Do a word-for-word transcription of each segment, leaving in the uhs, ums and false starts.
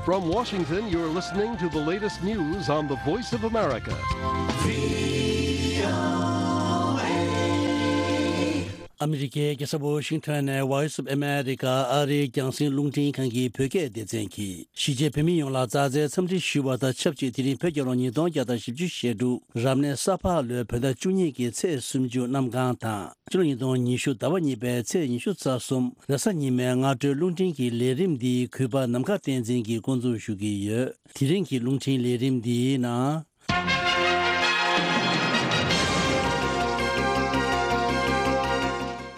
From Washington, you're listening to the latest news on the Voice of America. ཨ་མི་རི་ཀའི་རྒྱལ་ས་ཝོ་ཤིང་ཊོན་ནས་Voice of America ཨ་རིའི་རྒྱང་སྲིང་རླུང་འཕྲིན་ཁང་གི་བོད་སྐད་སྡེ་ཚན་གྱིས། གཞིས་བྱེས་བོད་མི་ཡོངས་ལ་མཛའ་བརྩེའི་འཚམས་འདྲི་ཞུ་བ་དང་ཆབས་ཅིག་དེ་རིང་བོད་རྒྱལ་ལོ་ཉིས་སྟོང་བརྒྱ་དང་བཞི་བཅུ་ཞེ་དྲུག་རབ་གནས་ས་ཕག་ལོའི་བོད་ཟླ་བཅུ་གཉིས་ཀྱི་ཚེས་སུམ་ཅུ་གནམ་གང་དང་། ཕྱི་ལོ་ཉིས་སྟོང་ཉི་ཤུ་ཟླ་བ་གཉིས་པའི་ཚེས་ཉི་ཤུ་རྩ་གསུམ་རེས་གཟའ་ཉི་མའི་སྔ་དྲོའི་རླུང་འཕྲིན་གྱི་ལས་རིམ་འདི་གུས་པ་ནམ་མཁའ་བསྟན་འཛིན་གྱིས་འགོ་འཛུགས་ཞུ་གི་ཡོད། དེ་རིང་གི་རླུང་འཕྲིན་ལས་རིམ་འདིའི་ནང་།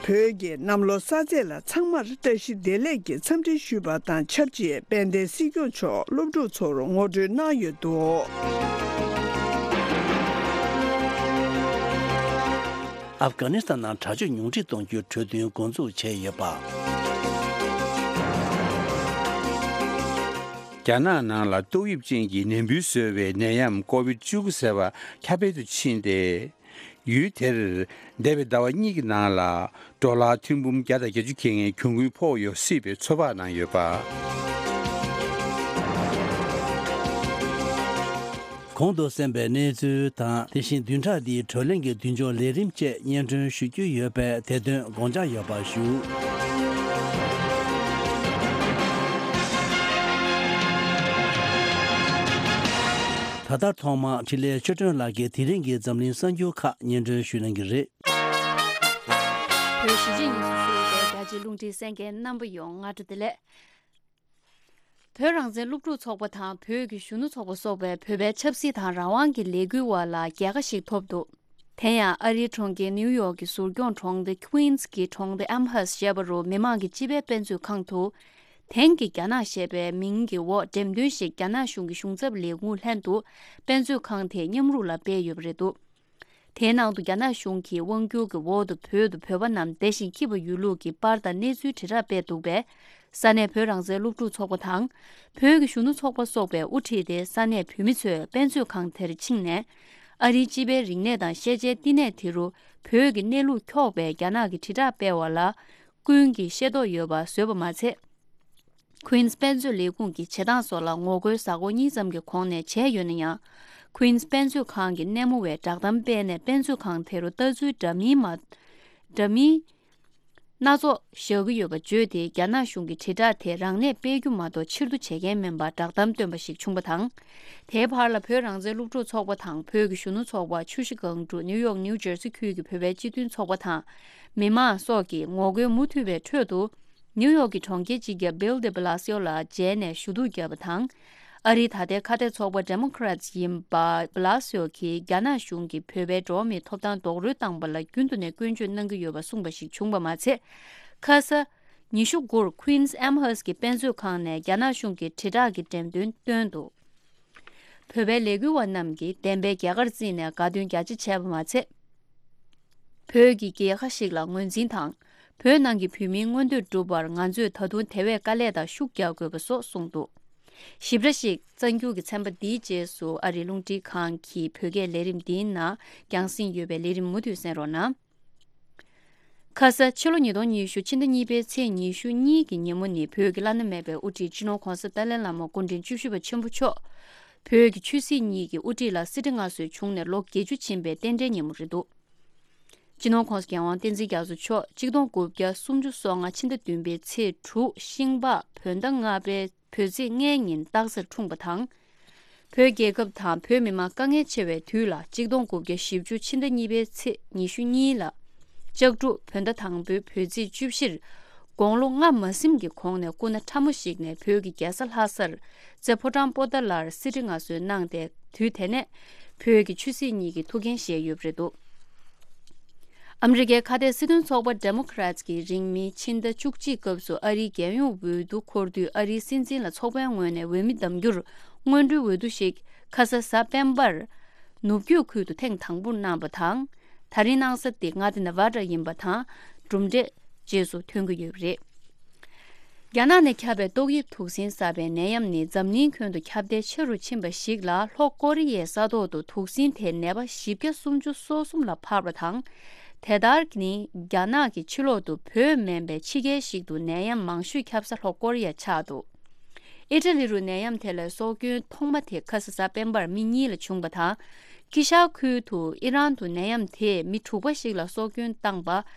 བོད་ཀྱི་གནམ་ལོ་གསར་ཚེས་ལ་ཚང་མར་བཀྲ་ཤིས་བདེ་ལེགས་ཀྱི་འཚམས་འདྲི་ཞུས་པ་དང་ཆབས་ཅིག་དཔལ་ལྡན་སྲིད་སྐྱོང་མཆོག་སློབ་ཕྲུག་ཚོར་ངོ་སྤྲོད་གནང་ཡོད་འདུག་ཨབ་གྷ་ནི་སི་ཐན་ནང་དྲག་སྤྱོད་ཉུང་འཕྲི་གཏོང་རྒྱུའི་གྲོས་མཐུན་འགོ་འཛུགས་བྱས་ཡོད་པ། རྒྱ་ནག་ནང་ལ་ཏོག་དབྱིབས་ཅན་གྱི་ནད་འབུའི་བཟོ་བའི་ནད་ཡམས་ཀོ་བིད་བཅུ་དགུ་ཟེར་བ་ཁྱབ་སྤེལ་དུ་ཕྱིན་ཏེ། ཡུལ་དེར་འདས་པའི་ཟླ་བ་གཉིས་ཀྱི་ནང་ལ་ཌོ་ལར་ཐེར་འབུམ་བརྒྱ་དང་བརྒྱད་ཅུ་གྱ་ལྔའི་གྱོང་གུན་ཕོག་ཡོད་སྲིད་པའི་ཚོད་དཔག་གནང་ཡོད་པ། གོང་དུ་གསན་པའི་གནས་ཚུལ་དང་། དེ་བཞིན་བདུན་ཕྲག་འདིའི་བགྲོ་གླེང་གི་མདུན་ལྕོག་ལས་རིམ་བཅས་སྙན་སྒྲོན་ཞུ་རྒྱུ་ཡོད་པས་དེ་དོན་དགོངས་འཇགས་ཡོད་པ་ཞུ། ད་ལྟ་ཐོག་མར་འཕྲིན་ལས་ཆོས་སྒྲོན་ལགས་ཀྱིས་དེ་རིང་གི་འཛམ་གླིང་གསར་འགྱུར་ཁག་སྙན་སྒྲོན་ཞུ་གནང་གི་རེད། བོད་གཞིས་བྱེས་གཉིས་སུ་བཞུགས་པའི་རྒྱ་ཆེའི་རླུང་འཕྲིན་གསན་མཁན་རྣམ་པ་ཡོངས་སྔ་དྲོ་བདེ་ལེགས། བོད་རང་བཙན་སློབ་ཕྲུག་ཚོགས་པ་དང་བོད་ཀྱི་གཞོན་ནུ་ཚོགས་པ་སོགས་པས་བོད་པའི་ཆབ་སྲིད་དང་རང་དབང་གི་ལས་འགུལ་བ་ལ་རྒྱལ་ཁ་ཞིག་ཐོབ་འདུག་དེ་ཡང་ཨ་རིའི་གྲོང་ཁྱེར་ནིའུ་ཡོག་གི་ཟུར་སྐྱོང་གྲོང་སྡེ་ཀུན་སི་གི་གྲོང་སྡེ་ཨམ་ཧར་སི་ཞེས་པ་རུ་མི་མང་གི་སྤྱི་པའི་དཔེ་མཛོད་ཁང་དུ། དེང་གི་རྒྱ་ནག་ཞེས་པའི་མིང་གི་འོག་འགྲེམས་སྟོན་ཞིག་རྒྱ་ནག་གཞུང་གི་གཞུང་ཚབ་ལས་ཁུངས་ལྷན་དུ་དཔེ་མཛོད་ཁང་དེའི་མཉམ་རུབ་ལ་སྤེལ་ཡོད་པ་རེད་འདུག་དེའི་ནང་དུ་རྒྱ་ནག་གཞུང་གིས་དབང་བསྒྱུར་གྱི་འོག་ཏུ་བོད་དུ་བོད་པ་རྣམས་བསྡད་ཤིང་སྐྱིད་པ་ཡོད་ལུགས་ཀྱི་པར་དང་གནས་ཚུལ་དྲིལ་བསྒྲགས་སྤེལ་འདུག་པས། ས་གནས་བོད་རང་བཙན་སློབ་ཕྲུག་ཚོགས་པ་དང་། བོད་ཀྱི་གཞོན་ནུ་ཚོགས་པ་སོགས་པས་དབུ་ཁྲིད་དེ་ས་གནས་བོད་མི་ཚོས་དཔེ་མཛོད་ཁང་དེར་ཕྱིན་ནས། ཨ་རིའི་སྤྱི་པའི་རིག་གནས་དང་ཤེས་བྱའི་བསྟི་གནས་དེ་རུ་བོད་ཀྱི་གནས་ལུགས་འཁྱོག་པའི་རྒྱ་ནག་གི་དྲིལ་བསྒྲགས་སྤེལ་བ་ལ། ཀུན་གྱིས་ཤེས་རྟོགས་ཡོད་པ་བཟོས་པ་མ་ཚད། ཀུན་སི་དཔེ་མཛོད་ལས་ཁུངས་ཀྱི་བྱེད་སྟངས་སོགས་ལ་ངོ་རྒོལ་གཟའ་འཁོར་གཉིས་ཙམ་གྱི་གོང་ནས་བྱས་ཡོད་ན་ཡང་། ཀུན་སི་དཔེ་མཛོད་ཁང་གི་སྣེ་མོ་བས་བསྒྲགས་གཏམ་སྤེལ་ནས་དཔེ་མཛོད་ཁང་དེ་རུ་ལྟ་ཚུལ་འདྲ་མིན་མ། འདྲ་མིན་སྣ་ཚོགས་བཞག་གི་ཡོད་པ་བརྗོད་དེ། རྒྱ་ནག་གཞུང་གི་དྲིལ་བསྒྲགས་དེ་རང་ནས་སྤེལ་རྒྱུ་མ་གཏོགས་ཕྱིར་བསྡུ་བྱེད་མཁན་མིན་པར་བསྒྲགས་གཏམ་བཏོན་པ་ཞིག་བྱུང་བ་དང་། དེའི་བར་ལ་བོད་རང་བཙན་སློབ་ཕྲུག་ཚོགས་པ་དང་བོད་ཀྱི་གཞོན་ནུ་ཚོགས་པ། ཆུ་བཞི་སྒང་དྲུག་ནིའུ་ཡོག་ནིའུ་ཇར་སི་ཁུལ་གྱི་བོད་པའི་སྤྱི་མཐུན་ཚོགས་པ་དང་། མི་མང་སོགས་ཀྱིས་ངོ་རྒོལ་མུ་མཐུད་པའི་ཁྲོད་དུ། ནིའུ་ཡོག་གི་གྲོང་ཁྱེར་སྤྱི་ཁྱབ་བྷིལ་ཌེ་བྷི་ལ་སི་ཡོ་ལ་མཇལ་ནས་ཞུ་གཏུག་བརྒྱབ་པ་དང་། ཨ་རིའི་ད་ལྟའི་ཁ་གཏད་ཚོགས་པ་ཌེ་མོ་ཀ་རེ་ཊི་ཡིན་པ་བྷི་ལ་སི་ཡོ་གིས་རྒྱ་ནག་གཞུང་གིས་བོད་པའི་འགྲོ་བ་མིའི་ཐོབ་ཐང་རྡོག་རོལ་བཏང་པ་ལ་རྒྱུན་དུ་ནས་སྐྱོན་བརྗོད་གནང་གི་ཡོད་པ་གསུངས་པ་ཞིག་བྱུང་བ་མ་ཚད། ཁ་ས་ཉི་ཤུ་དགུར་ཀུན་སི་ཨམ་ཧར་སི་གི་དཔེ་མཛོད་ཁང་ནས་རྒྱ་ནག་གཞུང་གི་དྲིལ་བསྒྲགས་ཀྱི་འགྲེམས་སྟོན་བཏོན་འདུག་བོད་པའི་ལས་འགུལ་བ་རྣམས་ཀྱིས་བདེན་པའི་རྒྱལ་ཁར་བརྩིས་ནས་དགའ་སྟོན་རྒྱ་ཆེ་བྱས་པ་མ་ཚད། བོད་ཀྱི་རྒྱལ་ཁ་ཞིག་ལ་ངོས་འཛིན་དང་། བོད་ནང་གི་བོད་མིའི་མངོན་འདོད་སྒྲུབ་པར་ང་ཚོས་ད་དུང་དེ་བས་དཀའ་ལས་དང་ཤུགས་རྒྱག་དགོས་པ་སོགས་གསུངས་འདུག་ཞིབ་ཕྲ་ཞིག་གསར་འགྱུར་གྱི་ཚན་པ་འདིའི་རྗེས་སུ་ཨ་རིའི་རླུང་འཕྲིན་ཁང་གི་བོད་སྐད་ལས་རིམ་འདིའི་ནང་རྒྱང་སྲིང་ཡོད་པའི་ལས་རིམ་མུ་མཐུད་གསན་རོགས་གནང་། ཁ་ས་ཕྱི་ལོ་ཉིས་སྟོང་ཉི་ཤུ་ཕྱི་ཟླ་གཉིས་པའི་ཚེས་ཉི་ཤུ་གཉིས་ཀྱི་ཉིན་མོ་ནི་བོད་ཀྱི་བླ་ན་མེད་པའི་དབུ་ཁྲིད་སྤྱི་ནོར་༧གོང་ས་ཏཱ་ལའི་བླ་མ་སྐུ་ཕྲེང་བཅུ་བཞི་པ་ཆེན་པོ་མཆོག་བོད་ཀྱི་ཆོས་སྲིད་གཉིས་ཀྱི་དབུ་ཁྲིད་ལ་སྲིད་ཁྲི་མངའ་གསོལ་བྱུང་ནས་ལོ་བརྒྱད་ཅུ་ཕྱིན་པའི་རྟེན་འབྲེལ་ཉིན་མོ་རེད་འདུག་སྤྱི་ནོར་༧གོང་ས་༧རྒྱལ་དབང་བསྟན་འཛིན་རྒྱ་མཚོ་མཆོག་གཅིག་སྟོང་དགུ་བརྒྱ་སུམ་ཅུ་སོ་ལྔ་ཕྱི་ཟླ་བདུན་པའི་ཚེས་དྲུག་ཤིང་ལྤགས་བོད་ཟླ་ལྔ་པའི་བོད་ཚེས་ལྔའི་ཉིན་སྟག་གཟར་འཁྲུངས་པ་དང་། བོད་རྒྱལ་ཁབ་དང་བོད་མི་མང་དཀའ་ངལ་ཆེ་བའི་དུས་ལ་གཅིག་སྟོང་དགུ་བརྒྱ་བཞི་བཅུ་ཕྱི་ཟླ་གཉིས་པའི་ཚེས་ཉི་ཤུ་གཉིས་ལ། ལྕགས་འབྲུག་བོད་ཟླ་དང་པོའི་བོད་ཚེས་བཅུ་བཞིར། དགུང་ལོ་ལྔ་མ་ཟིན་གྱི་གོང་ནས་སྐུ་ན་ཕྲ་མོ་ཞིག་ནས་བོད་ཀྱི་རྒྱལ་ས་ལྷ་སར་རྩེ་ཕོ་བྲང་པོ་ཏཱ་ལར་གསེར་ཁྲི་མངའ་གསོལ་གནང་སྟེ། དུས་དེ་ནས་བོད་ཀྱི་ཆོས་སྲིད་གཉིས་ཀྱི་ཐུགས་འགན་བཞེས་ཡོད་པ་རེད་འདུག་ཨ་མི་རི་ཀའི་ཁ་གཏད་སྲིད་དོན་ཚོགས་པ་ཌེ་མོ་ཀ་རེ་ཊི་ཀྱིས་རིང་མིན་ཕྱི་ཟླ་བཅུ་གཅིག་སྐབས་སུ་ཨ་རིའི་རྒྱལ་ཡོངས་འོས་བསྡུ་འཁོར་དུས་ཨ་རིའི་སྲིད་འཛིན་ལ་ཚོགས་པའི་ངོས་ནས་འོས་མི་གདམ་རྒྱུར་སྔོན་འགྲོའི་འོས་བསྡུ་ཞིག་ཁ་ས་གཟའ་སྤེན་པར་ནུབ་རྒྱུད་ཁུལ་དུ་ཐེངས་དང་པོར་གནང་བ་དང་། ད་རིང་གནང་ས་དེ་མངའ་སྡེ་ནེ་ཝ་ཌ་ཡིན་པ་དང་། གྲུབ་འབྲས་རྗེས་སུ་ཐོན་གྱི་ཡོད་པ་རེད། རྒྱ་ནག་ནས་ཁྱབ་པའི་ཏོག་དབྱིབས་དུག་སྲིན་གསར་པའི་ནད་ཡམས་ནི་འཛམ་གླིང་ཁྱོན་དུ་ཁྱབ་གདལ་ཆེ་རུ་ཕྱིན་པ་ཞིག་ལ། ལྷོ་ཀོ་རི་ཡའི་ས་ཐོག་ཏུ་དུག་སྲིན་དེའི་ནད་པ་བཞི་བརྒྱ་སུམ་ཅུ་སོ་གསུམ་ལ་འཕར་བ་དང་། དེ་ལྟར་ནི་རྒྱ་ནག་གི་ཕྱི་ལོག་ཏུ་བོད་མིན་པའི་ཕྱི་རྒྱལ་ཞིག་ཏུ་ནད་ཡམས་མང་ཤོས་ཁྱབ་ས་ལྷོ་ཀོ་རི་ཡ་ཆགས་འདུག་ཨི་ཊ་ལི་རུ་ནད་ཡམས་དེ་ལ་སྲོག་སྐྱོན་ཐོག་མ་དེ་ཁ་ས་གཟའ་སྤེན་པར་མི་གཉིས་ལ་བྱུང་བ་དང་། ཀི་ཤ་ཁུལ་དུ་ཨི་རན་དུ་ནད་ཡམས་དེས་མི་དྲུག་པ་ཞིག་ལ་སྲོག་སྐྱོན་བཏང་པ་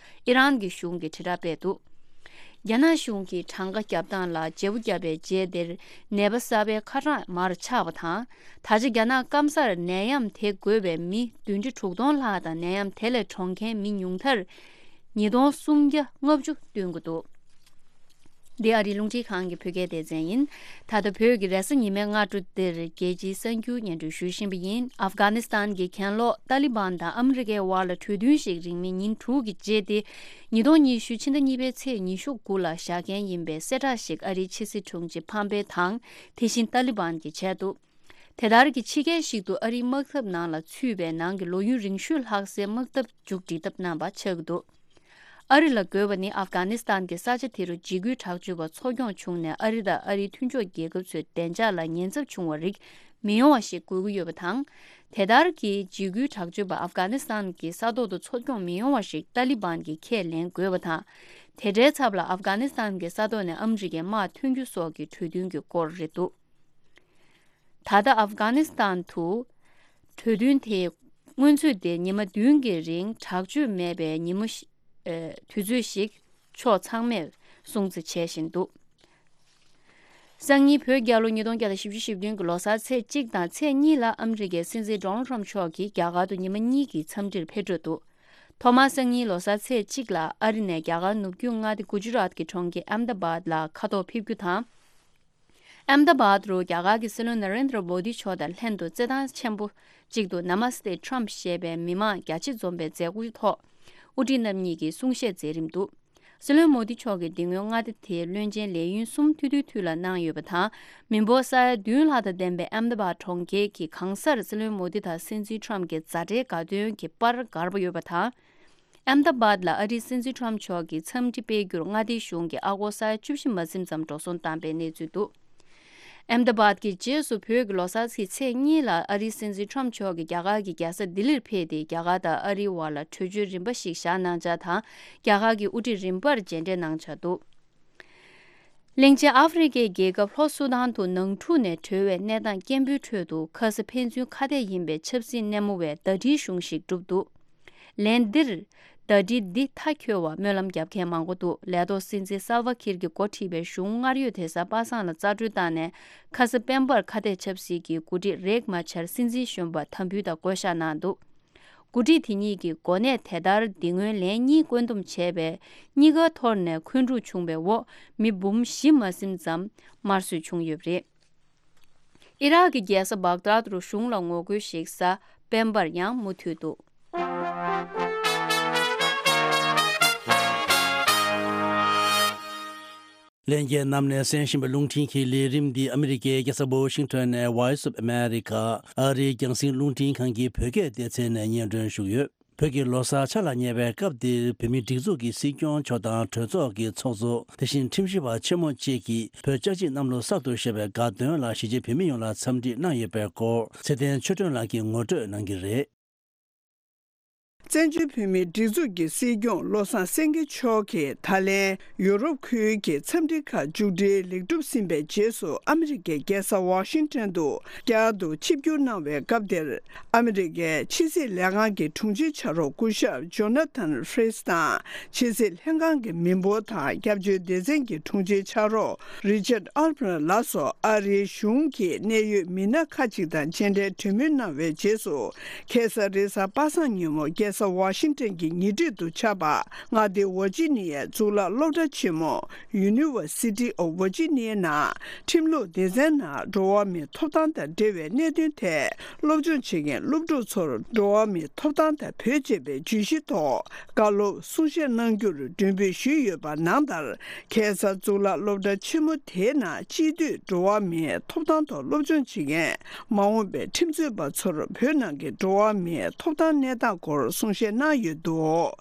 ཨི་རན་གྱི་གཞུང་གིས་དྲིལ་བསྒྲགས་སྤེལ་འདུག་རྒྱ་ནག་གཞུང་གིས་གྲངས་ཀ་བརྒྱབ་སྟངས་ལ་བརྗེ་པོ་བརྒྱབ་པའི་རྗེས་དེར་ནད་པ་གསར་པའི་ཁ་གྲངས་མར་ཆག་པ་དང་། ད་ཆ་རྒྱ་ནག་སྐམ་སར་ནད་ཡམས་དེ་འགོས་པའི་མི་བདུན་ཁྲི་དྲུག་སྟོང་ལྷག་དང་ནད་ཡམས་དེ་ལས་གྲོངས་མཁན་མི་ཉུང་མཐར་ཉིས་སྟོང་སུམ་བརྒྱ་ལྔ་བཅུ་བསྟུན་གྱི་འདུག་འདི་ཨ་རིའི་རླུང་འཕྲིན་ཁང་གི་བོད་སྐད་སྡེ་ཚན་ཡིན། ད་ལྟ་བོད་ཀྱི་རེས་གཟའ་ཉི་མའི་སྔ་དྲོ་འདིར་རྒྱལ་སྤྱིའི་གསར་འགྱུར་སྙན་སྒྲོན་ཞུ་བཞིན་པ་ཡིན། ཨབ་གྷ་ནི་སི་ཐན་གྱི་གྱེན་ལོག་ཏཱ་ལི་བན་དང་ཨ་མི་རི་ཀའི་དབར་ལ་གྲོས་མཐུན་ཞིག་རིང་མིན་ཉིན་དྲུག་གི་རྗེས་ཏེ། ཉིས་སྟོང་ཉི་ཤུ་ཕྱི་ཟླ་གཉིས་པའི་ཚེས་ཉི་ཤུ་དགུ་ལ་བཞག་མཁན་ཡིན་པའི་གསལ་བསྒྲགས་ཤིག་ཨ་རིའི་ཕྱི་སྲིད་དྲུང་ཆེ་ཕམ་པེ་དང་དེ་བཞིན་ཏཱ་ལི་བན་གྱིས་བྱས་འདུག་དེ་ལྟར་གྱི་ཕྱི་རྒྱལ་ཞིག་ཏུ་ཨ་རིའི་དམག་འཐབ་ནང་ལ་ཚུད་པའི་ནང་གི་ལོ་ཡུན་རིང་ཤོས་ལྷག་སའི་དམག་འཐབ་མཇུག་སྒྲིལ་ཐབས་གནང་བ་ཆགས་ཀྱི་འདུག་ཨ་རི་ལ་རྒོལ་བ་ནི་ཨབ་གྷ་ནི་སི་ཐན་གྱི་ས་ཆ་དེ་རུ་འཇིགས་སྐུལ་དྲག་སྤྱོད་པ་འཚོ་སྐྱོང་བྱུང་ནས་ཨ་རི་དང་ཨ་རིའི་མཐུན་ཕྱོགས་རྒྱལ་ཁབ་ཚོའི་བདེ་འཇགས་ལ་ཉེན་ཚབས་བྱུང་བ་རིགས་མི་ཡོང་བ་ཞིག་དགོས་ཀྱི་ཡོད་པ་དང་། དེ་ལྟར་གྱི་འཇིགས་སྐུལ་དྲག་སྤྱོད་པ་ཨབ་གྷ་ནི་སི་ཐན་གྱི་ས་ཐོག་ཏུ་འཚོ་སྐྱོང་མི་ཡོང་བ་ཞིག་ཏཱ་ལི་བན་གྱིས་ཁས་ལེན་དགོས་པ་དང་། དེ་འདྲའི་ཚབ་ལ་ཨབ་གྷ་ནི་སི་ཐན་གྱི་ས་ཐོག་ནས་ཨ་མི་རི་ཀའི་དམག་ཐོན་རྒྱུ་སོགས་ཀྱི་གྲོས་མཐུན་གྱི་སྐོར་རེད་འདུག་ད་ལྟ་ཨབ་གྷ་ནི་སི་ཐན་དུ་གྲོས་མཐུན་དེ་སྔོན་ཚུད་དེ་ཉི་མ་བདུན་གྱི་རིང་དྲག་སྤྱོད་མེད་པའི་ཉིན་མོ་ཞིག་ཨེ། དུས་ཚོད་ཞིག་ཕྱོགས་ཚང་མས་སྲུང་བརྩི་བྱས་བཞིན་འདུག་སང་ཉིན་བོད་རྒྱལ་ལོ་ཉིས་སྟོང་བརྒྱ་དང་བཞི་བཅུ་ཞེ་བདུན་གྱི་ལོ་གསར་ཚེས་གཅིག་དང་ཚེས་གཉིས་ལ་ཨ་མི་རི་ཀའི་སྲིད་འཛིན་ཌོ་ནལ་ཊམ་མཆོག་གིས་རྒྱ་གར་དུ་ཉི་མ་གཉིས་ཀྱི་འཚམས་འདྲིར་ཕེབས་འགྲོ་འདུག་ཐོག་མར་སང་ཉིན་ལོ་གསར་ཚེས་གཅིག་ལ་ཨ་རི་ནས་རྒྱ་གར་ནུབ་རྒྱུད་མངའ་སྡེ་གུ་ཇི་རཱཏ་ཀྱི་གྲོང་ཁྱེར་ཨེམ་ད་བཱད་ལ་མཁའ་ཐོག་ཕེབས་རྒྱུ་དང་། ཨེམ་ད་བཱད་རུ་རྒྱ་གར་གྱི་སྲིད་བློན་ན་རེན་དྲ་མོ་དི་མཆོག་དང་ལྷན་དུ་རྩེད་ཐང་ཆེན་པོ་གཅིག་ཏུ་Namaste Trump ཞེས་པའི་མི་མང་རྒྱ་ཆེ་འཛོམས་པའི་མཛད་སྒོའི་ཐོག་དབུ་ཁྲིད་རྣམ་གཉིས་ཀྱིས་གསུང་བཤད་མཛད་རིམ་འདུག་སྲིད་བློན་མོ་དི་མཆོག་གིས་འདི་སྔོན་མངའ་སྡེ་དེའི་བློན་ཆེན་ལས་ཡུན་གསུམ་ཐུང་ཐུང་ཐུང་ལ་གནང་ཡོད་པ་དང་། མི་འབོར་ས་ཡ་བདུན་ལྷག་དང་ལྡན་པའི་ཨེམ་ད་བཱད་གྲོང་ཁྱེར་གྱི་གང་སར་སྲིད་བློན་མོ་དི་དང་སྲིད་འཛིན་ཊམ་གྱི་མཛའ་འབྲེལ་དགའ་སྟོན་གྱི་པར་བསྒར་བ་ཡོད་པ་དང་། ཨེམ་ད་བཱད་ལ་ཨ་རིའི་སྲིད་འཛིན་ཊམ་མཆོག་གིས་འཚམས་འདྲི་སྤེལ་རྒྱུར་མངའ་སྡེའི་གཞུང་གིས་ཨ་སྒོར་ས་ཡ་བཅུ་བཞི་མ་ཟིན་ཙམ་འགྲོ་སོང་བཏང་པའི་གནས་ཚུལ་འདུག་ཨེམ་ད་བཱད་ཀྱི་རྗེས་སུ་བོད་ཀྱི་ལོ་གསར་གྱི་ཚེས་གཉིས་ལ་ཨ་རིའི་སྲིད་འཛིན་ཊམ་མཆོག་གིས་རྒྱ་གར་གྱི་རྒྱལ་ས་ལྡི་ལིར་ཕེབས་ཏེ་རྒྱ་གར་དང་ཨ་རིའི་དབར་ལ་གྲོས་ཆོད་རིམ་པ་ཞིག་བཞག་གནང་འཆར་དང་། རྒྱ་གར་གྱི་དབུ་ཁྲིད་རིམ་པར་མཇལ་འཕྲད་གནང་འཆར་འདུག་གླིང་ཆེན་ཨ་ཧྥེ་རི་ཁའི་རྒྱལ་ཁབ་ལྷོ་སུ་དཱན་དུ་ནང་འཁྲུག་ནས་གྲོལ་བའི་གནས་སྟངས་སྐྱེན་པོའི་ཁྲོད་དུ་ཁ་ས་ཕན་ཚུན་ཁ་གཏད་ཡིན་པའི་ཆབ་སྲིད་སྣེ་མོ་བའི་ཟླ་སྒྲིལ་གཞུང་ཞིག་བསྒྲུབས་འདུག་ལན་འདིར་ཟླ་སྒྲིལ་འདི་མཐའ་འཁྱོལ་བར་སྨོན་ལམ་རྒྱབ་མཁན་མང་པོ་འདུག་ལས་ཐོག་སྲིད་འཛིན་སལ་ཝ་ཁིར་གྱིས་འགོ་ཁྲིད་པའི་གཞུང་སྔར་ཡོད་དེ་སར་པ་སངས་ལ་རྩ་སྤྲོད་བཏང་ནས་ཁ་ས་སྤེན་པར་ཁ་གཏད་ཆབ་སྲིད་ཀྱི་འགོ་ཁྲིད་རེག་མ་ཆར་སྲིད་འཛིན་གཞོན་པར་དམ་འབུལ་དང་བསྐོ་གཞག་གནང་འདུག་འགོ་ཁྲིད་དེ་གཉིས་ཀྱི་གོ་གནས་དེ་ལྟར་འདི་སྔོན་ལན་གཉིས་བཀོད་འདོམས་བྱས་པས་གཉིས་ཀ་འཐོར་ནས་འཁོན་འཁྲུག་བྱུང་བའི་འོག་མི་འབུམ་བཞི་མ་ཟིན་ཙམ་དམར་གསོད་བྱུང་ཡོད་པ་རེད། ཨི་རག་གི་རྒྱལ་ས་བྷག་དཱད་རུ་གཞུང་ལ་ངོ་རྒོལ་ཞིག་གཟའ་སྤེན་པར་ཡང་མུ་མཐུད་འདུག་ལྷན་རྒྱས་རྣམས་ནས་གསན་བཞིན་པའི་རླུང་འཕྲིན་གྱི་ལས་རིམ་འདི་ཨ་མི་རི་ཀའི་རྒྱལ་ས་ཝ་ཤིང་ཊོན་ནས་Voice of America ཨ་རིའི་རྒྱང་སྲིང་རླུང་འཕྲིན་ཁང་གི་བོད་སྐད་སྡེ་ཚན་ནས་སྙན་སྒྲོན་ཞུ་གི་ཡོད། བོད་ཀྱི་ལོ་གསར་འཆར་ལ་ཉེ་བའི་སྐབས་འདིར་བོད་མིའི་སྒྲིག་འཛུགས་ཀྱི་སྲིད་སྐྱོང་མཆོག་དང་གྲོས་ཚོགས་ཀྱི་ཚོགས་གཙོ། དེ་བཞིན་ཁྲིམས་ཞིབ་པ་ཆེན་མོ་བཅས་ཀྱིས་བོད་ལྕགས་བྱི་གནམ་ལོ་གསར་དུ་བཞད་པའི་དགའ་སྟོན་ལ་གཞིས་བྱེས་བོད་མི་ཡོངས་ལ་འཚམས་འདྲི་གནང་ཡོད་པའི་སྐོར་ཚེ་བརྟན་ཆོས་སྒྲོན་ལགས་ཀྱིས་ངོ་སྤྲོད་གནང་གི་རེད། བཙན་བྱོལ་བོད་མིའི་སྒྲིག་འཛུགས་ཀྱི་སྲིད་སྐྱོང་བློ་བཟང་སེང་གེ་མཆོག་གིས་ད་ལན་ཡུ་རོབ་ཁུལ་གྱི་འཚམས་འདྲི་ཁག་མཇུག་སྒྲིལ་ལེགས་གྲུབ་ཟིན་པའི་རྗེས་སུ་ཨ་མི་རི་ཀའི་རྒྱལ་ས་ཝ་ཤིང་ཊོན་དུ་བསྐྱར་དུ་ཆིབས་བསྒྱུར་གནང་བའི་སྐབས་དེར། ཨ་མི་རི་ཀའི་ཕྱི་སྲིད་ལས་ཁང་གི་དྲུང་ཆེ་ཕྱག་རོགས་སྐུ་ཞབས་ཇོ་ན་ཐན་ཧྥི་རིས་དང་། ཕྱི་སྲིད་ལྷན་ཁང་གི་མི་འབོར་དང་སྐྱབས་བཅོལ་སྡེ་ཚན་གྱི་དྲུང་ཆེ་ཕྱག་རོགས་རི་ཅར་ཨལ་བྷར་ལགས་སོགས་ཨ་རིའི་གཞུང་གི་གནད་ཡོད་མི་སྣ་ཁག་ཅིག་དང་མཇལ་འཕྲད་གྲོས་མོལ་གནང་བའི་རྗེས་སུ། ཁ་སང་རེས་གཟའ་པ་སངས་ཉིན་མོ་རྒྱལ་ས་ཝ་ཤིང་ཊོན་གྱི་ཉེ་འཁྲིས་སུ་ཆགས་པ་མངའ་སྡེ་ཝར་ཇི་ནི་ཡའི་གཙུག་ལག་སློབ་གྲྭ་ཆེན་མོ་University of Virginia ནང་ཁྲིམས་ལུགས་སྡེ་ཚན་ནང་འགྲོ་བ་མིའི་ཐོབ་ཐང་དང་འབྲེལ་བའི་གནད་དོན་ཐད་སློབ་སྦྱོང་བྱེད་མཁན་སློབ་ཕྲུག་ཚོར་འགྲོ་བ་མིའི་ཐོབ་ཐང་དང་བོད་ཅེས་པའི་བརྗོད་གཞི་ཐོག་བཀའ་སློབ་གསུང་བཤད་གནང་རྒྱུར་མགྲོན་འབོད་ཞུས་ཡོད་པ་ནང་ལྟར། ཁ་སང་གཙུག་ལག་སློབ་གྲྭ་ཆེན་མོ་དེའི་ནང་སྤྱི་འཐུས་འགྲོ་བ་མིའི་ཐོབ་ཐང་ཐོག་སློབ་སྦྱོང་བྱེད་མཁན་མ་འོངས་པའི་ཁྲིམས་རྩོད་པ་ཚོར་བོད་ནང་གི་འགྲོ་བ་མིའི་ཐོབ་ཐང་གནས་སྟངས་སྐོར་ གསུང་བཤད་གནང་ཡོད་འདུག་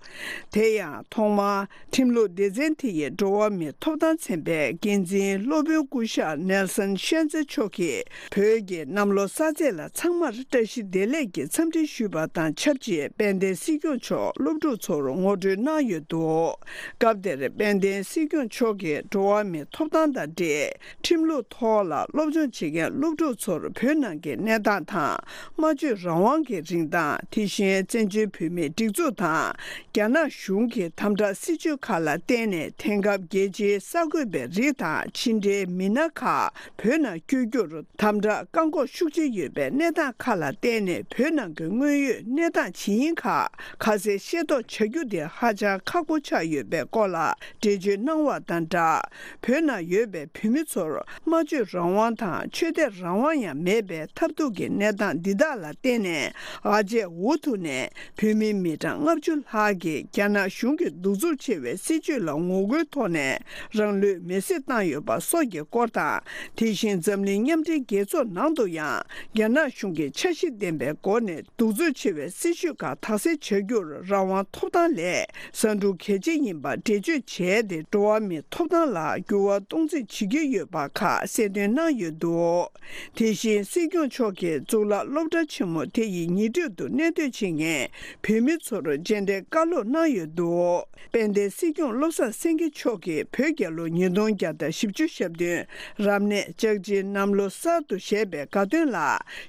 དེ་ཡང་ཐོག་མར་ཁྲིམས་ལུགས་སྡེ་ཚན་དེ་ཡི་འགྲོ་བ་མིའི་ཐོབ་ཐང་ཚན་པའི་འགན་འཛིན་སློབ་དཔོན་སྐུ་ཞབས་ནེལ་སན་ཤན་ཛེ་མཆོག་གིས། བོད་ཀྱི་གནམ་ལོ་གསར་ཚེས་ལ་ཚང་མར་བཀྲ་ཤིས་བདེ་ལེགས་ཀྱི་འཚམས་འདྲི་ཞུས་པ་དང་ཆབས་ཅིག་དཔལ་ལྡན་སྲིད་སྐྱོང་མཆོག་སློབ་ཕྲུག་ཚོར་ངོ་སྤྲོད་གནང་ཡོད་འདུག་སྐབས་དེར་དཔལ་ལྡན་སྲིད་སྐྱོང་མཆོག་གིས་འགྲོ་བ་མིའི་ཐོབ་ཐང་དང་འབྲེལ་ཁྲིམས་ལུགས་ཐོག་ལ་སློབ་སྦྱོང་བྱེད་མཁན་སློབ་ཕྲུག་ཚོར་བོད་ནང་གི་གནས་སྟངས་དང་སྨྲ་བརྗོད་རང་དབང་གི་རིན་ཐང་། དེ་བཞིན་བཙན་བྱོལ་བོད་མིའི་སྒྲིག་འཛུགས་དང་རྒྱ་ནག་གཞུང་གི་དམ་དྲག་སྲིད་བྱུས་ཁག་ལ་བརྟེན་ནས་དེང་སྐབས་རྒྱལ་སྤྱིའི་གསར་འགོད་པའི་རིགས་དང་ཕྱི་འབྲེལ་མི་སྣ་ཁག་བོད་ནང་བསྐྱོད་རྒྱུར་དམ་དྲག་བཀག་འགོག་ཤུགས་ཆེ་ཡོད་པའི་གནས་སྟངས་ཁག་ལ་བརྟེན་ནས་བོད་ནང་གི་དངོས་ཡོད་གནས་སྟངས་ཇི་ཡིན་ཁག་ཁ་གསལ་ཤེས་རྟོགས་བྱ་རྒྱུ་དེ་ཧ་ཅང་ཁག་པོ་ཆགས་ཡོད་པའི་སྐོར་ལ་འགྲེལ་བརྗོད་གནང་བ་དང་སྦྲགས། བོད་ནང་ཡོད་པའི་བོད་མི་ཚོར་སྨྲ་བརྗོད་རང་དབང་དང་ཆོས་དད་རང་དབང་ཡང་མེད་པའི་ཐབས་སྡུག་གི་གནས་སྟངས་འདི་དག་ལ་བརྟེན་ནས་ཨ་ཅེ་འུ་ཐུག་ནས་བོད་མི་མི་གྲངས་ལྔ་བཅུ་ལྷག་གིས་རྒྱ་ནག་གཞུང་གི་གདུག་རྩུབ་ཆེ་བའི་སྲིད་བྱུས་ལ་ངོ་རྒོལ་ཐོག་ནས་རང་ལུས་མེར་སྲེག་བཏང་ཡོད་པ་སོགས་ཀྱི་སྐོར་དང་། དེ་བཞིན་འཛམ་གླིང་མཉམ་འབྲེལ་རྒྱལ་ཚོགས་ནང་དུ་ཡང་རྒྱ་ནག་གཞུང་གིས་འཆར་གཞི་ལྡན་པའི་སྒོ་ནས་གདུག་རྩུབ་ཆེ་བའི་སྲིད་བྱུས་ཁག་དག་སེལ་བྱ་རྒྱུར་རང་དབང་ཐོབ་ཐང་ལས་ཟ་འབྲུ་གལ་ཆེ་ཡིན་པ་འགྲེལ་བརྗོད་བྱས་ཏེ། འགྲོ་བ་མིའི་ཐོབ་ཐང་ལ་འགྱུར་བ་གཏོང་རྩིས་བྱེད་ཀྱི་ཡོད་པ་ཁག་གསལ་སྟོན་གནང་ཡོད་འདུག་དེ་བཞིན་སྲིད་སྐྱོང་མཆོག་གིས་གཙུག་ལག་སློབ་གྲྭ་ཆེན་མོ་དེ་ཡི་ཉེ་འཁྲིས་དུ་གནས་སྡོད་བྱེད་མཁན་བོད་མི་ཚོར་མཇལ་འཕྲད་བཀའ་སློབ་གནང་ཡོད་འདུག་དཔལ་ལྡན་སྲིད་སྐྱོང་བློ་བཟང་སེང་གེ་མཆོག་གིས་བོད་རྒྱལ་ལོ་ཉིས་སྟོང་བརྒྱ་དང་བཞི་བཅུ་ཞེ་བདུན་རབ་གནས་ལྕགས་བྱི་གནམ་ལོ་གསར་དུ་བཞད་པའི་དགའ་སྟོན་ལ་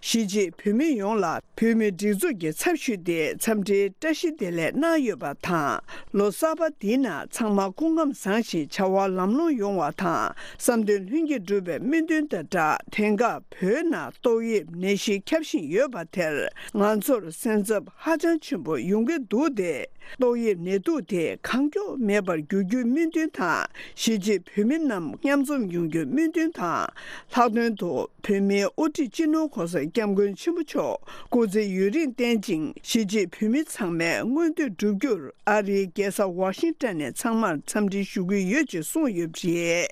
གཞིས་བྱེས་བོད་མི་ཡོངས་ལ་བོད་མིའི་སྒྲིག་འཛུགས་ཀྱི་ཚབ་ཞུས་ཏེ་འཚམས་འདྲིའི་བཀྲ་ཤིས་བདེ་ལེགས་གནང་ཡོད་པ་དང་། ལོ་གསར་པ་འདིའི་ནང་ཚང་མ་སྐུ་ཁམས་བཟང་ཞིང་བྱ་བ་ལམ་ལྷོང་ཡོང་བ་དང་། བསམ་དོན་ལྷུན་གྱིས་འགྲུབ་པའི་སྨོན་འདུན་དང་སྦྲགས། དེང་སྐབས་བོད་ནང་ཏོག་དབྱིབས་ནད་གཞི་ཁྱབ་བཞིན་ཡོད་པ་དེར་ང་ཚོར་སེམས་འཚབ་ཧ་ཅང་ཆེན་པོ་ཡོང་གི་འདུག་སྟེ། ཏོག་དབྱིབས་ནད་དུག་དེ་གང་མགྱོགས་མེད་པར་འགྱུར་རྒྱུའི་སྨོན་འདུན་དང་། གཞིས་བྱེས་བོད་མི་རྣམས་མཉམ་འཛོམས་ཡོང་རྒྱུའི་སྨོན་འདུན་དང་། ལྷག་དོན་དུ་བོད་མིའི་དབུ་ཁྲིད་སྤྱི་ནོར་༸གོང་ས་༸སྐྱབས་མགོན་ཆེན་པོ་མཆོག་སྐུ་ཚེ་ཡུན་རིང་བརྟན་ཅིང་། གཞིས་བྱེས་བོད་མི་ཚང་མའི་མངོན་འདོད་འགྲུབ་རྒྱུར་ཨ་རིའི་རྒྱལ་ས་ཝ་ཤིང་ཊོན་ནས་ཚང་མར་འཚམས་འདྲི་ཞུ་གི་ཡོད་ཅེས་གསུངས་ཡོད་པ་རེད།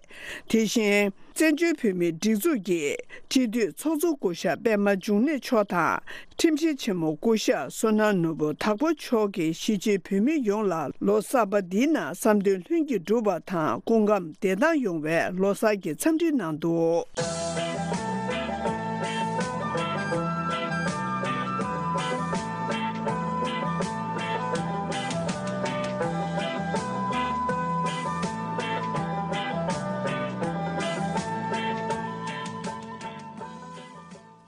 དེ་བཞིན། བཙན་བྱོལ་བོད་མིའི་སྒྲིག་འཛུགས་ཀྱི་སྤྱི་འཐུས་ཚོགས་གཙོ་སྐུ་ཞབས་པད་མ་འབྱུང་གནས་མཆོག་དང་། ཁྲིམས་ཞིབ་ཆེན་མོ་སྐུ་ཞབས་བསོད་ནམས་ནོར་བུ་དྭགས་པོ་མཆོག་གིས་གཞིས་བྱེས་བོད་མི་ཡོངས་ལ་ལོ་གསར་པ་འདིའི་ནང་བསམ་དོན་ལྷུན་གྱིས་འགྲུབ་པ་དང་སྐུ་ཁམས་བདེ་ཐང་ཡོང་བའི་ལོ་གསར་གྱི་འཚམས་འདྲི་གནང་འདུག་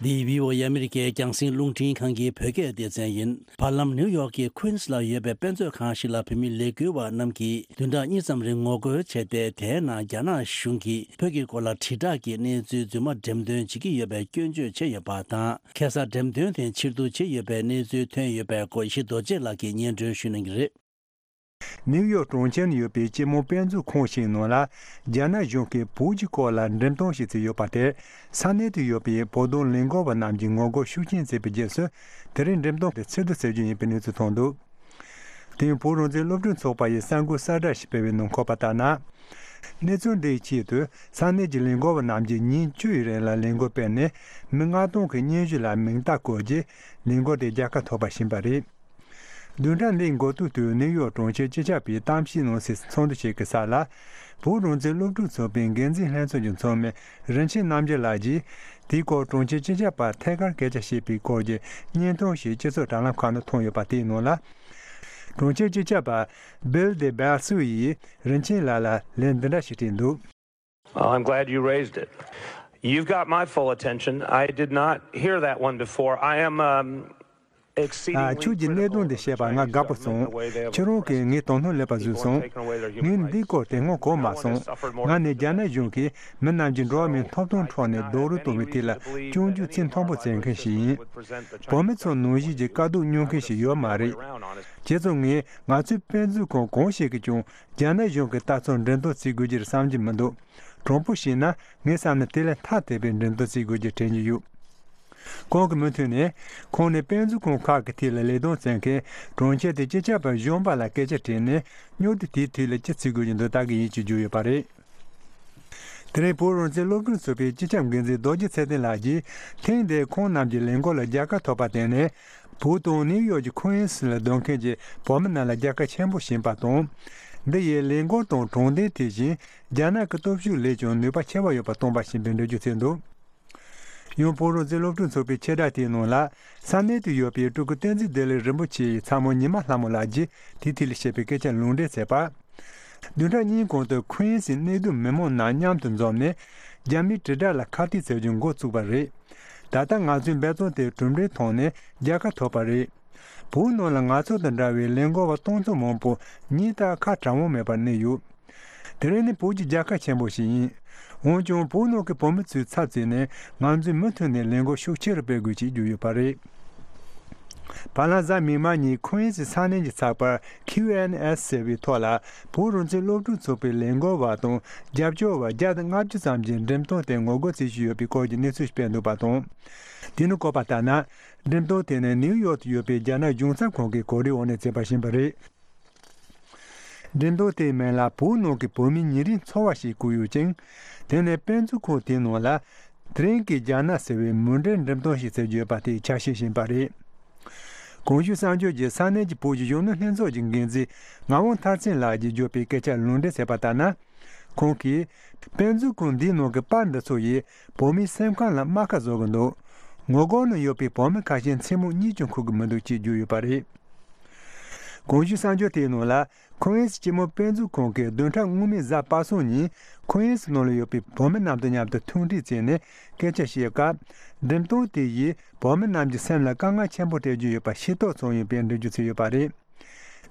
འདི་བྷི་ཨོ་ཨེ་ཨ་མི་རི་ཀའི་རྒྱང་སྲིང་རླུང་འཕྲིན་ཁང་གི་བོད་སྐད་སྡེ་ཚན་ཡིན། བར་ལམ་ནིའུ་ཡོག་གི་ཁུན་སི་ལ་ཡོད་པའི་དཔེ་མཛོད་ཁང་ཞིག་ལ་བོད་མི་ལས་འགུལ་བ་རྣམས་ཀྱིས་བདུན་ཕྲག་གཉིས་ཙམ་རིང་ངོ་རྒོལ་བྱས་ཏེ། དེའི་ནང་རྒྱ་ནག་གཞུང་གིས་བོད་ཀྱི་སྐོར་ལ་དྲིལ་བསྒྲགས་ཀྱི་གནས་ཚུལ་རྫུན་མ་འགྲེམས་སྟོན་བྱེད་ཀྱི་ཡོད་པའི་སྐྱོན་བརྗོད་བྱས་ཡོད་པ་དང་། ཁ་སང་འགྲེམས་སྟོན་དེ་ཕྱིར་བསྡུ་བྱས་ཡོད་པའི་གནས་ཚུལ་ཐོན་ཡོད་པའི་སྐོར་ཡེ་ཤེས་རྡོ་རྗེ་ལགས་ཀྱིས་སྙན་སྒྲོན་ཞུ་གནང་གི་རེད། ནིའུ་ཡོག་གྲོང་ཁྱེར་ནང་ཡོད་པའི་སྤྱི་དམངས་དཔེ་མཛོད་ཁང་ཞིག་ནང་ལ། རྒྱ་ནག་གཞུང་གིས་བོད་ཀྱི་སྐོར་ལ་འགྲེམས་སྟོན་ཞིག་བྱས་ཡོད་པ་དེར། ས་གནས་དུ་ཡོད་པའི་བོད་དོན་ལས་འགུལ་བ་རྣམས་ཀྱིས་ངོ་རྒོལ་ཤུགས་ཆེན་བྱས་པའི་རྗེས་སུ། དེ་རིང་འགྲེམས་སྟོན་དེ་ཕྱིར་བསྡུ་བྱེད་རྒྱུ་ཡིན་པའི་གནས་ཚུལ་ཐོན་འདུག་དེ་ཡང་བོད་རང་བཙན་སློབ་ཕྲུག་ཚོགས་པ་ཡིས་གསར་འགོད་གསལ་བསྒྲགས་ཤིག་སྤེལ་བའི་ནང་འཁོད་པ་ལྟར་ན། གནས་ཚུལ་འདིའི་ཆེད་དུ་ས་གནས་ཀྱི་ལས་འགུལ་བ་རྣམས་ཀྱིས་ཉིན་བཅུ་ཡི་རིང་ལ་ལས་འགུལ་སྤེལ་ནས། མི་ལྔ་སྟོང་གི་སྙན་ཞུ་ལ་མིང་རྟགས་བཀོད་རྗེས། ལས་འགུལ་དེ་རྒྱལ་ཁ་ཐོབ་པ་ཕྱིན་པ་རེད། བདུན་ཕྲག་འདིའི་འགོ་སྟོད་དུ་ནིའུ་ཡོག་གྲོང་ཁྱེར་སྤྱི་ཁྱབ་པའི་གཏམ་བཤད་གནང་སའི་ཚོགས་འདུ་ཞིག་གི་ས་ལ། བོད་རང་བཙན་སློབ་ཕྲུག་ཚོགས་པའི་འགན་འཛིན་ལྷན་ཚོགས་ཀྱི་ཚོགས་མི་རིན་ཆེན་རྣམ་རྒྱལ་ལགས་ཀྱིས། དེའི་སྐོར་གྲོང་ཁྱེར་སྤྱི་ཁྱབ་པར་ཐད་ཀར་སྐད་ཆ་བཤད་པའི་སྐོར་གྱི་བརྙན་ཐུང་ཞིག་སྤྱི་ཚོགས་དྲ་ལམ་ཁག་ནང་ཐོན་ཡོད་པ་དེའི་ནང་ལ། གྲོང་ཁྱེར་སྤྱི་ཁྱབ་པ་Bill de Blasio་ཡིས་རིན་ཆེན་ལགས་ལ་ལན་འདི་འདྲ་ཞིག་སྤྲད་འདུག Well, I'm glad you raised it. You've got my full attention. I did not hear that one before. I am, um, ཨ། ཁྱོད་ཀྱིས་གནད་དོན་འདི་བཤད་པ་ང་དགའ་པོ་སོང་། ཁྱེད་རང་གིས་ངའི་དོ་སྣང་སླེབས་པ་བཟོས་སོང་། ངས་འདིའི་སྐོར་དེ་སྔོན་གོ་མ་སོང་། ང་ནི་རྒྱ་ནག་གཞུང་གིས་མི་རྣམས་ཀྱི་འགྲོ་བ་མིའི་ཐོབ་ཐང་འཕྲོག་ནས་རྡོག་རོལ་གཏོང་བའི་ཐད་ལ་སྐྱོན་བརྗོད་ཚིག་མཐོན་པོ་བྱེད་མཁན་ཞིག་ཡིན། བོད་མི་ཚོ་ནང་བཞིན་གྱི་དཀའ་སྡུག་མྱོང་མཁན་ཞིག་ཡོད་མ་རེད། བྱས་ཙང་ངས་ང་ཚོའི་དཔེ་མཛོད་ཁང་གང་ཞིག་གིས་ཀྱང་རྒྱ་ནག་གཞུང་གི་ལྟ་ཚུལ་འགྲེམས་སྟོན་བྱེད་དགོས་ཀྱི་རེད་བསམ་གྱི་མི་འདུག་དྲང་པོ་བཤད་ན་ངའི་བསམ་ན་དེ་ལས་ཐ་དད་པའི་འགྲེམས་སྟོན་བྱེད་དགོས་ཀྱི་དྲན་གྱི་ཡོད། ཁོང་གི་མུ་མཐུད་ནས། ཁོང་ནས་དཔེ་མཛོད་ཁང་ཁག་གི་ཐད་ལ་ལས་དོན་བྱེད་མཁན་གྲོང་ཁྱེར་དེའི་སྤྱི་ཁྱབ་པ་གཞོན་པ་ལ་སྐད་ཆ་དྲིས་ནས། སྙན་ཐོ་དེའི་ཐད་ལ་ཅི་བྱེད་དགོས་ཀྱི་འདུག་ལྟ་གི་ཡིན་ཞེས་བརྗོད་ཡོད་པ་རེད། དེ་རིང་བོད་རང་བཙན་སློབ་ཕྲུག་ཚོགས་པའི་སྤྱི་ཁྱབ་འགན་འཛིན་རྡོ་རྗེ་ཚེ་བརྟན་ལགས་ཀྱིས་ཐེངས་འདིར་ཁོང་རྣམས་ཀྱི་ལས་འགུལ་ལ་རྒྱལ་ཁ་ཐོབ་པར་བརྟེན་ནས། བོད་དང་ནིའུ་ཡོག་གི་ཁུན་སི་ལ་སྡོད་མཁན་གྱི་བོད་མི་རྣམས་ལ་རྒྱལ་ཁ་ཆེན་པོ་བྱིན་པ་དང་། འདི་ཡིས་ལས་འགུལ་དང་དྲང་བདེན་དེ་བཞིན་རྒྱ་ནག་གི་སྟོབས་ཤུགས་ལས་ཀྱང་ནུས་པ་ཆེ་བ་ཡོད་པ་སྟོན་པ་ཞིག་ཡིན་པའི་འགྲེལ་བརྗོད་བྱས་འདུག། ཡང་བོད་རང་བཙན་སློབ་ཕྲུག་ཚོགས་པའི་ཕྱི་དྲ་དེའི་ནང་ལ། ས་གནས་དུ་ཡོད་པའི་སྤྲུལ་སྐུ་བསྟན་འཛིན་བདེ་ལེགས་རིན་པོ་ཆེ་ཡི་ཚ་མོ་ཉི་མ་ལྷ་མོ་ལགས་ཀྱིས་དེའི་ཐད་ལ་བཤད་པའི་སྐད་ཆ་ལུང་འདྲེན་བྱས་པ། བདུན་ཕྲག་གཉིས་གོང་དུ་ཁུན་སིའི་གནས་སྡོད་མི་མང་རྣམས་མཉམ་དུ་འཛོམས་ནས། རྒྱ་མིའི་དྲིལ་བསྒྲགས་ལ་ཁ་གཏད་བྱེད་རྒྱུ་འགོ་བཙུགས་པ་རེད། ད་ལྟ་ང་ཚོའི་འབད་བརྩོན་དེ་གྲུབ་འབྲས་ཐོག་ནས་རྒྱལ་ཁ་ཐོབ་པ་རེད། བོད་ནང་ལ་ང་ཚོ་དང་འདྲ་བའི་ལས་འགུལ་བ་སྟོང་ཚོ་མང་པོ་ཉིན་ལྟར་ཁ་གྲང་བོ་མེད་པར་གནས་ཡོད། དེ་རིང་ནི་བོད་ཀྱི་རྒྱལ་ཁ་ཆེན་པོ་ཞིག་ཡིན། འོན་ཀྱང་བོད་ནང་གི་བོད་མི་ཚོའི་ཚབ་བྱས་ནས་ང་ཚོས་མུ་མཐུད་ནས་ལས་འགུལ་ཤུགས་ཆེ་རུ་སྤེལ་དགོས་ཅེས་བརྗོད་ཡོད་པ་རེད། བར་ལམ་གཟའ་མིག་དམར་ཉིན་ཁུན་སི་ས་གནས་ཀྱི་ཚགས་པར་ཁིའུ་ཨེན་ཨེས་ཟེར་བའི་ཐོག་ལ། བོད་རང་བཙན་སློབ་ཕྲུག་ཚོགས་པའི་ལས་འགུལ་བ་དང་རྒྱབ་སྐྱོར་བ་བརྒྱ་དང་ལྔ་བཅུ་ཙམ་གྱིས་འགྲེམས་སྟོན་དེར་ངོ་རྒོལ་བྱེད་བཞིན་ཡོད་པའི་སྐོར་གྱི་གནས་ཚུལ་ཞིག་སྤེལ་འདུག་པ་དང་། དེ་ནི་བཀོད་པ་ལྟར་ན། འགྲེམས་སྟོན་དེ་ནི་ནིའུ་ཡོག་ཏུ་ཡོད་པའི་རྒྱ་ནག་གཞུང་ཚབ་ཁང་གི་གོ་སྒྲིག་འོག་ནས་བྱས་པ་ཞིག་ཡིན་པ་རེད། འགྲེམས་སྟོན་དེའི་མིང་ལ་བོད་ནང་གི་བོད་མིའི་ཉིན་རེའི་འཚོ་བ་ཞེས་བཀོད་ཡོད་ཅིང་། དེ་ནི་དཔེ་མཛོད་ཁང་དེའི་ནང་ལ། དེ་རིང་གི་རྒྱ་ནག་ཟེར་བའི་མུ་འབྲེལ་འགྲེམས་སྟོན་ཞིག་བྱེད་རྒྱུ་ཡོད་པ་དེའི་ཆ་ཤས་ཤིག་ཡིན་པ་རེད། གོང་ཞུས་གསར་འགྱུར་གྱིས་ས་གནས་ཀྱི་བོད་ཀྱི་གཞོན་ནུ་ལྷན་ཚོགས་ཀྱི་འགན་འཛིན་ངག་དབང་མཐར་ཕྱིན་ལགས་ཀྱིས་བརྗོད་པའི་སྐད་ཆར་ལུང་འདྲེན་བྱས་པ་ལྟར་ན། ཁོང་གིས། དཔེ་མཛོད་ཁང་འདིའི་ནང་གི་པར་འདི་ཚོ་ཡིས་བོད་མིའི་སེམས་ཁམས་ལ་རྨ་ཁ་བཟོ་གི་འདུག། ངོ་རྒོལ་ནང་ཡོད་པའི་བོད་མི་ཁ་ཤས་མཚན་མོ་གཉིད་ཀྱང་ཁུག་གི་མི་འདུག་ཅེས་བརྗོད་ཡོད་པ་རེད། གོང་ཞུས་གསར་འགྱུར་དེའི་ནང་ལ། ཁུན་སི་སྤྱི་མོས་དཔེ་མཛོད་ཁང་གིས་བདུན་ཕྲག་སྔོན་མའི་གཟའ་པ་སངས་ཉིན་ཁུན་སི་ནང་ལ་ཡོད་པའི་བོད་མི་རྣམས་དང་མཉམ་དུ་ཐུག་འཕྲད་བྱས་ནས་སྐད་ཆ་བཤད་སྐབས། འགྲེམས་སྟོན་དེ་ཡིས་བོད་མི་རྣམས་ཀྱི་སེམས་ལ་དཀའ་ངལ་ཆེན་པོ་སྤྲད་རྒྱུ་ཡོད་པ་ཤེས་རྟོགས་བྱུང་ཡོད་པའི་འགྲེལ་བརྗོད་བྱས་ཡོད་པ་རེད།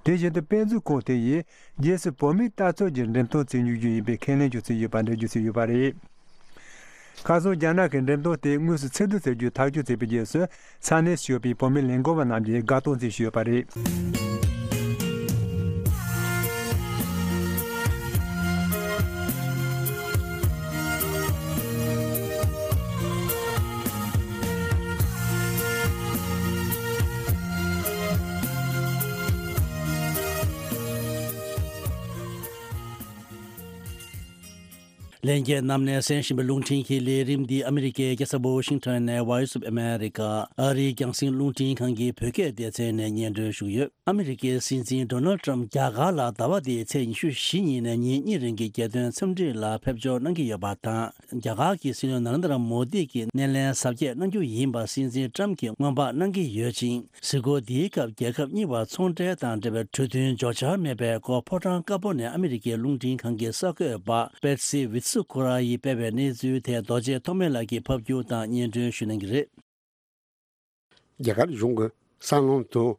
དེ་བཞིན་དུ་དཔེ་མཛོད་ཁང་དེ་ཡིས་རྗེས་སུ་བོད་མིའི་ལྟ་ཚུལ་གྱི་འགྲེམས་སྟོན་བྱེད་མྱོང་རྒྱུ་ཡིན་པའི་ཁས་ལེན་ཀྱང་བྱས་ཡོད་པ་འགྲེལ་བརྗོད་བྱས་ཡོད་པ་རེད། ཁ་སང་རྒྱ་ནག་གིས་འགྲེམས་སྟོན་དེ་དངོས་སུ་ཚིག་སྒྲིལ་བྱ་རྒྱུའི་ཐག་གཅོད་བྱས་པའི་རྗེས་སུ། ས་གནས་སུ་ཡོད་པའི་བོད་མི་ལས་འགུལ་བ་རྣམས་ཀྱིས་དགའ་སྟོན་བྱས་ཡོད་པ་རེད། ལྷན་རྒྱས་རྣམས་ནས་གསན་བཞིན་པའི་རླུང་འཕྲིན་གྱི་ལས་རིམ་འདི་ཨ་མི་རི་ཀའི་རྒྱལ་ས་ཝོ་ཤིང་ཊོན་ནས་Voice of America ཨ་རིའི་རྒྱང་སྲིང་རླུང་འཕྲིན་ཁང་གི་བོད་སྐད་སྡེ་ཚན་ནས་སྙན་སྒྲོན་ཞུས་ཡོད། ཨ་མི་རི་ཀའི་སྲིད་འཛིན་ཌོ་ནལ་ཊམ་རྒྱ་གར་ལ་ཟླ་བ་འདིའི་ཚེས་ཉི་ཤུ་བཞི་ཉིན་ནས་ཉིན་གཉིས་རིང་གི་རྒྱལ་སྟོན་འཚམས་འདྲི་ལ་ཕེབས་འབྱོར་གནང་གི་ཡོད་པ་དང་། རྒྱ་གར་གྱི་སྲིད་བློན་ནཱ་རེན་དྲ་མོ་དི་གིས་སྣེ་ལེན་གཟབ་རྒྱས་གནང་རྒྱུ་ཡིན་པ་སྲིད་འཛིན་ཊམ་གྱིས་སྔོན་དཔག་གནང་གི་ཡོད་ཅིང་། གཟིགས་སྐོར་འདིའི་སྐབས་རྒྱལ་ཁབ་གཉིས་བར་ཚོང་འབྲེལ་དང་འབྲེལ་བའི་གྲོས་མཐུན་འཇོག་འཆར་མེད་པའི་སྐོར་ཕོ་བྲང་དཀར་པོ་ནས་ཨ་མི་རི་ཀའི་རླུང་འཕྲིན་ཁང་གི་གསར་འགོད་པ་པེ་ཏི་སི་ཝི་ཏི་སུ་ཁུ་ར་ཡིས་སྤེལ་བའི་གནས་ཚུལ་དེ་རྡོ་རྗེ་ཐོགས་མེད་ལགས་ཀྱིས་ཕབ་སྒྱུར་དང་སྙན་སྒྲོན་ཞུ་གནང་གི་རེད། རྒྱ་གར་གཞུང་གི་སྲང་ལམ་དང་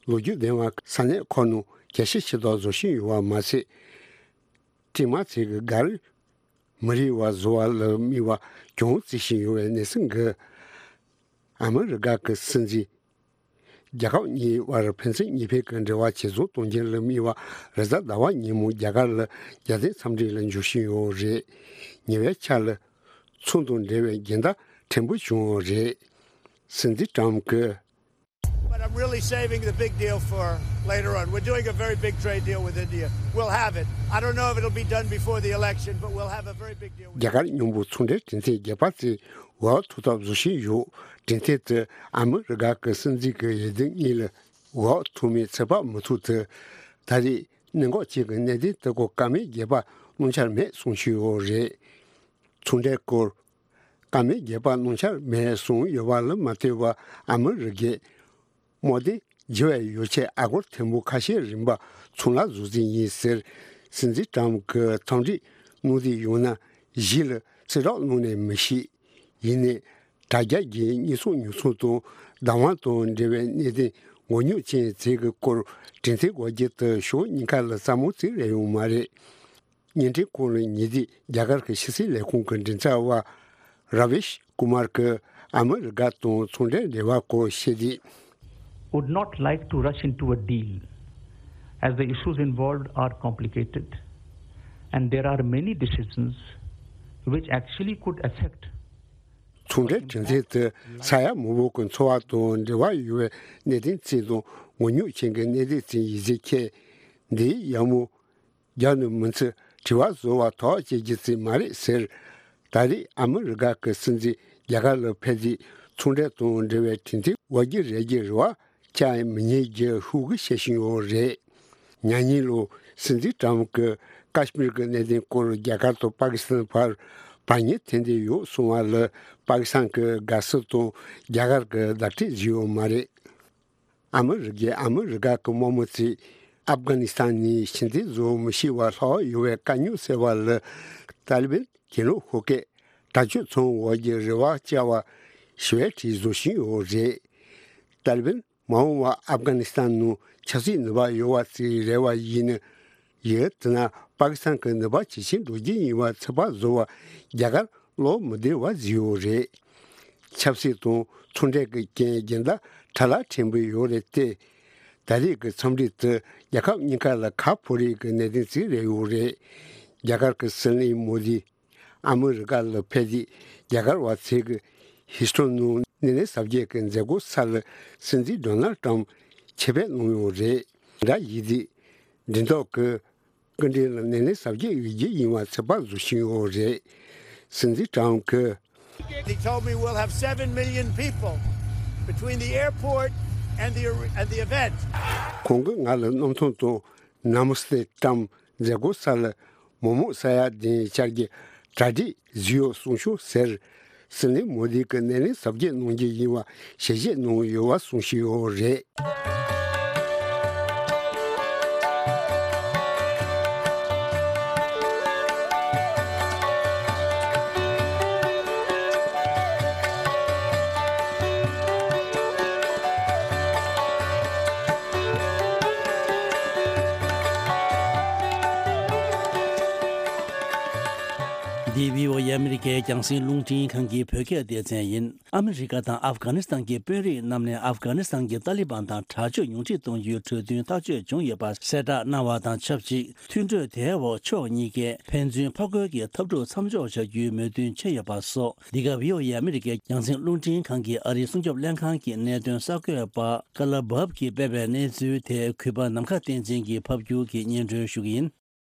ལོ་རྒྱུས་ལྡན་པ་ས་གནས་ཁག་ནང་རྒྱ་ཆེ་ཆེ་དུ་བཟོ་བཞིན་ཡོད་པ་མ་ཟད། ཀྲིག་མ་ཚིག་གི་གར་མི་རིགས་པ་བཟོ་བ་ལ་དམིགས་པ་ཅུང་བརྩི་བཞིན་ཡོད་པའི་གནས་ཚུལ་འགའ་ཨ་མི་རི་ཀ་གི་སྲིད་འཛིན། རྒྱལ་ཁབ་གཉིས་བར་ཕན་ཚུན་གཉིས་ཕན་གྱི་འབྲེལ་བ་ཇེ་བཟང་གཏོང་རྒྱུ་ལ་དམིགས་པ་རེས་གཟའ་ཟླ་བ་ཉིན་མོ་རྒྱ་གར་ལ་རྒྱལ་སྟོན་འཚམས་འདྲི་ལ་འབྱོར་བཞིན་ཡོད་རེད། ཉེ་བའི་ཆར་ལ་ཚོང་དང་འབྲེལ་བའི་འགལ་ཟླ་ཕྲན་བུ་བྱུང་ཡོད་རེད། སྲིད་འཛིན་ཊམ་གྱིས། But I'm really saving the big deal for later on. We're doing a very big trade deal with India. We'll have it. I don't know if it'll be done before the election, but we'll have a very big deal with རྒྱ་གར་མཉམ་པོ་ཚོང་འབྲེལ་གྲོས་མཐུན་རྒྱག་པ་དེ་འོག་ཐུག་ཐབས་བཟོ་བཞིན་ཡོད། གྲོས་མཐུན་དེ་ཨ་མི་རི་ཀ་གི་སྲིད་འཛིན་གྱི་འོས་བསྡུ་གཉིས་ལ་འོག་ཐུག་མིན་ཚོད་དཔག་མི་ཐུབ་ཚེ། ད་རེས་གནད་འགག་ཅན་གྱི་གནད་དོན་དེ་སྐོར་བཀའ་མོལ་རྒྱག་པ་གནང་འཆར་མེད་གསུང་བཞིན་ཡོད་རེད། ཚོང་འབྲེལ་སྐོར་བཀའ་མོལ་རྒྱག་པ་གནང་འཆར་མེད་གསུངས་ཡོད་པ་ལ་མ་ལྟོས་པར་ཨ་མི་རི་ཀས་དམག་དོན་བརྗེ་བའི་ཡོ་ཆས་ཨ་སྒོར་ཐེར་འབུམ་ཁ་ཤས་རིན་པ་ཚོང་ལ་བཟོ་རྩིས་ཡིན་ཟེར། སྲིད་འཛིན་ཊམ་གྱིས་འཚམས་འདྲི་གནང་རྩིས་ཡོད་ན་གཞི་ལ་ཚེ་རབས་གནང་ནས་མི་ཤེས། ཡིན་ནའི་དྲ་རྒྱ་བརྒྱུད་གཉེན་སྲོག་ཉོ་ཚོང་དང་བདག་དབང་དང་འབྲེལ་བའི་གནད་དོན་མགོ་རྙོག་ཅན་ཟེར་གྱི་སྐོར་གྲོས་མཐུན་འགོད་རྒྱུ་དེ་ཕྱོགས་གཉིས་ཀ་ལ་སླ་མོ་ཟིག་རེད་ཡོང་མ་རེད། བརྙན་འཕྲིན་ཁོངས་ལ་ཉེ་དུས་རྒྱ་གར་གྱི་ཕྱི་སྲིད་ལས་ཁུངས་ཀྱི་མགྲིན་ཚབ་པ་ར་བེཤ་ཀུ་མར་གྱིས་ཨ་མི་རི་ཀ་དང་ཚོང་འབྲེལ་འབྲེལ་བ་སྐོར་བཤད་དུས། Would not like to rush into a deal as the issues involved are complicated and there are many decisions which actually could affect ཚོང་འབྲེལ་གྲོས་མཐུན་དེ་ས་ཡ་མང་པོ་གི་འཚོ་བ་དང་འབྲེལ་བ་ཡོད་པའི་གནད་དོན་ཅིག་དང་མགོ་རྙོག་ཅན་གྱི་གནད་དོན་ཅིག་ཡིན་ཚུལ་མཁྱེན། འདིའི་ཡག་མོ། རྒྱབ་ནས་མི་ཚེ་དྲི་བ་བཟོ་བ་ཐོག་བཅད་རྒྱུ་ཙམ་མ་རེད་ཟེར། ད་རེས་ཨ་མི་རི་ཀ་གི་སྲིད་འཛིན་རྒྱ་གར་ལ་ཕེབས་རྗེས་ཚོང་འབྲེལ་དང་འབྲེལ་བའི་གྲོས་མཐུན་འོག་གི་རེ་རྒྱུ་རེ་བ་བཅའ་མི་ཉན་རྒྱུ་ཤོག་གུ་བཤད་བཞིན་ཡོད་རེད། ཉེ་ལོ་སྲིད་འཛིན་ཀྲམ་གྱིས་ཀ་ཤི་མིར་གྱི་གནད་དོན་སྐོར་རྒྱ་གར་དང་པ་ཀི་སི་ཐན་བར་བར་ཉེ་ཐེན་ཏེ་ཡོད་གསུང་བ་ལ་པ་ཀི་སི་ཐན་གྱི་དགའ་བསུ་དང་རྒྱ་གར་གྱི་བརྡ་སྤྲོད་བཟོས་ཡོད་མ་རེད། ཨ་མི་རི་ཀས་ཨ་མི་རི་ཀ་གི་དམག་མི་ཚོས་ཨབ་གྷ་ནི་སི་ཐན་ནས་ཕྱིར་འཐེན་བཟོ་མི་ཤེས་པར་ལྷག་ཡོད་པའི་དཀའ་རྙོག་སེལ་བ་ལ་ཏཱ་ལི་བན་གྱི་ནོ་ཧོ་ཀས་དྲག་སྤྱོད་ཚོང་འོག་གི་རེ་བ་བཅའ་བ་ཞི་བའི་གྲས་བཟོ་བཞིན་ཡོད་རེད། ཏཱ་ལི་བན་མ་འོངས་པར་ཨབ་གྷ་ནི་སི་ཐན་ནང་ཆབ་སྲིད་ནུས་པ་ཡོད་པ་ཞིག་རེད་པ་ཡིན་ན། ཡིན་ན་པ་ཀི་སི་ཐན་གྱི་ནུས་པ་ཇེ་ཆེར་འགྲོ་རྒྱུ་ཡིན་པ་ཚོད་དཔག་བཟོ་བར་རྒྱ་གར་བློ་མི་བདེ་བ་བཟོས་ཡོད་རེད། ཆབ་སྲིད་དང་ཚོང་འབྲེལ་གྱི་རྐྱེན་རྒྱུན་ལྡན་ཁྲ་ལ་ཕྲན་བུ་ཡོད་རེད་དེ། ད་རེས་ཀྱི་འཚམས་འདྲི་དེ་རྒྱལ་ཁབ་གཉིས་ཀ་ལ་ཁ་ཕོ་རེས་ཀྱི་གནད་དོན་ཞིག་རེད་ཡོད་རེད། རྒྱ་གར་གྱི་སྲིད་བློན་མོ་དི་ཨ་མི་རི་ཀ་ལ་ཕེབས་རྗེས་རྒྱ་གར་བ་ཚོས་ཀྱི་ཧིས་ཊོན་ནང་སྣེ་ལེན་གཟབ་རྒྱས་ཀྱི་མཛད་སྒོ་ས་ལ་སྲིད་འཛིན་ཌོ་ནལ་ཊམ་ཆེད་ཕེབས་གནང་ཡོད་རེད། འདྲ་ཡིན་དུས་འགྲེམས་ཐོག་གི་སྐུ་མགྲོན་ལ་སྣེ་ལེན་གཟབ་རྒྱས་ཡོད་རྒྱུ་ཡིན་པ་ཚོད་དཔག་བཟོ་བཞིན་ཡོད་རེད། སྲིད་འཛིན་ཀྲམ་གྱིས། He told me we'll have seven million people between the airport and the, and the event. ཁོང་གིས་ང་ལ་གནམ་ཐང་དང་ནམ་སྟེ་ཀྲམ་མཛད་སྒོ་ས་ལ་མི་མང་ས་ཡ་བདུན་བཅར་རྒྱུ་གྲ་སྒྲིག་བཟོས་ཡོད་གསུངས་ཤོག་ཟེར། སྲིད་བློན་མོ་དི་གིས་སྣེ་ལེན་གཟབ་རྒྱས་གནང་རྒྱུ་ཡིན་པ་ཞལ་བཞེས་གནང་ཡོད་པ་གསུངས་བཞིན་ཡོད་རེད། འདི་བྷི་ཨོ་ཨེ་ཨ་མི་རི་ཀའི་རྒྱང་སྲིང་རླུང་འཕྲིན་ཁང་གི་བོད་སྐད་སྡེ་ཚན་ཡིན། ཨ་མི་རི་ཀ་དང་ཨབ་གྷ་ནི་སི་ཐན་གྱི་དཔོན་རིགས་རྣམས་ནས་ཨབ་གྷ་ནི་སི་ཐན་གྱི་ཏཱ་ལི་བན་དང་དྲག་སྤྱོད་ཉུང་འཕྲི་གཏོང་རྒྱུའི་གྲོས་མཐུན་ཐག་གཅོད་བྱུང་ཡོད་པ་གསལ་བསྒྲགས་གནང་བ་དང་ཆབས་ཅིག་མཐུན་གྲོས་དེའི་འོག་ཕྱོགས་གཉིས་ཀས་ཕན་ཚུན་ཕར་རྒོལ་གྱི་འཐབ་འཁྲུག་མཚམས་འཇོག་བྱ་རྒྱུའི་མོས་མཐུན་བྱས་ཡོད་པ་སོགས། འདི་ག་བྷི་ཨོ་ཨེ་ཨ་མི་རི་ཀའི་རྒྱང་སྲིང་རླུང་འཕྲིན་ཁང་གི་ཨ་རིའི་སྲུང་སྐྱོབ་ལྷན་ཁང་གི་གནད་དོན་གསར་འགོད་པ་ཀ་ལ་བབ་ཀྱིས་སྤེལ་བའི་གནས་ཚུལ་དེ་གུས་པ་ནམ་མཁའ་བསྟན་འཛིན་གྱིས་ཕབ་སྒྱུར་གྱིས་སྙན་སྒྲོན་ཞུ་གི་ཡིན།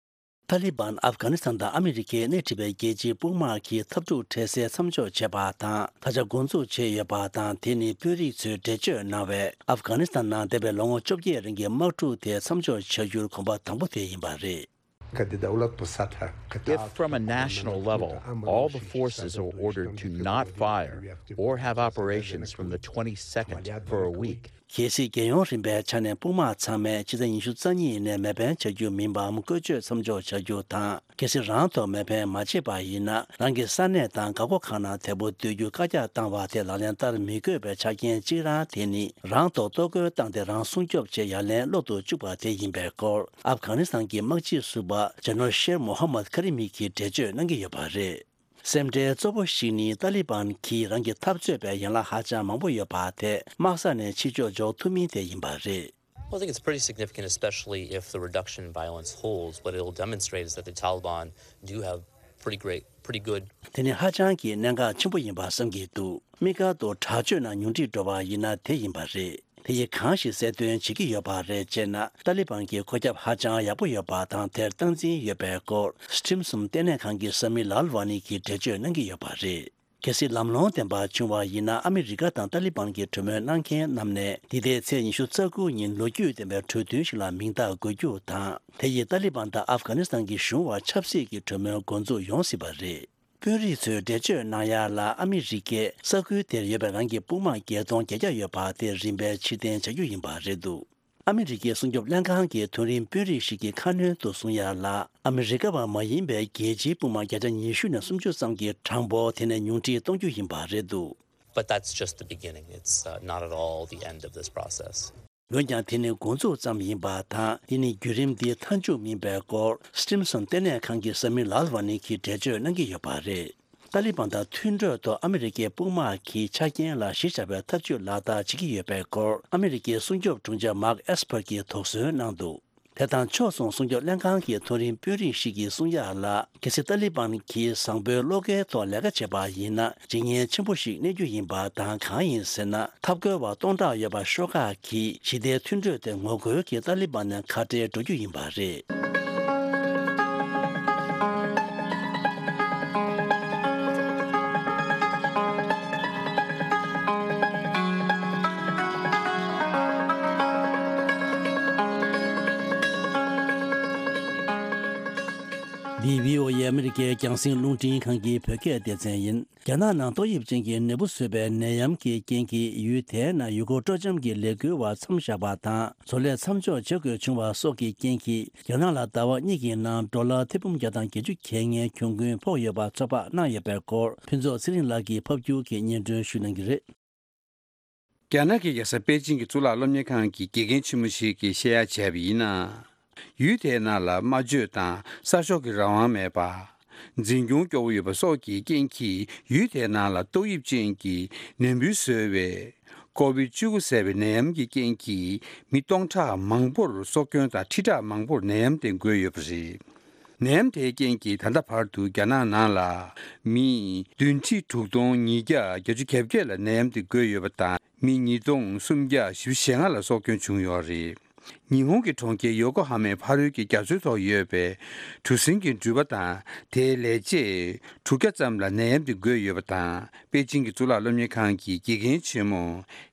ཏཱ་ལི་བན་ཨབ་གྷ་ནི་སི་ཐན་དང་ཨ་མི་རི་ཀས་སྣེ་ཁྲིད་པའི་རྒྱལ་སྤྱིའི་དཔུང་དམག་གི་འཐབ་འཁྲུག་འཕྲལ་སེལ་མཚམས་འཇོག་བྱས་པ་དང་། ད་ཆ་འགོ་འཛུགས་བྱས་ཡོད་པ་དང་། དེ་ནི་དཔོན་རིགས་ཚོས་འགྲེལ་བརྗོད་གནང་བའི་ཨབ་གྷ་ནི་སི་ཐན་ནང་འདས་པའི་ལོ་ངོ་བཅོ་བརྒྱད་རིང་གི་དམག་འཁྲུག་དེ་མཚམས་འཇོག་བྱ་རྒྱུར་གོམ་པ་དང་པོ་དེ་ཡིན་པ་རེད། If, from a national level, all the forces are ordered to not fire or have operations from the twenty-second for a week, གལ་སྲིད་རྒྱལ་ཡོངས་རིམ་པའི་ཆ་ནས་དཔུང་དམག་ཚང་མས་ཕྱི་ཟླ་ཉི་ཤུ་རྩ་གཉིས་ནས་མེ་འཕེན་བྱ་རྒྱུ་མིན་པའམ་བཀོལ་སྤྱོད་མཚམས་འཇོག་བྱ་རྒྱུ་དང་། གལ་སྲིད་རང་ཐོག་མེ་འཕེན་མ་བྱས་པ་ཡིན་ན། རང་གི་ས་གནས་དང་འགག་སྒོ་ཁག་ནང་དལ་པོ་སྡོད་རྒྱུ་བཀག་རྒྱ་བཏང་བ་དེ་ལག་ལེན་བསྟར་མི་དགོས་པའི་ཆ་རྐྱེན་གཅིག་རང་དེ་ནི། རང་ཐོག་གཏོར་རྒོལ་བཏང་སྟེ་རང་སྲུང་སྐྱོབ་ཆེད་ཡ་ལན་སློག་ཏུ་བཅུག་པ་དེ་ཡིན་པའི་སྐོར། ཨབ་གྷ་ནི་སི་ཐན་གྱི་དམག་སྤྱི་ཟུར་པ་ཇེ་ནོ་ཤེར་མོ་ཧ་མད་ཁ་རི་མི་གིས་འགྲེལ་བརྗོད་གནང་གི་ཡོད་པ་རེད། སེམས་ཁྲལ་གཙོ་བོ་ཞིག་ནི་ཏཱ་ལི་བན་གྱིས་རང་གི་འཐབ་རྩོད་པའི་ཡན་ལག་ཧ་ཅང་མང་པོ་ཡོད་པ་དེ་དམག་ས་ནས་ཕྱི་ཕྱོགས་འཇོག་ཐུབ་མིན་དེ་ཡིན་པ་རེད། Well, I think it's pretty significant, especially if the reduction in violence holds. What it'll demonstrate is that the Taliban do have pretty great, pretty good. དེ་ནི་ཧ་ཅང་གི་གནད་འགག་ཆེན་པོ་ཡིན་པ་བསམ་གྱི་འདུག་དམིགས་བཀར་དུ་དྲག་སྤྱོད་ནང་ཉུང་འཕྲི་འགྲོ་བ་ཡིན་ན་དེ་ཡིན་པ་རེད། དེ་ཡིས་གང་ཞིག་གསལ་སྟོན་བྱེད་ཀྱི་ཡོད་པ་རེད་ཅེ་ན། ཏཱ་ལི་བན་གྱི་ཁོག་རྒྱབ་ཧ་ཅང་ཡག་པོ་ཡོད་པ་དང་དེར་སྟངས་འཛིན་ཡོད་པའི་སྐོར། སི་ཁྲིམ་སུམ་ལྟེ་གནས་ཁང་གི་ས་མི་ལཱལ་ཝ་ནི་གིས་འགྲེལ་བརྗོད་གནང་གི་ཡོད་པ་རེད། གལ་སྲིད་ལམ་ལྷོང་ལྡན་པ་བྱུང་བ་ཡིན་ན། ཨ་མི་རི་ཀ་དང་ཏཱ་ལི་བན་གྱི་གྲོས་མོལ་གནང་མཁན་རྣམས་ནས་འདི་ཟླའི་ཚེས་ཉི་ཤུ་རྩ་དགུ་ཉིན་ལོ་རྒྱུས་ལྡན་པའི་གྲོས་མཐུན་ཞིག་ལ་མིང་རྟགས་འགོད་རྒྱུ་དང་། དེ་ཡིས་ཏཱ་ལི་བན་དང་ཨབ་གྷ་ནི་སི་ཐན་གྱི་གཞུང་བར་ཆབ་སྲིད་ཀྱི་གྲོས་མོལ་འགོ་འཛུགས་ཡོང་སྲིད་པ་རེད། དཔོན་རིགས་ཚོས་འགྲེལ་བརྗོད་གནང་ཡ་ལ། ཨ་མི་རི་ཀས་ས་ཁུལ་དེར་ཡོད་པའི་རང་གི་དཔུང་དམག་བརྒྱད་སྟོང་བརྒྱད་བརྒྱ་ཡོད་པ་དེ་རིམ་པས་ཕྱིར་འཐེན་བྱ་རྒྱུ་ཡིན་པ་རེད་འདུག་ཨ་མི་རི་ཀའི་སྲུང་སྐྱོབ་ལྷན་ཁང་གི་མཐོ་རིམ་དཔོན་རིགས་ཤིག་གིས་ཁ་སྣོན་དུ་གསུངས་ཡ་ལ། ཨ་མི་རི་ཀ་བ་མ་ཡིན་པའི་རྒྱལ་སྤྱིའི་དཔུང་དམག་བརྒྱ་ཆ་ཉི་ཤུ་ནས་སུམ་ཅུ་ཙམ་གྱི་གྲངས་འབོར་དེ་ནས་ཉུང་འཕྲི་གཏོང་རྒྱུ་ཡིན་པ་རེད་འདུག But that's just the beginning. It's, uh, not at all the end of this process. འོན་ཀྱང་དེ་ནི་འགོ་འཛུགས་ཙམ་ཡིན་པ་དང་། དེ་ནི་བརྒྱུད་རིམ་འདིའི་མཐའ་མཇུག་མིན་པའི་སྐོར། སི་ཁྲིམ་སུམ་ལྟེ་གནས་ཁང་གི་ས་མི་ལཱལ་ཝ་ནི་གིས་འགྲེལ་བརྗོད་གནང་གི་ཡོད་པ་རེད། ཏཱ་ལི་བན་དང་མཐུན་གྲོས་ཐོག་ཨ་མི་རི་ཀའི་དཔུང་དམག་གིས་ཆ་རྐྱེན་ལ་གཞི་བཞག་པའི་ཐབས་ཇུས་ལག་བསྟར་བྱེད་ཀྱི་ཡོད་པའི་སྐོར། ཨ་མི་རི་ཀའི་སྲུང་སྐྱོབ་དྲུང་ཆེ་མཱག་ཨེས་པར་གྱིས་དོགས་ཟོན་གནང་འདུག་དེ་དང་ཕྱོགས་མཚུངས་སྲུང་སྐྱོབ་ལྷན་ཁང་གི་མཐོ་རིམ་དཔོན་རིགས་ཤིག་གིས་གསུངས་ཡ་ལ། གལ་སྲིད་ཏཱ་ལི་བན་གྱིས་བཟང་པོའི་བློ་འགེལ་ཐོག་ལས་ཀ་བྱས་པ་ཡིན་ན། ཇེ་ཉེན་ཆེན་པོ་ཞིག་གནས་རྒྱུ་ཡིན་པ་དང་། གང་ཡིན་ཟེར་ན། འཐབ་རྒོལ་བ་སྟོང་ཕྲག་ཡོད་པ་ཤོག་ཁག་གིས་ཞི་བདེའི་མཐུན་གྲོས་དེ་ངོ་རྒོལ་གྱིས་ཏཱ་ལི་བན་ནས་ཁ་བྲལ་འགྲོ་རྒྱུ་ཡིན་པ་རེད། ཨ་མི་རི་ཀའི་རྒྱང་སྲིང་རླུང་འཕྲིན་ཁང་གི་བོད་སྐད་སྡེ་ཚན་ཡིན། རྒྱ་ནག་ནང་ཏོག་དབྱིབས་ཅན་གྱི་ནད་འབུ་བཟོས་པའི་ནད་ཡམས་ཀྱི་རྐྱེན་གྱིས་ཡུལ་དེའི་ནང་ཡུལ་སྐོར་སྤྲོ་འཆམ་གྱི་ལས་འགུལ་བ་མཚམས་བཞག་པ་དང་། བཟོ་ལས་མཚམས་འཇོག་བྱེད་དགོས་བྱུང་བ་སོགས་ཀྱི་རྐྱེན་གྱིས། རྒྱ་ནག་ལ་ཟླ་བ་གཉིས་ཀྱི་ནང་ཌོ་ལར་ཐེར་འབུམ་བརྒྱ་དང་བརྒྱད་ཅུ་གྱ་ལྔའི་གྱོང་གུན་ཕོག་ཡོད་པ་ཚོད་དཔག་གནང་ཡོད་པའི་སྐོར། ཕུན་ཚོགས་ཚེ་རིང་ལགས་ཀྱིས་ཕབ་སྒྱུར་གྱིས་སྙན་སྒྲོན་ཞུ་གནང་གི་རེད། རྒྱ་ནག་གི་རྒྱལ་ས་པེ་ཅིང་གི་གཙུག་ལག་སློབ་གཉེར་ཁང་གི་དགེ་རྒན་ཆེན་མོ་ཞིག་གིས་བཤད་ཡ་བྱས་པ་ཡིན་ན། ཡུལ་དེའི་ནང་ལ་སྨྲ་བརྗོད་དང་གསར་ཤོག་གི་རང་དབང་མེད་པ། འཛིན་སྐྱོང་སྐྱོ་བོ་ཡོད་པ་སོགས་ཀྱི་རྐྱེན་གྱིས། ཡུལ་དེའི་ནང་ལ་ཏོག་དབྱིབས་ཅན་གྱི་ནད་འབུ་བཟོས་པའི་ཀོ་བིད་བཅུ་དགུ་ཟེར་བའི་ནད་ཡམས་ཀྱི་རྐྱེན་གྱིས། མི་སྟོང་ཕྲག་མང་པོར་སྲོག་སྐྱོན་དང་ཁྲི་ཕྲག་མང་པོར་ནད་ཡམས་དེ་འགོས་ཡོད་པ་རེད། ནད་ཡམས་དེའི་རྐྱེན་གྱིས་ད་ལྟ་བར་དུ་རྒྱ་ནག་ནང་ལ་མི་བདུན་ཁྲི་དྲུག་སྟོང་ཉིས་བརྒྱ་བརྒྱད་ཅུ་གྱ་བརྒྱད་ལ་ནད་ཡམས་དེ་འགོས་ཡོད་པ་དང་། མི་ཉིས་སྟོང་སུམ་བརྒྱ་བཞི་བཅུ་ཞེ་ལྔ་ལ་སྲོག་སྐྱོན་བྱུང་ཡོད་རེད། ཉི་ཧོང་གི་གྲོང་ཁྱེར་ཡོ་ཀོ་ཧ་མའི་ཕ་རོལ་གྱི་རྒྱ་མཚོའི་ཐོག་ཡོད་པའི་གྲུ་གཟིངས་ཀྱི་འགྲུལ་པ་དང་དེའི་ལས་བྱེད་དྲུག་བརྒྱ་ཙམ་ལ་ནད་ཡམས་དེ་འགོས་ཡོད་པ་དང་། པེ་ཅིང་གི་གཙུག་ལག་སློབ་གཉེར་ཁང་གི་དགེ་རྒན་ཆེན་མོ་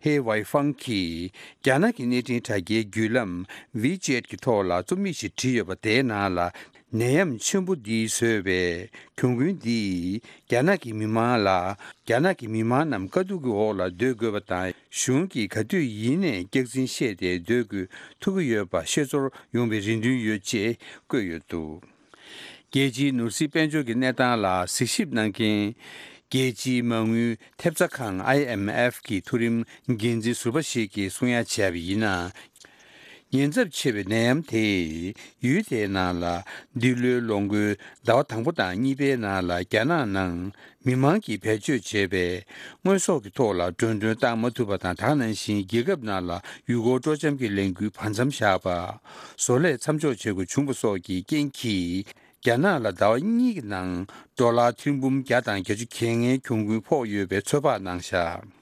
ཧེ་ཝའི་ཧྥང་གིས་རྒྱ་ནག་གི་གནས་འཕྲིན་དྲ་རྒྱའི་བརྒྱུད་ལམ་ཝི་ཅེད་ཀྱི་ཐོག་ལ་རྩོམ་ཡིག་ཞིག་བྲིས་ཡོད་པ། དེའི་ནང་ལ། ནད་ཡམས་ཆེན་པོ་འདིས་བཟོས་པའི་གྱོང་གུན་འདིས་རྒྱ་ནག་གི་མི་མང་ལ། རྒྱ་ནག་གི་མི་མང་རྣམས་དཀའ་སྡུག་གི་འོག་ལ་སྡོད་དགོས་པ་དང་། གཞུང་གིས་ག་དུས་ཡིན་ནའི་སྐྱག་རྫུན་བཤད་དེ་སྡོད་དགོས་ཐུག་གི་ཡོད་པ་ཤེས་ཚོར་ཡོང་བའི་རེ་འདུན་ཡོད་ཅེས་བཀོད་ཡོད་འདུག་རྒྱལ་སྤྱིའི་ནོར་སྲིད་དཔལ་འབྱོར་གྱི་གནས་སྟངས་ལ་གཟིགས་ཞིབ་གནང་མཁན། རྒྱལ་སྤྱིའི་མ་དངུལ་ཐེབས་རྩ་ཁང་ཨའི་ཨེམ་ཨེཕ་གི་མཐོ་རིམ་འགན་འཛིན་ཟུར་པ་ཞིག་གིས་གསུང་ཡ་བྱས་པ་ཡིན་ན། ཉེན་ཚབས་ཆེ་བའི་ནད་ཡམས་དེས་ཡུལ་དེའི་ནང་ལ་འདི་ལོའི་ལོ་འགོའི་ཟླ་བ་དང་པོ་དང་གཉིས་པའི་ནང་ལ་རྒྱ་ནག་ནང་མི་མང་གིས་བེད་སྤྱོད་བྱས་པའི་དངོས་ཟོག་གི་ཐོག་ལ་འགྲོ་གྲོན་བཏང་མ་ཐུབ་པ་དང་། ད་ག་ནང་བཞིན་རྒྱལ་ཁབ་ནང་ལ་ཡུལ་སྐོར་སྤྲོ་འཆམ་གྱི་ལས་འགུལ་བར་མཚམས་བཞག་པ། བཟོ་ལས་མཚམས་འཇོག་བྱེད་དགོས་བྱུང་བ་སོགས་ཀྱི་རྐྱེན་གྱིས། རྒྱ་ནག་ལ་ཟླ་བ་གཉིས་ཀྱི་ནང་ཌོ་ལར་ཐེར་འབུམ་བརྒྱ་དང་བརྒྱད་ཅུ་གྱ་ལྔའི་གྱོང་གུན་ཕོག་ཡོད་པའི་ཚོད་དཔག་གནང་བཞག་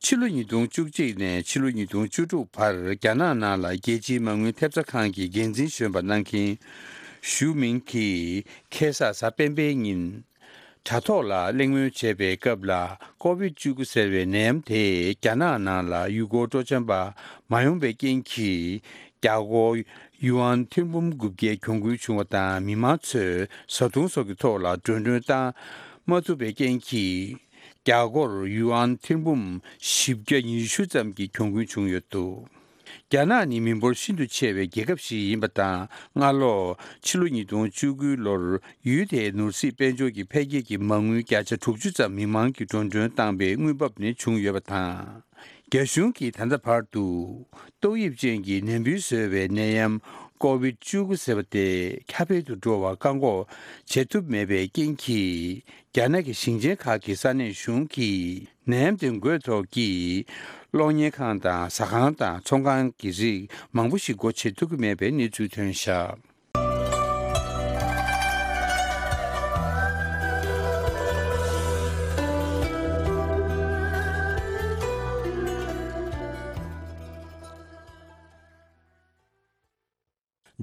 ཕྱི་ལོ་ཉིས་སྟོང་བཅུ་གཅིག་ནས་ཕྱི་ལོ་ཉིས་སྟོང་བཅུ་དྲུག་བར་རྒྱ་ནག་ནང་ལ་རྒྱལ་སྤྱིའི་མ་དངུལ་ཐེབས་རྩ་ཁང་གི་འགན་འཛིན་གཞོན་པ་གནང་མཁན་ཞུ་མིང་གིས་ཁ་སང་གཟའ་སྤེན་པའི་ཉིན་དྲ་ཐོག་ལ་གླེང་མོལ་བྱས་པའི་སྐབས་ལ། ཀོ་བིད་བཅུ་དགུ་ཟེར་བའི་ནད་ཡམས་དེས་རྒྱ་ནག་ནང་ལ་ཡུལ་སྐོར་སྤྲོ་འཆམ་པ་མ་ཡོང་བའི་རྐྱེན་གྱིས། རྒྱ་སྒོར་ཡུ་ཨན་ཐེར་འབུམ་དགུ་བརྒྱའི་གྱོང་གུན་བྱུང་བ་དང་། མི་མང་ཚོས་བཟའ་འཐུང་སོགས་ཀྱི་ཐོག་ལ་འགྲོ་གྲོན་བཏང་མ་ཐུབ་པའི་རྐྱེན་གྱིས། རྒྱ་སྒོར་ཡུ་ཨན་ཐེར་འབུམ་བཞི་བརྒྱ་ཉི་ཤུ་ཙམ་གྱི་གྱོང་གུན་བྱུང་ཡོད་འདུག་རྒྱ་ནག་ནི་མི་འབོར་ཤིན་ཏུ་ཆེ་བའི་རྒྱལ་ཁབ་ཞིག་ཡིན་པ་དང་། སྔ་ལོ་ཕྱི་ལོ་ཉིས་སྟོང་བཅུ་དགུ་ལོར་ཡུལ་དེའི་ནོར་སྲིད་དཔལ་འབྱོར་གྱི་འཕེལ་རྒྱས་ཀྱི་མ་དངུལ་བརྒྱ་ཆ་དྲུག་ཅུ་ཙམ་མི་མང་གིས་འགྲོ་གྲོན་བཏང་པའི་དངུལ་འབབ་ནི་བྱུང་ཡོད་པ་དང་། རྒྱ་གཞུང་གིས་ད་ལྟ་བར་དུ་ཏོག་དབྱིབས་ཅན་གྱི་ནད་འབུ་བཟོས་པའི་ནད་ཡམས་ཀོ་བིད་བཅུ་དགུ་ཟེར་བ་དེ་ཁྱབ་སྤེལ་དུ་འགྲོ་བར་བཀག་འགོག་བྱེད་ཐུབ་མེད་པའི་རྐྱེན་གྱིས། རྒྱ་ནག་གི་ཞིང་ཆེན་ཁག་གི་ས་གནས་གཞུང་གིས་ནད་ཡམས་དེ་འགོས་ཐོག་གི་གློག་བརྙན་ཁང་དང་ཟ་ཁང་དང་ཚོང་ཁང་གི་རིགས་མང་པོ་ཞིག་སྒོ་ཕྱེ་ཐུབ་ཀྱི་མེད་པའི་གནས་ཚུལ་ཐོན་བཞག་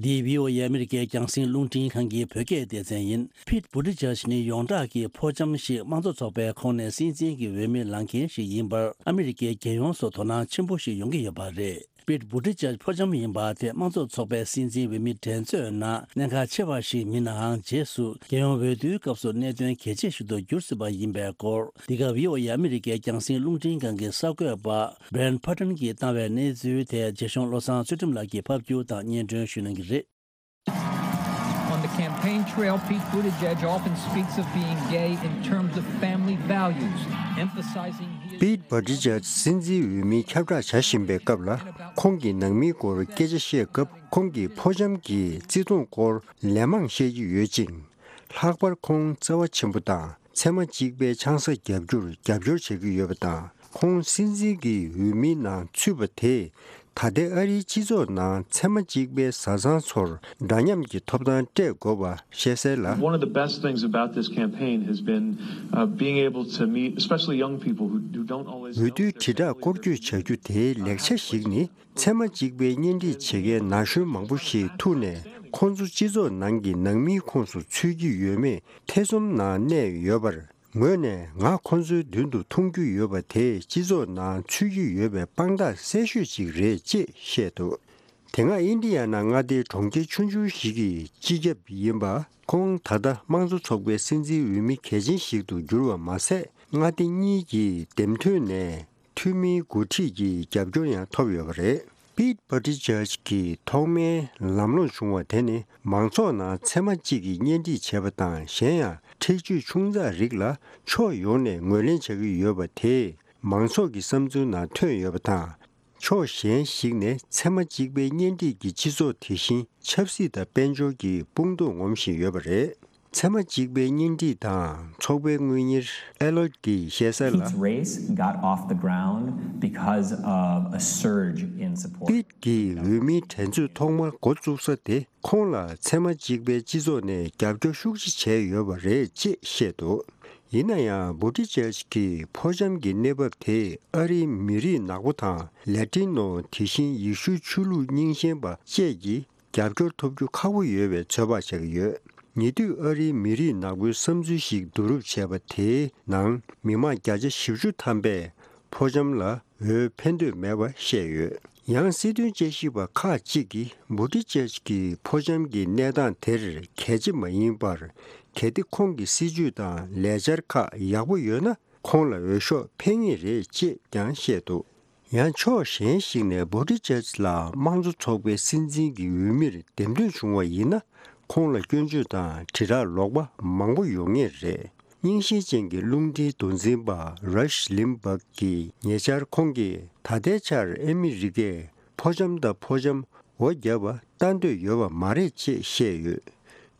འདི་བྷི་ཨོ་ཨེ་ཨ་མི་རི་ཀའི་རྒྱང་སྲིང་རླུང་འཕྲིན་ཁང་གི་བོད་སྐད་སྡེ་ཚན་ཡིན། ཕིད་བུ་ཏི་ཇཱཇ་ནི་ཡོངས་གྲགས་ཀྱི་ཕོ་བྱམས་ཤིག་དམངས་གཙོ་ཚོགས་པའི་ཁོངས་ནས་སྲིད་འཛིན་གྱི་འོས་མི་ལངས་མཁན་ཞིག་ཡིན་པར་ཨ་མི་རི་ཀའི་རྒྱལ་ཡོངས་སུ་དོ་སྣང་ཆེན་པོ་ཞིག་ཡོང་གི་ཡོད་པ་རེད། ཕིད་བུ་ཏི་ཇཱཇ་ཕོ་བྱམས་ཡིན་པ་དེ་དམངས་གཙོ་ཚོགས་པའི་སྲིད་འཛིན་འོས་མི་འགྲན་རྩོད་ནང་གནད་འགག་ཆེ་བ་ཞིག་མིན་ནའང་། རྗེས་སུ་རྒྱལ་ཡོངས་འོས་བསྡུའི་སྐབས་སུ་གནད་དོན་གལ་ཆེ་ཞིག་ཏུ་འགྱུར་སྲིད་པ་ཡིན་པའི་སྐོར། འདི་ག་བྷི་ཨོ་ཨེ་ཨ་མི་རི་ཀའི་རྒྱང་སྲིང་རླུང་འཕྲིན་ཁང་གི་གསར་འགོད་པ་Brian Padden གྱིས་བཏང་བའི་གནས་ཚུལ་དེ་རྗེ་གཞུང་བློ་བཟང་ཚུལ་ཁྲིམས་ལགས་ཀྱིས་ཕབ་སྒྱུར་དང་སྙན་སྒྲོན་ཞུ་གནང་གི་རེད། On the campaign trail, Pete Buttigieg often speaks of being gay in terms of family values, emphasizing he is Pete Buttigieg སྲིད་འཛིན་འོས་མིའི་ཁྱབ་བསྒྲགས་བྱ་བཞིན་པའི་སྐབས་ལ། ཁོང་གིས་ནང་མིའི་སྐོར་སྐད་ཆ་བཤད་སྐབས། ཁོང་གིས་ཕོ་བྱམས་ཀྱི་བརྩི་མཐོང་སྐོར་ལན་མང་བཤད་ཀྱི་ཡོད་ཅིང་། ལྷག་པར་ཁོང་བརྩེ་བ་ཆེན་པོ་དང་། ཚད་མ་གཅིག་པའི་ཆང་ས་རྒྱབ་རྒྱུར་རྒྱབ་སྐྱོར་བྱེད་ཀྱི་ཡོད་པ་དང་། ཁོང་སྲིད་འཛིན་གྱི་འོས་མིའི་ནང་ཚུད་པ་དེས། ད་ལྟའི་ཨ་རིའི་སྤྱི་ཚོགས་ནང་ཚད་མ་གཅིག་པའི་བཟའ་ཚང་ཚོར་འདྲ་མཉམ་གྱི་ཐོབ་ཐང་སྤྲད་དགོས་པ་བཤད་གསལ་ལ། One of the best things about this campaign has been, uh, being able to meet, especially young people who, who don't always know འོས་བསྡུའི་དྲིལ་བསྒྲགས་སྐོར་སྐྱོད་བྱ་རྒྱུ་དེའི་ལེགས་ཆ་ཞིག་ནི། ཚད་མ་གཅིག་པའི་གཉེན་སྒྲིག་བྱེད་མཁན་ན་གཞོན་མང་པོ་ཞིག་ཐུག་ནས། ཁོང་ཚོ་སྤྱི་ཚོགས་ནང་གི་ནང་མིའི་ཁོངས་སུ་ཚུད་ཀྱི་ཡོད་མེད་ཐེ་ཚོམ་ནང་གནས་ཡོད་པར། ངོས་ནས་ང་ཁོང་ཚོའི་མདུན་དུ་མཐོང་རྒྱུ་ཡོད་པ་དེས་སྤྱི་ཚོགས་ནང་ཚུད་ཀྱི་ཡོད་པའི་དཔང་རྟགས་གསལ་ཤོས་ཤིག་རེད་ཅེས་བཤད་འདུག་དེ་སྔ་ཨིན་ཌི་ཡ་ན་མངའ་སྡེའི་གྲོང་ཁྱེར་ཆུང་ཆུང་ཞིག་གི་སྤྱི་ཁྱབ་ཡིན་པ། ཁོང་ད་ལྟ་དམངས་གཙོ་ཚོགས་པའི་སྲིད་འཛིན་འོས་མི་གལ་ཆེན་ཞིག་ཏུ་གྱུར་བ་མ་ཟད། མངའ་སྡེ་གཉིས་ཀྱི་འདེམས་ཐོན་ནས་འཐུས་མིའི་འགོ་ཁྲིད་ཀྱི་རྒྱབ་སྐྱོར་ཡང་ཐོབ་ཡོད་པ་རེད། པིད་བྷ་ཊི་ཇར་ཇི་གིས་ཐོག་མའི་ལམ་ལྷོང་བྱུང་བ་དེ་ནི། མང་ཚོགས་ནང་ཚད་མ་གཅིག་གི་གཉེན་སྒྲིག་བྱས་པ་དང་། གཞན་ཡང་འཁྲིག་སྤྱོད་ཆུང་ཙག་རིགས་ལ་ཕྱོགས་ཡོངས་ནས་ངོས་ལེན་བྱ་གི་ཡོད་པ་དེས། མང་ཚོགས་ཀྱི་བསམ་ཚུལ་ནང་ཐོན་ཡོད་པ་དང་། ཕྱོགས་གཞན་ཞིག་ནས་ཚད་མ་གཅིག་པའི་གཉེན་སྒྲིག་གི་སྤྱི་ཚོགས་དེ་བཞིན་ཆབ་སྲིད་དང་དཔལ་འབྱོར་གྱི་དཔུང་སྡུག་ངོམ་བཞིན་ཡོད་པ་རེད། ཚད་མ་གཅིག་པའི་གཉེན་སྒྲིག་དང་ཚོགས་པའི་དངུལ་གཉེར་ཨེ་ལོད་ཀྱིས་བཤད་གསལ་ལ། Pete's race got off the ground because of a surge in support. པིད་ཀྱི་འོས་མིའི་འགྲན་རྩོད་ཐོག་མར་འགོ་བཙུགས་ས་དེ། ཁོང་ལ་ཚད་མ་གཅིག་པའི་སྤྱི་ཚོགས་ནས་རྒྱབ་སྐྱོར་ཤུགས་ཆེ་བྱས་ཡོད་པ་རེད་ཅེས་བཤད་འདུག་ཡིན་ན་ཡང་། བྷུ་ཏི་ཇར་ཇི་གི་ཕོ་བྱམས་ཀྱི་གནས་བབ་དེས་ཨ་རིའི་མི་རིགས་ནག་པོ་དང་། ལེ་ཏི་ནོ། དེ་བཞིན་ཡེ་ཤུའི་ཆོས་ལུགས་རྙིང་ཞེན་པ་བཅས་ཀྱི་རྒྱབ་སྐྱོར་ཐོབ་རྒྱུ་ཁག་པོ་ཡོད་པའི་ཚོད་དཔག་བྱ་གི་ཡོད། ཉེ་དུས་ཨ་རིའི་མི་རིགས་ནག་པོའི་བསམ་ཚུལ་ཞིག་བསྡུ་རུབ་བྱས་པ་དེའི་ནང་། མི་མང་བརྒྱ་ཆ་བཞི་བཅུ་ཐམ་པས་ཕོ་བྱམས་ལ་འོས་འཕེན་འདོད་མེད་པ་བཤད་ཡོད། ཡང་སྲིད་དོན་དཔྱད་ཞིབ་པ་ཁག་ཅིག་གིས་བྷུ་ཏི་ཇར་ཇི་གི་ཕོ་བྱམས་ཀྱི་གནས་སྟངས་དེར་གལ་ཆེ་མ་ཡིན་པར། གལ་ཏེ་ཁོང་གི་སྲིད་ཇུས་དང་ལས་འཆར་ཁག་ཡག་པོ་ཡོད་ན། ཁོང་ལ་འོས་ཤོག་འཕེན་ངེས་རེད་ཅེས་ཀྱང་བཤད་འདུག་ཡང་ཕྱོགས་གཞན་ཞིག་ནས་བྷུ་ཏི་ཇར་ཇི་ལ་དམངས་གཙོ་ཚོགས་པའི་སྲིད་འཛིན་གྱི་འོས་མིར་འདེམས་ཐོན་བྱུང་བ་ཡིན་ན། ཁོང་ལ་སྐྱོན་བརྗོད་དང་དྲིལ་བསྒྲགས་ལོག་པ་མང་པོ་ཡོང་ངེས་རེད། རྙིང་ཞེན་ཅན་གྱི་རླུང་འཕྲིན་མདོ་འཛིན་པ་རཱཤ་ལིམ་བག་གིས་ཉེ་ཆར་ཁོང་གིས་ད་ལྟའི་ཆར་ཨ་མི་རི་ཀས་ཕོ་བྱམས་དང་ཕོ་བྱམས་འོ་བརྒྱབ་པ་ལྟ་འདོད་ཡོད་པ་མ་རེད་ཅེས་བཤད་ཡོད།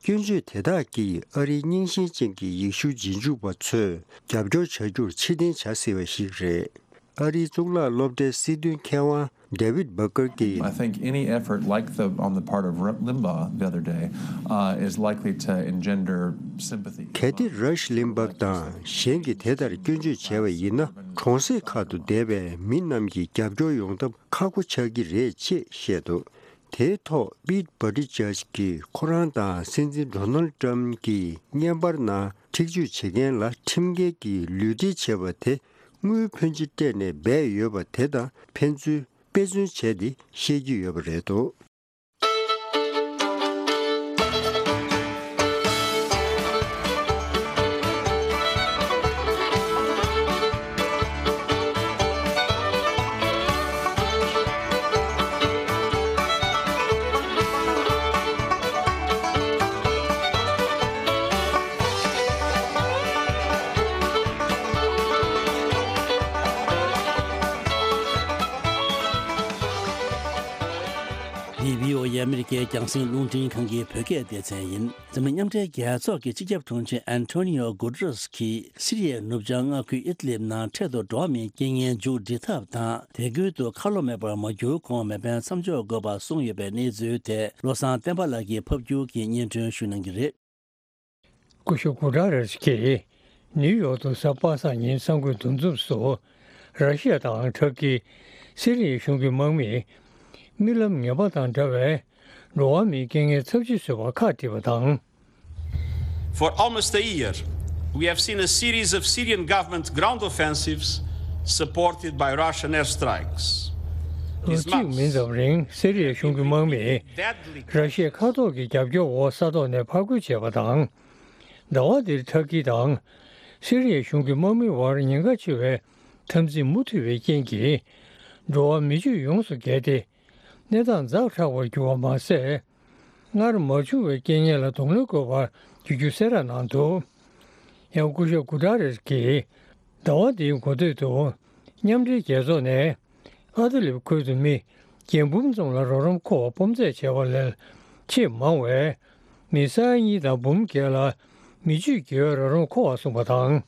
སྐྱོན་བརྗོད་དེ་དག་གིས་ཨ་རིའི་རྙིང་ཞེན་ཅན་གྱི་ཡེ་ཤུ་རྗེས་འཇུག་པ་ཚོས་རྒྱབ་སྐྱོར་བྱ་རྒྱུར་ཕྱིར་འཐེན་བྱ་སྲིད་པ་ཞིག་རེད། ཨ་རིའི་གཙུག་ལག་སློབ་གྲྭའི་སྲིད་དོན་མཁས་དབང་ཌེ་ཝིད་བྷ་ཀར་གྱིས། I think any effort like the on the part of Limbaugh the other day uh, is likely to engender sympathy. གལ་ཏེ་རཱཤ་ལིམ་བག་དང་གཞན་གྱིས་དེ་ལྟར་སྐྱོན་བརྗོད་བྱས་པ་ཡིན་ན། གྲོང་གསེབ་ཁག་ཏུ་བསྡད་པའི་མི་རྣམས་ཀྱིས་རྒྱབ་སྐྱོར་ཡོང་ཐབས་ཁག་པོ་ཆགས་ཀྱི་རེད་ཅེས་བཤད་འདུག་དེའི་ཐོག་པིད་བྷ་ཏི་ཇར་ཇི་གིས་ཁོ་རང་དང་སྲིད་འཛིན་ཌོ་ནལ་ཌི་ཊརམ་གྱིས་བརྙན་པར་ནང་འཁྲིག་སྤྱོད་བྱེད་མཁན་ལ་ཁྲིམས་འགལ་གྱི་ལུས་འབྲེལ་བྱས་པ་དེ། དངུལ་ཕོན་ཆེ་སྤྲད་ནས་འབད་ཡོད་པ་དེ་དང་ཕན་ཚུན་དཔེ་མཚོན་བྱས་ཏེ་བཤད་ཀྱི་ཡོད་པ་རེད་འདུག་འདི་བྷི་ཨོ་ཨེ་ཨ་མི་རི་ཀའི་རྒྱང་སྲིང་རླུང་འཕྲིན་ཁང་གི་བོད་སྐད་སྡེ་ཚན་ཡིན། འཛམ་གླིང་མཉམ་འབྲེལ་རྒྱལ་ཚོགས་ཀྱི་སྤྱི་ཁྱབ་དྲུང་ཆེ་ཨན་ཐོ་ནི་ཡོ་གུ་ཏ་རེས་ཀྱིས་སི་རི་ཡའི་ནུབ་བྱང་མངའ་ཁུལ་ཨིད་ལིབ་ནང་འཕྲལ་དུ་འགྲོ་བ་མིའི་རྐྱེན་ངན་མཇུག་སྒྲིལ་ཐབས་དང་། དེ་ཁུལ་དུ་ཁ་ལོ་མེད་པར་མ་གྱུར་གོང་མེ་འཕེན་མཚམས་འཇོག་དགོས་པ་གསུངས་ཡོད་པའི་གནས་ཚུལ་དེ། བློ་བཟང་བསྟན་པ་ལགས་ཀྱིས་ཕབ་སྒྱུར་གྱིས་སྙན་སྒྲོན་ཞུ་གནང་གི་རེད། སྐུ་ཞབས་གུ་ཏ་རེས་ཀྱིས་ནིའུ་ཡོག་ཏུ་གཟའ་པ་སངས་ཉིན་གསར་འགོད་འདུ་འཛོམས་སུ། ར་ཤི་ཡ་དང་ཁྲག་གི་སི་རི་ཡའི་གཞུང་གི་དམག་མིས་རྨི་ལམ་ངན་པ་དང་འདྲ་བའི་འགྲོ་བ་མིའི་རྐྱེན་ངན་ཚབས་ཆེ་བཟོས་པ་ཁག་དཀྲིས་པ་དང་། For almost a year, we have seen a series of Syrian government ground offensives supported by Russian airstrikes. ལོ་གཅིག་མིན་ཙམ་རིང་སི་རི་ཡའི་གཞུང་གི་དམག་མིས་ར་ཤི་ཡའི་མཁའ་ཐོག་གི་རྒྱབ་སྐྱོར་འོག་ས་ཐོག་ནས་ཕར་རྒོལ་བྱས་པ་དང་། ཟླ་བ་འདིར་ཐར་ཀི་དང་སི་རི་ཡའི་གཞུང་གི་དམག་མིའི་དབར་ཉེན་ཁ་ཆེ་བའི་འཐབ་འཛིང་མུ་མཐུད་པའི་རྐྱེན་གྱིས། འགྲོ་བ་མི་སྤྱོད་ཡོངས་སུ་བརྒལ་ཏེ། གནས་སྟངས་ཛ་དྲག་པར་གྱུར་བ་མ་ཟད། སྔར་མ་བྱུང་བའི་རྐྱེན་ངན་ལ་གདོང་ལེན་དགོས་པར་གྱུར་རྒྱུ་གསལ་བསྒྲགས་གནང་འདུག་ཡང་སྐུ་ཞབས་གུ་ཏ་རེས་ཀྱིས་ཟླ་བ་འདིའི་འགོ་སྟོད་དུ་མཉམ་འབྲེལ་རྒྱལ་ཚོགས་ནས་ཨ་ཏི་ལིབ་ཁུལ་དུ་མི་བརྒྱད་འབུམ་ཙམ་ལ་རོགས་རམ་མཁོ་བ་སྤོམ་རྩེད་བྱས་པ་ལས་ཆེས་མང་བའི་མི་ས་ཡ་གཉིས་དང་འབུམ་བརྒྱད་ལ་མི་ཆོས་དགེ་བའི་རོགས་རམ་མཁོ་བ་གསུངས་པ་དང་།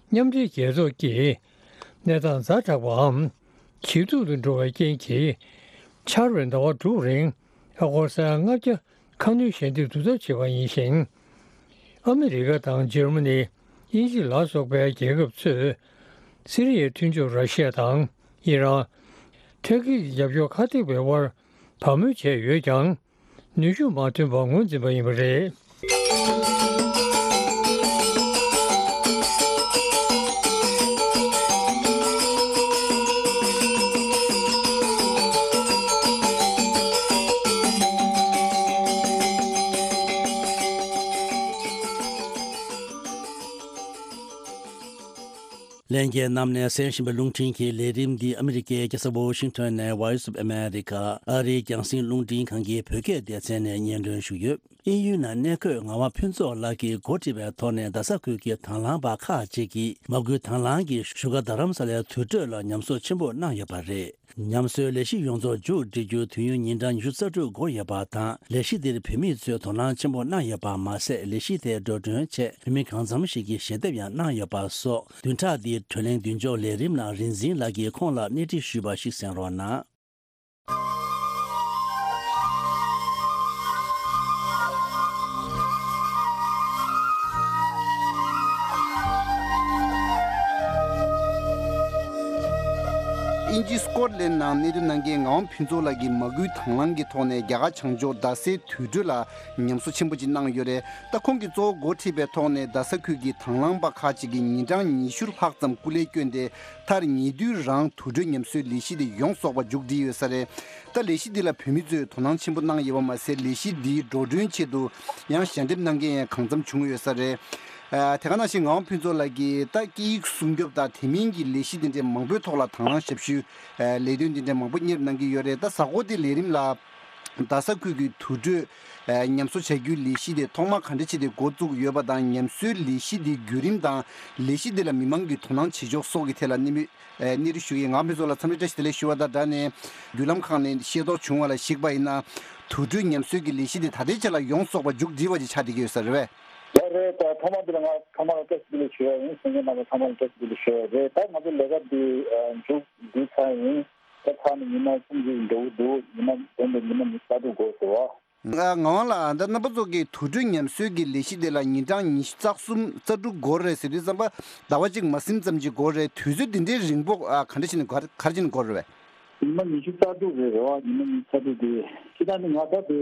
མཉམ་འབྲེལ་རྒྱལ་ཚོགས་ཀྱིས་གནས་སྟངས་ཛ་དྲག་པའམ། ཇེ་སྡུག་ཏུ་འགྲོ་བའི་རྐྱེན་གྱིས། འཆར་བའི་ཟླ་བ་དྲུག་རིང་ཨ་སྒོར་ས་ཡ་ལྔ་བརྒྱ་ཁ་སྣོན་ཞལ་འདེབས་བསྡུ་ཐབས་བྱས་པ་ཡིན་ཞིང་། ཨ་མི་རི་ཀ་དང་འཇར་མ་ནི། དབྱིན་ཇི་ལ་སོགས་པའི་རྒྱལ་ཁབ་ཚོས་སི་རི་ཡའི་མཐུན་ཕྱོགས་ར་ཤི་ཡ་དང་ཨི་རན། ཐར་ཀི་གི་རྒྱབ་སྐྱོར་ཁ་གཏད་པའི་དབར་བབས་མོལ་བྱས་ཡོད་ཀྱང་། ནུས་ཤུགས་མ་ཐོན་པར་ངོས་འཛིན་པ་ཡིན་པ་རེད། ལྷན་རྒྱས་རྣམས་ནས་གསན་བཞིན་པའི་རླུང་འཕྲིན་གྱི་ལས་རིམ་འདི་ཨ་མི་རི་ཀའི་རྒྱལ་ས་ཝོ་ཤིང་ཊོན་ནས་Voice of America ཨ་རིའི་རྒྱང་སྲིང་རླུང་འཕྲིན་ཁང་གི་བོད་སྐད་སྡེ་ཚན་ནས་སྙན་སྒྲོན་ཞུས་ཡོད། དབྱིན་ཡུལ་ནང་གནས་འཁོད་ངག་དབང་ཕུན་ཚོགས་ལགས་ཀྱིས་འགོ་ཁྲིད་པའི་ཐོག་ནས་རྡ་ས་ཁུལ་གྱི་དང་བླངས་པ་ཁག་ཅིག་གིས་མ་སྐུལ་དང་བླངས་ཀྱིས་བཞུགས་སྒར་རྡ་རམ་ས་ལའི་དུར་ཁྲོད་ལ་ཉམས་གསོ་ཆེན་པོ་གནང་ཡོད་པ་རེད། ཉམས་གསོའི་ལས་གཞི་ཡོངས་རྫོགས་མཇུག་སྒྲིལ་རྒྱུར་དུས་ཡུན་ཉིན་གྲངས་ཉི་ཤུ་རྩ་དྲུག་འགོར་ཡོད་པ་དང་། ལས་གཞི་འདིར་བོད་མི་ཚོས་དོ་སྣང་ཆེན་པོ་གནང་ཡོད་པ་མ་ཟད། ལས་གཞི་དེའི་འགྲོ་གྲོན་ཆེད་བོད་མི་གང་འཚམ་ཞིག་གིས་ཞལ་འདེབས་ཡང་གནང་ཡོད་པ་སོགས། བདུན་ཕྲག་འདིའི་བགྲོ་གླེང་མདུན་ཅོག་ལས་རིམ་ནང་རིག་འཛིན་ལགས་ཀྱིས་ཁོང་ལ་སྣེ་ཁྲིད་ཞུས་པ་ཞིག་གསན་རོགས་གནང་། དབྱིན་ཇི་སི་ཀོཊ་ལེན་ནང་གནས་སྡོད་གནང་མཁན་ངག་དབང་ཕུན་ཚོགས་ལགས་ཀྱིས་མ་སྐུལ་དང་བླངས་ཀྱི་ཐོག་ནས་རྒྱ་གར་བྱང་ཕྱོགས་རྡ་སའི་དུར་ཁྲོད་ལ་ཉམས་གསོ་ཆེན་པོ་ཅིག་གནང་ཡོད་རེད། ད་ཁོང་གིས་གཙོ་བོ་འགོ་ཁྲིད་པའི་ཐོག་ནས་རྡ་ས་ཁུལ་གྱི་དང་བླངས་པ་ཁག་ཅིག་གིས་ཉིན་གྲངས་ཉི་ཤུ་ལྷག་ཙམ་སྐུ་ལས་བསྐྱོན་ཏེ། མཐར་ཉེ་དུས་རང་དུར་ཁྲོད་ཉམས་གསོའི་ལས་གཞི་དེ་ཡོངས་རྫོགས་པ་མཇུག་སྒྲིལ་ཡོད་ས་རེད། ད་ལས་གཞི་འདི་ལ་བོད་མི་ཚོས་དོ་སྣང་ཆེན་པོ་གནང་ཡོད་པ་མ་ཟད། ལས་གཞི་འདིའི་འགྲོ་གྲོན་ཆེད་དུ་ཡང་ཞལ་འདེབས་གནང་མཁན་ཡང་གང་འཚམ་བྱུང་ཡོད་ས་རེད། ཨ། དེ་ག་ནང་བཞིན་ངག་དབང་ཕུན་ཚོགས་ལགས་ཀྱིས་ད་སྐད་ཡིག་སྲུང་སྐྱོབ་དང་དེ་མིན་གྱི་ལས་གཞི་འདི་འདྲའི་མང་པོའི་ཐོག་ལ་དང་བླངས་ཞབས་ཞུའི་ཨ་ལས་དོན་འདི་འདྲའི་མང་པོ་གཉེར་གནང་གི་ཡོད་རེད། ད་གཟའ་འཁོར་འདིའི་ལས་རིམ་ལ་རྡ་ས་ཁུལ་གྱི་དུར་ཁྲོད་ཨ་ཉམས་གསོ་བྱ་རྒྱུའི་ལས་གཞི་དེ་ཐོག་མར་ག་འདྲ་བྱས་ཏེ་འགོ་བཙུགས་ཡོད་པ་དང་། ཉམས་གསོའི་ལས་གཞི་འདིའི་བརྒྱུད་རིམ་དང་། ལས་གཞི་འདི་ལ་མི་མང་གིས་དོ་སྣང་བྱེད་ཕྱོགས་སོགས་ཀྱི་ཐད་ལ་གནས་མི་ཨ་གནས་རི་ཞུ་མཁན་ངག་དབང་ཕུན་ཚོགས་ལ་འཚམས་འདྲི་བཀྲ་ཤིས་བདེ་ལེགས་ཞུ་བ་དང་སྦྲགས་ནས། བརྒྱུད་ལམ་ཁག་ནས་ཤེས་རྟོགས་བྱུང་བ་ལ་གཞིགས་པ་ཡིན་ན། དུར་ཁྲོད་ཉམས་གསོའི་གི་ལས་གཞི་འདི་ད་ལྟའི་ཆ་ལ་ཡོངས་རྫོགས་པ་མཇུག་སྒྲིལ་བ་ཅིག་ཆགས་བསྡད་ཀྱི་ཡོད་ས་རེད་པས། ལགས་རེད། ད་ཐོག་མར་འདི་ལ་ང་ཚང་མ་ལ་བཀྲ་ཤིས་བདེ་ལེགས་ཞུ་ཡ་ཡིན། གསན་མཁན་རྣམ་པ་ཚང་མ་ལ་བཀྲ་ཤིས་བདེ་ལེགས་ཞུ་ཡ་རེད། ད་ང་ཚོ་ལས་ཀ་འདི་ཨ་མཇུག་སྒྲིལ་ཚར་ཡིན། ད་ཚར་ནས་ཉི་མ་སུམ་ཅུ་འགྲོ་གི་འདུག་ཉི་མ་འདོན་པའི་ཉི་མ་ཉི་ཤུ་རྩ་དྲུག་འགོར་སོང་བ། ང་ངག་དབང་ལགས། ད་རྣམ་པ་ཚོ་གིས་དུར་ཁྲོད་ཉམས་གསོའི་གི་ལས་གཞི་དེ་ལ་ཉིན་གྲངས་ཉི་ཤུ་རྩ་གསུམ་རྩ་དྲུག་འགོར་རེད་ཟེར་དུས་ཙམ་པ། ཟླ་བ་གཅིག་མ་ཟིན་ཙམ་ཅིག་འགོར་རེད། དུས་ཚོད་འདི་འདྲའི་རིང་པོ་ཨ་ག་འདྲ་བྱས་ནས་ག་ག་རེ་བྱས་ནས་འགོར་རེད་པས། ཉི་མ་ཉི་ཤུ་རྩ་དྲུག་རེད། རེད་བ། ཉི་མ་ཉི་ཤུ་རྩ་དྲུག་དེ་ཁྱེད་རང་ནི་ང་ད་དེ་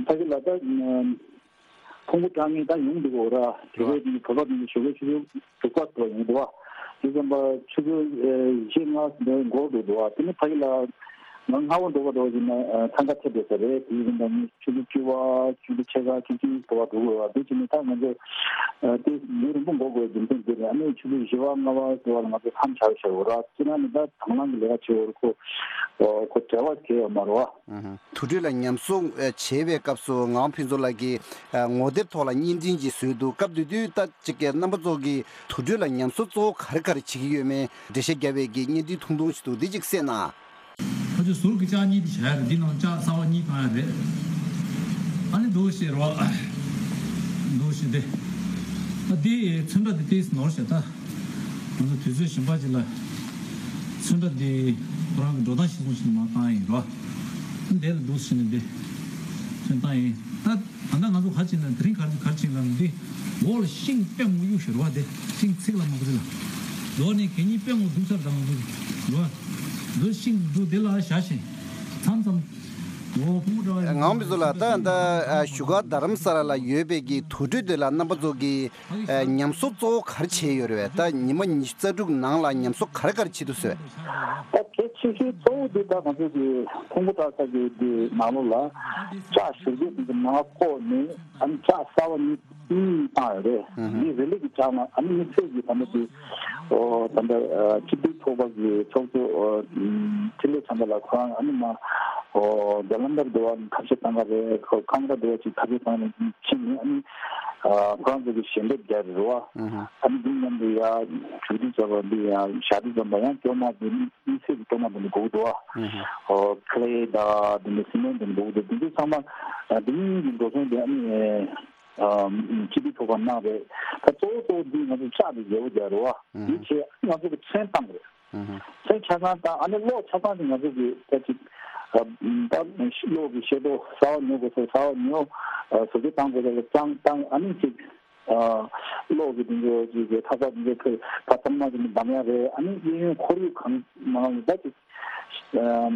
ཕ་གི་ལ་ད་ཕུང་པོ་བཀྲ་ངེས་ད་ཡོང་འདུག་གོ་ར། དེ་གའི་དེ་བོད་པ་དེ་ཞོགས་ཀའི་ཆུ་ཚོད་དྲུག་པ་དུ་ཡོང་འདུག་བ། དེ་ཙམ་པ་ཆུ་ཚོད་བཞི་ལྔ་འགོར་འདུག་འདུག་བ། དེ་ནི་ཕ་གི་ལ་ང་སྔ་བོ་འགྲོ་བ་འགྲོ་བ་ཡིན་ན་ཐང་ག་ཐེབས་འགྲོ་ས་རེད། དེ་ཡིན་ན་ནི་ཆུ་ཚོད་བཅུ་པ་ཆུ་ཚོད་ཕྱེད་ཀ་ཆུ་ཚོད་གཅིག་འགྲོ་བ་འགྲོ་དགོས་བ། དེ་བྱས་ནས་ད་ང་ཚོ་དེ་ཉིན་རིང་པོ་འགོར་དགོས་རྒྱུ་མཚན་དེ་རེད། ཨ་ནི་ཆུ་ཚོད་བཞི་པ་ལྔ་པ་ཙམ་པ་ལ་ང་ཚོ་མཚམས་བཞག་བཞག་འོ་ར། ཁྱེད་རང་ནི་ད་དང་བླངས་ཀྱི་ལས་ཀ་བྱེད་འོ་ར། ཁོ་ཁོ་བྲེལ་བ་གས་ཡོད་མ་རེད་བ། དུར་ཁྲོད་ལ་ཉམས་གསོ་ཨ་བྱེད་པའི་སྐབས་སུ་ངག་དབང་ཕུན་ཚོགས་ལགས་ཀྱིས་ཨ་ངོ་དེབ་ཐོག་ལ་བརྙན་འཕྲིན་ཅིག་བཟོས་འདུག་སྐབས་དེ་དུས་ད་ཅིག་གི་རྣམ་པ་ཚོ་གིས་དུར་ཁྲོད་ལ་ཉམས་གསོ་གཙོ་བོ་ག་རེ་ག་རེ་བྱེད་ཀྱི་ཡོད་མེད་འགྲེལ་བཤད་རྒྱབ་པའི་གི་བརྙན་འཕྲིན་ཐུང་ཐུང་ཞིག་འདུག་འདི་ཅིག་གསན་ན། ཕལ་ཆེར་ཟུར་གྱི་ལྕགས་གཉིས་དེ་བྱ་ཡ་རེད། འདི་ནང་ལྕགས་གསར་པ་གཉིས་བཏང་ཡ་རེད། ཨ་ནི་འདུག་ཤེས་རོགས། འདུག་ཤེས་དེ། ཨ་འདི་ཚོན་ཁྲ་དེ་ཏིས་ནོར་ཤེས་ད། ང་ཚོ་དུས་ཚོད་གཞན་པ་ཅིག་ལ་ཚོན་ཁྲ་འདི་ཁོ་རང་གི་འགྲོ་སྟངས་ཤེས་སོང་ཞིག་མ་བཏང་ཡིན་རོ། འདི་ལ་འདུག་ཟེར་ནས་འདི་ཚོན་བཏང་ཡིན། ད་ད་ལྟ་ང་ཚོ་ག་ཅིག་ན་དེ་རིང་ག་རེ་ག་རེ་ཅིག་ལ་འདི་འོག་ལ་ཤིང་དཔེ་མོ་གཡུག་ཤིག་རོ། དེ་ཤིང་ཚིག་ལ་མ་གུ་རི་ལ་ལོག་ནས་གད་སྙིགས་དཔེ་མོ་འདུག་ཚར་དང་མ་གུ་རི་རོ། འདི་ཤིང་འདུག་དེ་ལ་བཞག་ཤིང་མཚམས་མཚམས་འོ་ཕུང་པོ་འདྲ་བ་ངག་དབང་ཕུན་ཚོགས་ལགས། ད་ད་བཞུགས་སྒར་རྡ་རམ་ས་ལ་ལ་ཡོད་པའི་གི་དུར་ཁྲོད་དེ་ལ་རྣམ་པ་ཚོ་གི་ཨ་ཉམས་གསོ་གཙོ་བོ་ག་རེ་བྱས་ཡོད་རེད་པས། ད་ཉི་མ་ཉི་ཤུ་རྩ་དྲུག་ནང་ལ་ཉམས་གསོ་ག་རེ་ག་རེ་བྱེད་འདུག་ཟེར། ད་གལ་ཆེ་ཤོས་གཙོ་བོ་འདི་ད་ང་ཚོ་གི་ཕུང་པོ་བཀྲ་ཤིས་ཀྱི་འདི་ནང་ལོགས་ལ་ལྕགས་ཞུ་རྒྱུ་འདི་གི་ནང་ཕོག་ནས་ཨ་ནི་ལྕགས་གསར་པ་གཉིས་གཉིས་བཏང་ཡོད་རེད། འདི་རེ་ལི་གི་ལྕགས་ནང་ཨ་ནི་དམིགས་བསལ་གྱི་ད་ལྟ་འདི་ཨོ་ད་ལྟ་སྤྱི་འཐུས་ཚོགས་པ་གི་ཚོགས་གཙོ་འཕྲིན་ལས་བྱམས་པ་ལགས་ཁོ་རང་ཨ་ནི་མ་ཨོ་རྒྱ་ལམ་དར་འདི་བ་ཐབས་ཤེས་བཏང་ག་རེད། ཁོ་ཁང་པ་འདི་བ་ཅིག་ཐབས་ཤེས་བཏང་ནས་ཕྱིན་ནས་ཨ་ནི། ཨ་ཁོ་རང་ཚོ་གི་ཞལ་འདེབས་རྒྱག་རེད་བ། ཨ་ནི་འདི་མཉམ་དུ་ཡ་གྲོས་བསྡུར་བྱས་པ་འདི་ཡ་ཞག་དུས་ཙམ་པ་ཡང་སྐྱོ་མ་འདི་ནི་དམིགས་བསལ་གྱི་སྐྱོ་མ་འདི་ནི་དགོས་ཀྱི་འདུག་བ། ཨོ་ཁེ་ལེ་དང་འདི་ནི་སི་མེན་འདི་ནི་དགོས་ཀྱི་འདུག་འདི་ཚོ་ཚང་མ་ཨ་འདི་གཉིས་ཀྱི་འགྲོ་སོང་འདི་ཨ་ནི་ཨ་སྤྱི་འཐུས་ཚོགས་པ་གནང་རེད། ད་གཙོ་བོ་གཙོ་བོ་འདི་ང་ཚོ་ལྕགས་འདི་ཡག་པོ་རྒྱག་རེད་བ། འདི་བྱས་ང་ཚོ་གི་ཚོན་བཏང་རེད། ཚོན་ཆ་ཚང་དང་ཨ་ནི་གློག་ཆ་ཚང་དེ་ང་ཚོ་གི་ད་ཅིག་ཨ་ད་གློག་གི་ཤེལ་ཏོག་གསར་པ་ཉོ་དགོས་སོ། གསར་པ་ཉོ་ཨ་བཟོ་བཅོས་བཏང་དགོས་སོ་ལ་ཙང་ཙང་ཨ་ནི་ཅིག་ཨ་གློག་གི་དེ་ཚོ་ཅིག་གི་ཐག་ཚག་དེ་ཚོ་ཁོས་ད་ཚང་མ་ཅིག་ནི་འདམ་ཡ་རེད། ཨ་ནི་གཡས་གཡོན་ཁོར་ཡུག་གང་མང་ད་ཅིག་ཨ་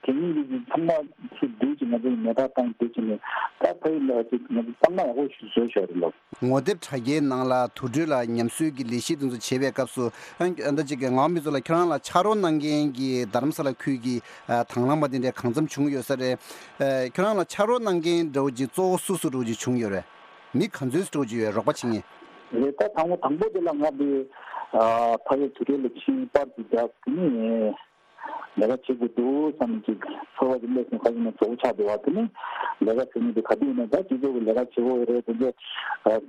དེ་ཉིད་ཀྱི་ཚང་མ་ཚུར་བསྡུས་ཅིག་ང་ཚོ་མེ་སྟག་བཏང་བསྡུས་ཅིག་ནི་ད་ཕ་ཡུལ་ལ་ཅིག་ང་ཚོ་ཚང་མ་ཡག་པོ་ཞིག་བཟོས་བཞག་རེད་ལགས། ངོ་དེབ་དྲ་རྒྱའི་ནང་ལ་དུར་ཁྲོད་ལ་ཉམས་གསོའི་གི་ལས་གཞི་དེ་ཚོ་བྱེད་པའི་སྐབས་སུ་ཨ་ད་ཅིག་གི་ངག་དབང་ཕུན་ཚོགས་ལགས་ཁྱོད་རང་ལ་ཕྱག་རོགས་གནང་མཁན་གྱི་རྡ་རམ་ས་ལ་ཁུལ་གྱི་ཨ་དང་བླངས་པ་དེ་འདྲ་གང་འཚམ་བྱུང་ཡོད་ས་རེད། ཨ་ཁྱོད་རང་ལ་ཕྱག་རོགས་གནང་མཁན་འདྲ་བོ་ཅིག་གཙོ་བོ་སུ་སུ་འདྲ་བོ་ཅིག་བྱུང་ཡོད་རེད། མི་ག་ཚོད་འདྲ་བོ་ཅིག་ཡོད་རོགས་པ་བྱེད་མཁན། རེད། ད་དང་པོ་དང་པོ་དེ་ལ་ང་དེ་ཕ་གིར་དུས་དྲན་ལ་ཕྱིན། པར་གྱི་རྒྱབ་དེ་ནི་ལས་ཀ་བྱེད་དགོས་འདུག་བསམ་ཅིག་ཚོར་བ་ཅིག་སླེབས་སོང་། ཁ་ཅིག་ན་གཙོ་བོ་ཆགས་འདུག་བ། དེ་ནི་ལས་ཀ་བྱེད་མི་དེ་ག་དུས་ཡིན་ན་ད་སྤྱི་ཚོགས་ཀྱི་ལས་ཀ་བྱེད་དགོས་རེད། དེ་ཚོ་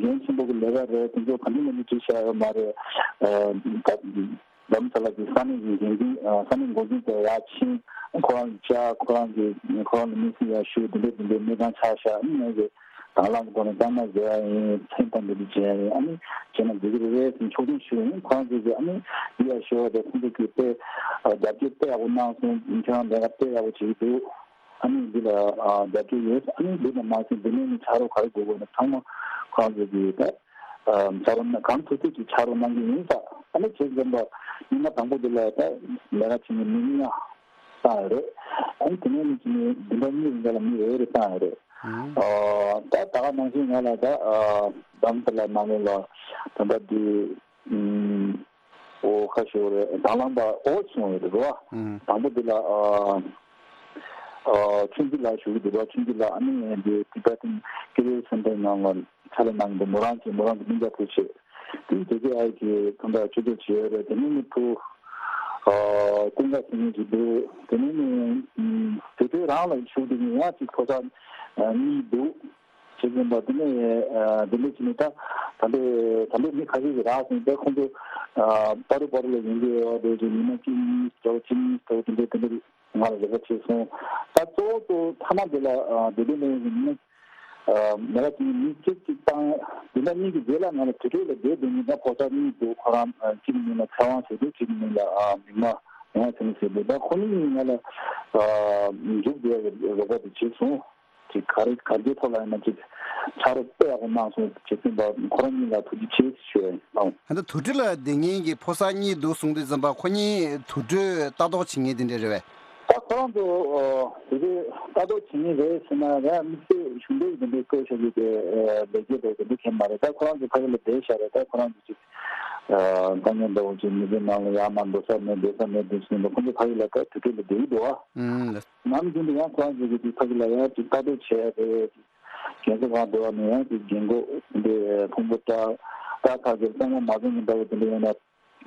འགན་ཆེན་པོ་གི་ལས་ཀ་རེད། དེ་ཚོ་ག་འདྲ་ན་འདྲ་བྱེད་བཞག་ཡོད་མ་རེད། ད་རྡ་རམ་ས་ལ་གི་ས་གནས་ཀྱི་འགན་འཛིན་ས་གནས་འགོ་འཛིན་དེ་ཡར་ཕྱིན། ཁོ་རང་བཅར། ཁོ་རང་གི་ཁོ་རང་ལ་དམིགས་བསལ་ཡར་ཞུ། དེ་འདྲ་དེ་འདྲའི་གནས་སྟངས་ཆགས་ཤག་ཨ་ནི་ངས་དང་བླངས་ཀྱི་ཐོག་ནས་གཙང་མ་བཟོ་ཡ་ཡིན། ཚོན་དང་འདི་འདྲ་བྱེད་ཡ་ཡིན། ཨ་ནི་བྱས་ན་འགྲིག་གི་རེད་རེད་ཟེར་ཕྱོགས་སྒྲིག་ཞུ་ཡ་ཡིན། ཁོ་རང་ཚོས་ཀྱི་ཨ་ནི་འདི་ཡར་ཞུ་བ་དང་ཁོང་ཚོ་གིས་དཔེ་རྒྱབ་སྐྱོར་དཔེ་ཡག་པོ་གནང་སོང་། ཁྱེད་རང་ལས་ཀ་དཔེ་ཡག་པོ་བྱེད་ཀྱི་འདུག་ཨ་ནི་འདི་ལ་རྒྱབ་སྐྱོར་ཡོད། ཨ་ནི་འདི་ལ་མ་ཟད་འདི་ནས་ནི་ཕྱག་རོགས་ག་རེ་དགོས་དགོས་ན་ཚང་མ་ཁོ་རང་ཚོ་གིས་ད་ཕྱག་རོགས་གནང་། གང་ཐུབ་ཐུབ་ཀྱིས་ཕྱག་རོགས་གནང་གི་ཡིན་ས། ཨ་ནི་བྱས་ཙང་པ་ཉི་མ་དང་པོ་འདི་ལ་ད་ལས་ཀ་བྱེད་མཁན་མི་ཉུང་བཏང་ཡོད་རེད། ཨ་ནི་དེ་ནས་ནི་བྱས་ནས་བདུན་ཕྲག་གཉིས་རིང་ག་ལ་མི་རེ་རེ་བཏང་ཡོད་རེད། ཨ་ད་ད་ག་ནང་བཞིན་ང་ལ་ད་རྡ་རམ་ས་ལ་ནང་ལོགས་ལ་ད་ལྟ་འདི་ཨོ་ཁ་ཤོར་རེད། དང་བླངས་པ་ཨོ་སོང་ཡོད་རེད་བ། དང་པོ་འདི་ལ་ཨ་ཨ་ཆུང་སྐྱིད་ལགས་ཞུ་གི་འདུག་བ། ཆུང་སྐྱིད་ལགས་ཨ་ནི་འདི་Tibetan Career Center ནང་ལ་ཕྱག་ལས་གནང་གི་འདུག་མོ་རང་གིས་མོ་རང་གི་སྙིང་རྗེ་ཐུགས་རྗེ་ཆེ། དེ་ཇེ་ཀེ་ཨའི་གི་ཁོང་ཚོ་ཆུ་ཚོད་བྱས་ཡོད་རེད། དེ་ནས་ནི་ཕུ་ཨ་ཀུན་དགའ་ཟེར་མཁན་ཅིག་འདུག་དེ་ནས་ནི་ཨམ་དེ་དུས་རང་ལ་ཞུགས་དེ་ནི་ཡང་ཅིག་ཕོ་གསར་ཨ་གཉིས་འདུག་བྱེད་ཀྱིན་པ་དེ་ནས་ཨ་དེ་འདྲ་བྱས་ནས་ད་ད་འདྲ་ད་འདྲ་མི་ཁ་ཤས་ཀྱིས་རག་སོང་། ད་ཁོང་ཚོ་ཨ་པ་རུ་པ་རུ་ལ་ཡོང་གི་ཡོད་རེད། ཉི་མ་གཅིག་གཉིས་འདྲ་བོ་གཅིག་གཉིས་འདྲ་བོ་དེ་འདྲ་དེ་འདྲ་ང་ལ་རེ་བ་བྱས་སོང་། ད་གཙོ་བོ་གཙོ་བོ་མཐའ་མ་དེ་ལ་ཨ་དེ་འདྲ་ལས་ཡོང་གི་མི་ཨ་མི་ལ་དེ་མི་གཅིག་གཅིག་བཏང་། དེ་འདྲ་གཉིས་ཀྱི་རྗེས་ལ་ང་ལ་དུར་ཁྲོད་ལ་བསྡད་དེ་ནི་ད་ཕོ་གསར་གཉིས་འདུག་ཁོ་རང་ཨ་གཅིག་གི་མིང་ལ་ཚེ་དབང་ཟེར་འདུག་གཅིག་གི་མིང་ལ་ཨ་མིག་དམར་མིག་དམར་ཚེ་རིང་ཟེར་འདུག་ད་ཁོ་གཉིས་ཀྱིས་ང་ལ་ཨ་མཇུག་བསྡུ་ཡག་གི་རོགས་པ་དེ་བྱས་སོང་། ཅིག་ག་རེ་ག་འདྲའི་ཐོག་ལ་ཡིན་ན་ཅིག་ཕྱག་རོགས་དཔེ་ཡག་པོ་གནང་སོང་། བྱས་ཙང་པ་ཁོ་རང་གཉིས་ལ་ཐུགས་རྗེ་ཆེ་ཞུ་ཡ་ཡིན། ཨང་། ད་ལྟ་དུར་ཁྲོད་ལ་བསྡད་མཁན་གྱི་ཕོ་གསར་གཉིས་འདུག་གསུངས་དུས་ཙམ་པ་ཁོ་གཉིས་དུར་ཁྲོད་ལྟ་རྟོག་བྱེད་མཁན་དེ་འདྲ་རེད་པས། ད་ཁོ་རང་ཚོ་ཨ་དེ་དུས་ལྟ་རྟོག་བྱེད་མཁན་རེད་ཟེར་ན་ཡང་དམིགས་བསལ་གཞུང་འབྲེལ་གྱི་དེ་འདྲའི་བཀོད་བཞག་གི་དེ་ཨ་ལས་བྱེད་དེ་དེ་འདྲ་གང་མ་རེད། ད་ཁོ་རང་ཚོ་ཕ་གི་ལ་བསྡད་བཞག་རེད། ད་ཁོ་རང་ཚོ་ཅིག་ཨ་དཀའ་ངལ་འདྲ་བོ་ཅིག་མི་ཚེ་ནང་ལ་ཡར་མར་འགྲོ་ས་མེད་སྡོད་ས་མེད་དུས་ཙམ་པ་ཁོ་ཚོ་ཕ་གི་ལ་ད་དུར་ཁྲོད་ལ་བསྡད་ཀྱི་འདུག་ཨ། ཨང་། ནམ་རྒྱུན་དུ་ཡང་ཁོ་རང་ཚོ་གི་དེ་ཕ་གི་ལ་ཡང་ཅིག་ལྟ་རྟོག་བྱས་རེད། རྒན་གསོ་ཁང་འགྲོ་བ་ནས་ཡང་ཅིག་རྒན་གོག་འདི་ཕུང་པོ་བཀྲ་བཀྲ་ཁ་གི་གཙང་མ་མ་བཟོ་མི་འདྲ་བོ་དེ་འདྲ་ཡོད་ན་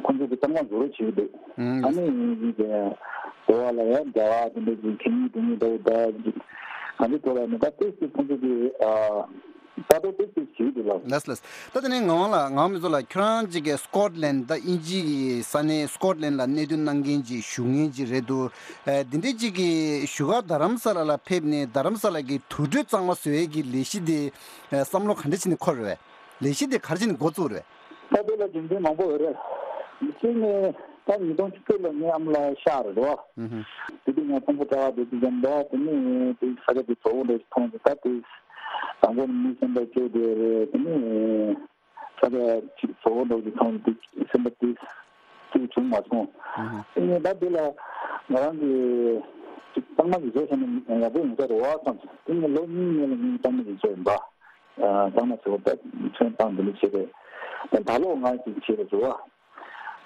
ཁོང་ཚོ་གི་གཙང་མ་བཟོ་རོགས་བྱེད་ཀྱི་འདུག་ཨང་། ཨ་ནི་ཡིན་གྱི་དེ་འགྲོ་བ་ལ་ཡང་རྒྱ་བ་དེ་འདྲ་ཅིག་གད་སྙིགས་འདུག་མི་འདྲ་བོ་ད་ཅིག་གང་ཅི་འགྲོ་བ་ནི་ད་ཏོག་ཙམ་ཁོང་ཚོ་གི་ཨ། ད་དུང་ཏོག་ཙམ་ཞིག་འདུག་ལགས། ལགས་ལགས། ད་དེ་ནས་ངག་དབང་ལགས། ངག་དབང་མི་ཚོགས་ལགས། ཁྱོད་རང་ཅིག་གི་སི་ཀོཊ་ལན་ད་དབྱིན་ཇི་གི་ས་གནས་སི་ཀོཊ་ལན་ལ་གནད་དོན་གནང་མཁན་ཅིག་བཞུགས་མཁན་ཅིག་རེད་འདུག་ཨ་འདི་འདྲའི་ཅིག་གི་བཞུགས་སྒར་རྡ་རམ་ས་ལ་ལ་ཕེབས་ནས་རྡ་རམ་ས་ལ་གི་དུར་ཁྲོད་གཙང་མ་བཟོ་ཡས་ཀྱི་ལས་གཞི་དེ་ཨ་བསམ་བློ་ག་འདྲ་བྱས་ནས་འཁོར་རེད་པས། ལས་གཞི་དེ་ག་རེ་བྱས་ནས་འགོ་བཙུགས་རེད་པས། ད་དེ་ལ་རྒྱུ་མཚན་མང་པོ་ཡོད་རེད། གཅིག་ནས་ད་ཉིས་སྟོང་བཅུ་དྲུག་ལ་ངའི་ཨ་མ་ལགས་གཤགས་རེད་པ། ཨུ་ཧུ། དེ་དུས་ང་ཕུང་པོ་བཀྲ་བ་དེ་དུས་ཙམ་པ་དེ་ནས་དེ་ས་ཆ་དེ་བཙོག་པོ་འདྲ་ཞིག་མཐོང་སོང་། ད་དེ་དང་པོ་ནས་མི་སེམས་པ་སྐྱོ་བསྡད་རེད། དེ་ནས་ས་ཆ་ཅིག་བཙོག་པོ་འདྲ་ཞིག་མཐོང་སོང་། དེ་སེམས་པ་དེ་སྐྱིད་བྱུང་མ་སོང་། ཨུ་ཧུ། དེ་ནས་ད་དེ་ལ་ང་རང་གིས་ཅིག་གཙང་མ་ཞིག་བཟོས་བཞག་ན་ཡག་པོ་ཡོང་ས་རེད་པ་བསམ་སོང་། དེ་ནས་ལོ་གཉིས་སྔོན་ལ་ངས་གཙང་མ་ཞིག་བཟོས་ཡིན་པ། ཨ་གཙང་མ་བཟོས་པ་ད་ཚོན་བཏང་དེ་འདྲ་བྱས་རེད། ད་ད་ལོ་ང་ཅིག་བྱས་རེད་བཟོ་བ།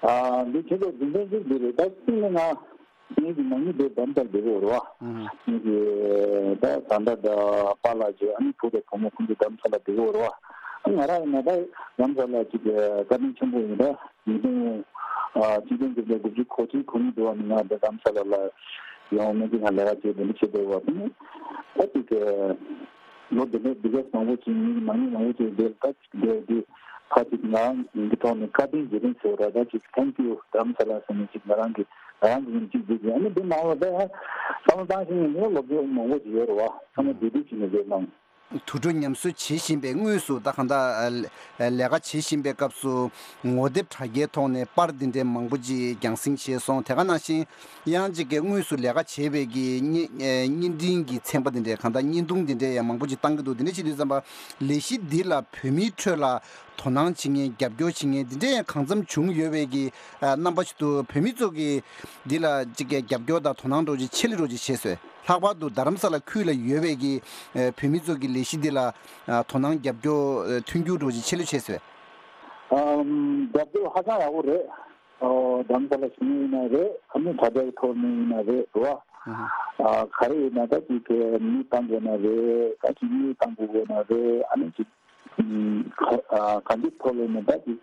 ཨ་འདི་བྱེད་དགོས་རྒྱུ་མཚན་གཅིག་འདི་རེད། ད་གཅིག་ནི་ང་ངེད་ཀྱི་ནང་མི་དེ་འདམ་ལྟར་བསྡད་ཀྱི་ཡོད་རེད་པ། ངེད་ཀྱི་ད་ད་ལྟ་ད་པཱ་ལགས་ཀྱི་ཨ་ནི་བུ་དང་བུ་མོ་ཁོང་ཚོ་འདམ་ས་ལ་བསྡད་ཀྱི་ཡོད་རེད་པ། ང་རང་ཡིན་ན་ད་འདམ་ས་ལ་ཅིག་བཀའ་དྲིན་ཆེན་པོ་ཡིན། ད་ཉིས་སྟོང་ཨ་གཅིག་སྟོང་དགུ་བརྒྱ་དགུ་བཅུ་གོ་གཅིག་གོ་གཉིས་དུ་བ་ནི་ང་ད་འདམ་ས་ལ་ལ་ཡོང་མི་དེ་ང་ལས་ཀ་བྱེད་དེ་འདྲ་བྱེད་བསྡད་པ་དེ་ནི་ད་ཅིག་ལོ་འདི་འདྲ་འདི་ག་མང་པོ་ཅིག་ངེད་ཀྱི་ནང་མི་མང་པོ་ཅིག་བསྡད་ད་ཅིག་བསྡད་དེ། ཕ་གཅིག་ང་རང་གི་ཐོག་ནས་བཀའ་དྲིན་རྗེས་དྲན་ཟེར་བ་ར་ད་ཅིག་Thank you དྷ་རམ་ས་ལ་ཟེར་ནས་ཅིག་ང་རང་གི་ང་རང་གི་ཡིན་གཅིག་བསྡད་ཀྱི། ཨ་ནི་འདི་མང་བ་ད་བསམ་བློ་བཏང་ཤེས་ནས་ནི་ལོ་རྒྱུས་མང་པོ་ཅིག་ཡོད་རེད་པ། ཚང་མ་བསྡུས་བསྡུས་བྱས་ནས་བསྡད་གནང་། དུར་ཁྲོད་ཉམས་གསོ་བྱེད་བཞིན་པའི་དངོས་སུ་ད་གང་ལྟར་ལས་ཀ་བྱེད་བཞིན་པའི་སྐབས་སུ་ངོ་དེབ་དྲ་རྒྱའི་ཐོག་ནས་པར་འདི་འདྲའི་མང་པོ་ཅིག་རྒྱང་སྲིང་བྱས་སོང་། དེ་ག་ནང་བཞིན་ཡང་ཅིག་གི་དངོས་སུ་ལས་ཀ་བྱེད་པའི་གི་བརྙན་བརྙན་འཕྲིན་གྱི་ཚན་པ་འདི་འདྲའི་གང་ལྟར་བརྙན་ཐུང་འདི་འདྲའི་ཡང་མང་པོ་ཅིག་བཏང་གི་འདུག་འདི་འདྲ་བྱེད་དུས་ཙམ་པ་ལས་གཞི་འདི་ལ་བོད་མིའི་ཁྲོད་ལ་དོ་སྣང་བྱེད་མཁན་རྒྱབ་སྐྱོར་བྱེད་མཁན་འདི་འདྲ་ཡང་གང་འཚམ་བྱུང་ཡོད་པའི་གི་རྣམ་པ་ཞིག་འདུག་བོད་མི་ཚོ་གི་འདི་ལ་ཅིག་གི་རྒྱབ་སྐྱོར་དང་དོ་སྣང་འདྲ་བོ་ཅིག་ཆེ་ལེ་འདྲ་བོ་ཅིག་བྱས་སོང་། ལྷག་པར་དུ་རྡ་རམ་ས་ལ་ཁུལ་ལ་ཡོད་པའི་གི་བོད་མི་ཚོ་གི་ལས་གཞི་འདི་ལ་དོ་སྣང་རྒྱབ་སྐྱོར་མཐུན་འགྱུར་འདྲ་བོ་ཅིག་ཆེ་ལེ་བྱས་སོང་། ཨམ། རྒྱབ་སྐྱོར་ཧ་ཅང་ཡག་པོ་རེད། ཨོ། རྡ་རམ་ས་ལ་བཞུགས་མཁན་ཡིན་ན་རེད། ཨ་ནི་དྲ་རྒྱའི་ཐོག་ནས་ཡིན་ན་རེད་རེད་བ། ཨ་ག་རེ་ཡིན་ན་ད་ཅིག་གི་མི་བཏང་དགོས་ན་རེད། ད་ཅིག་མི་བཏང་དགོས་དགོས་ན་རེད། ཨ་ནི་ཅིག་ ག་ག་འདི་ཐོག་ལས་ནས་ད་ཅིག་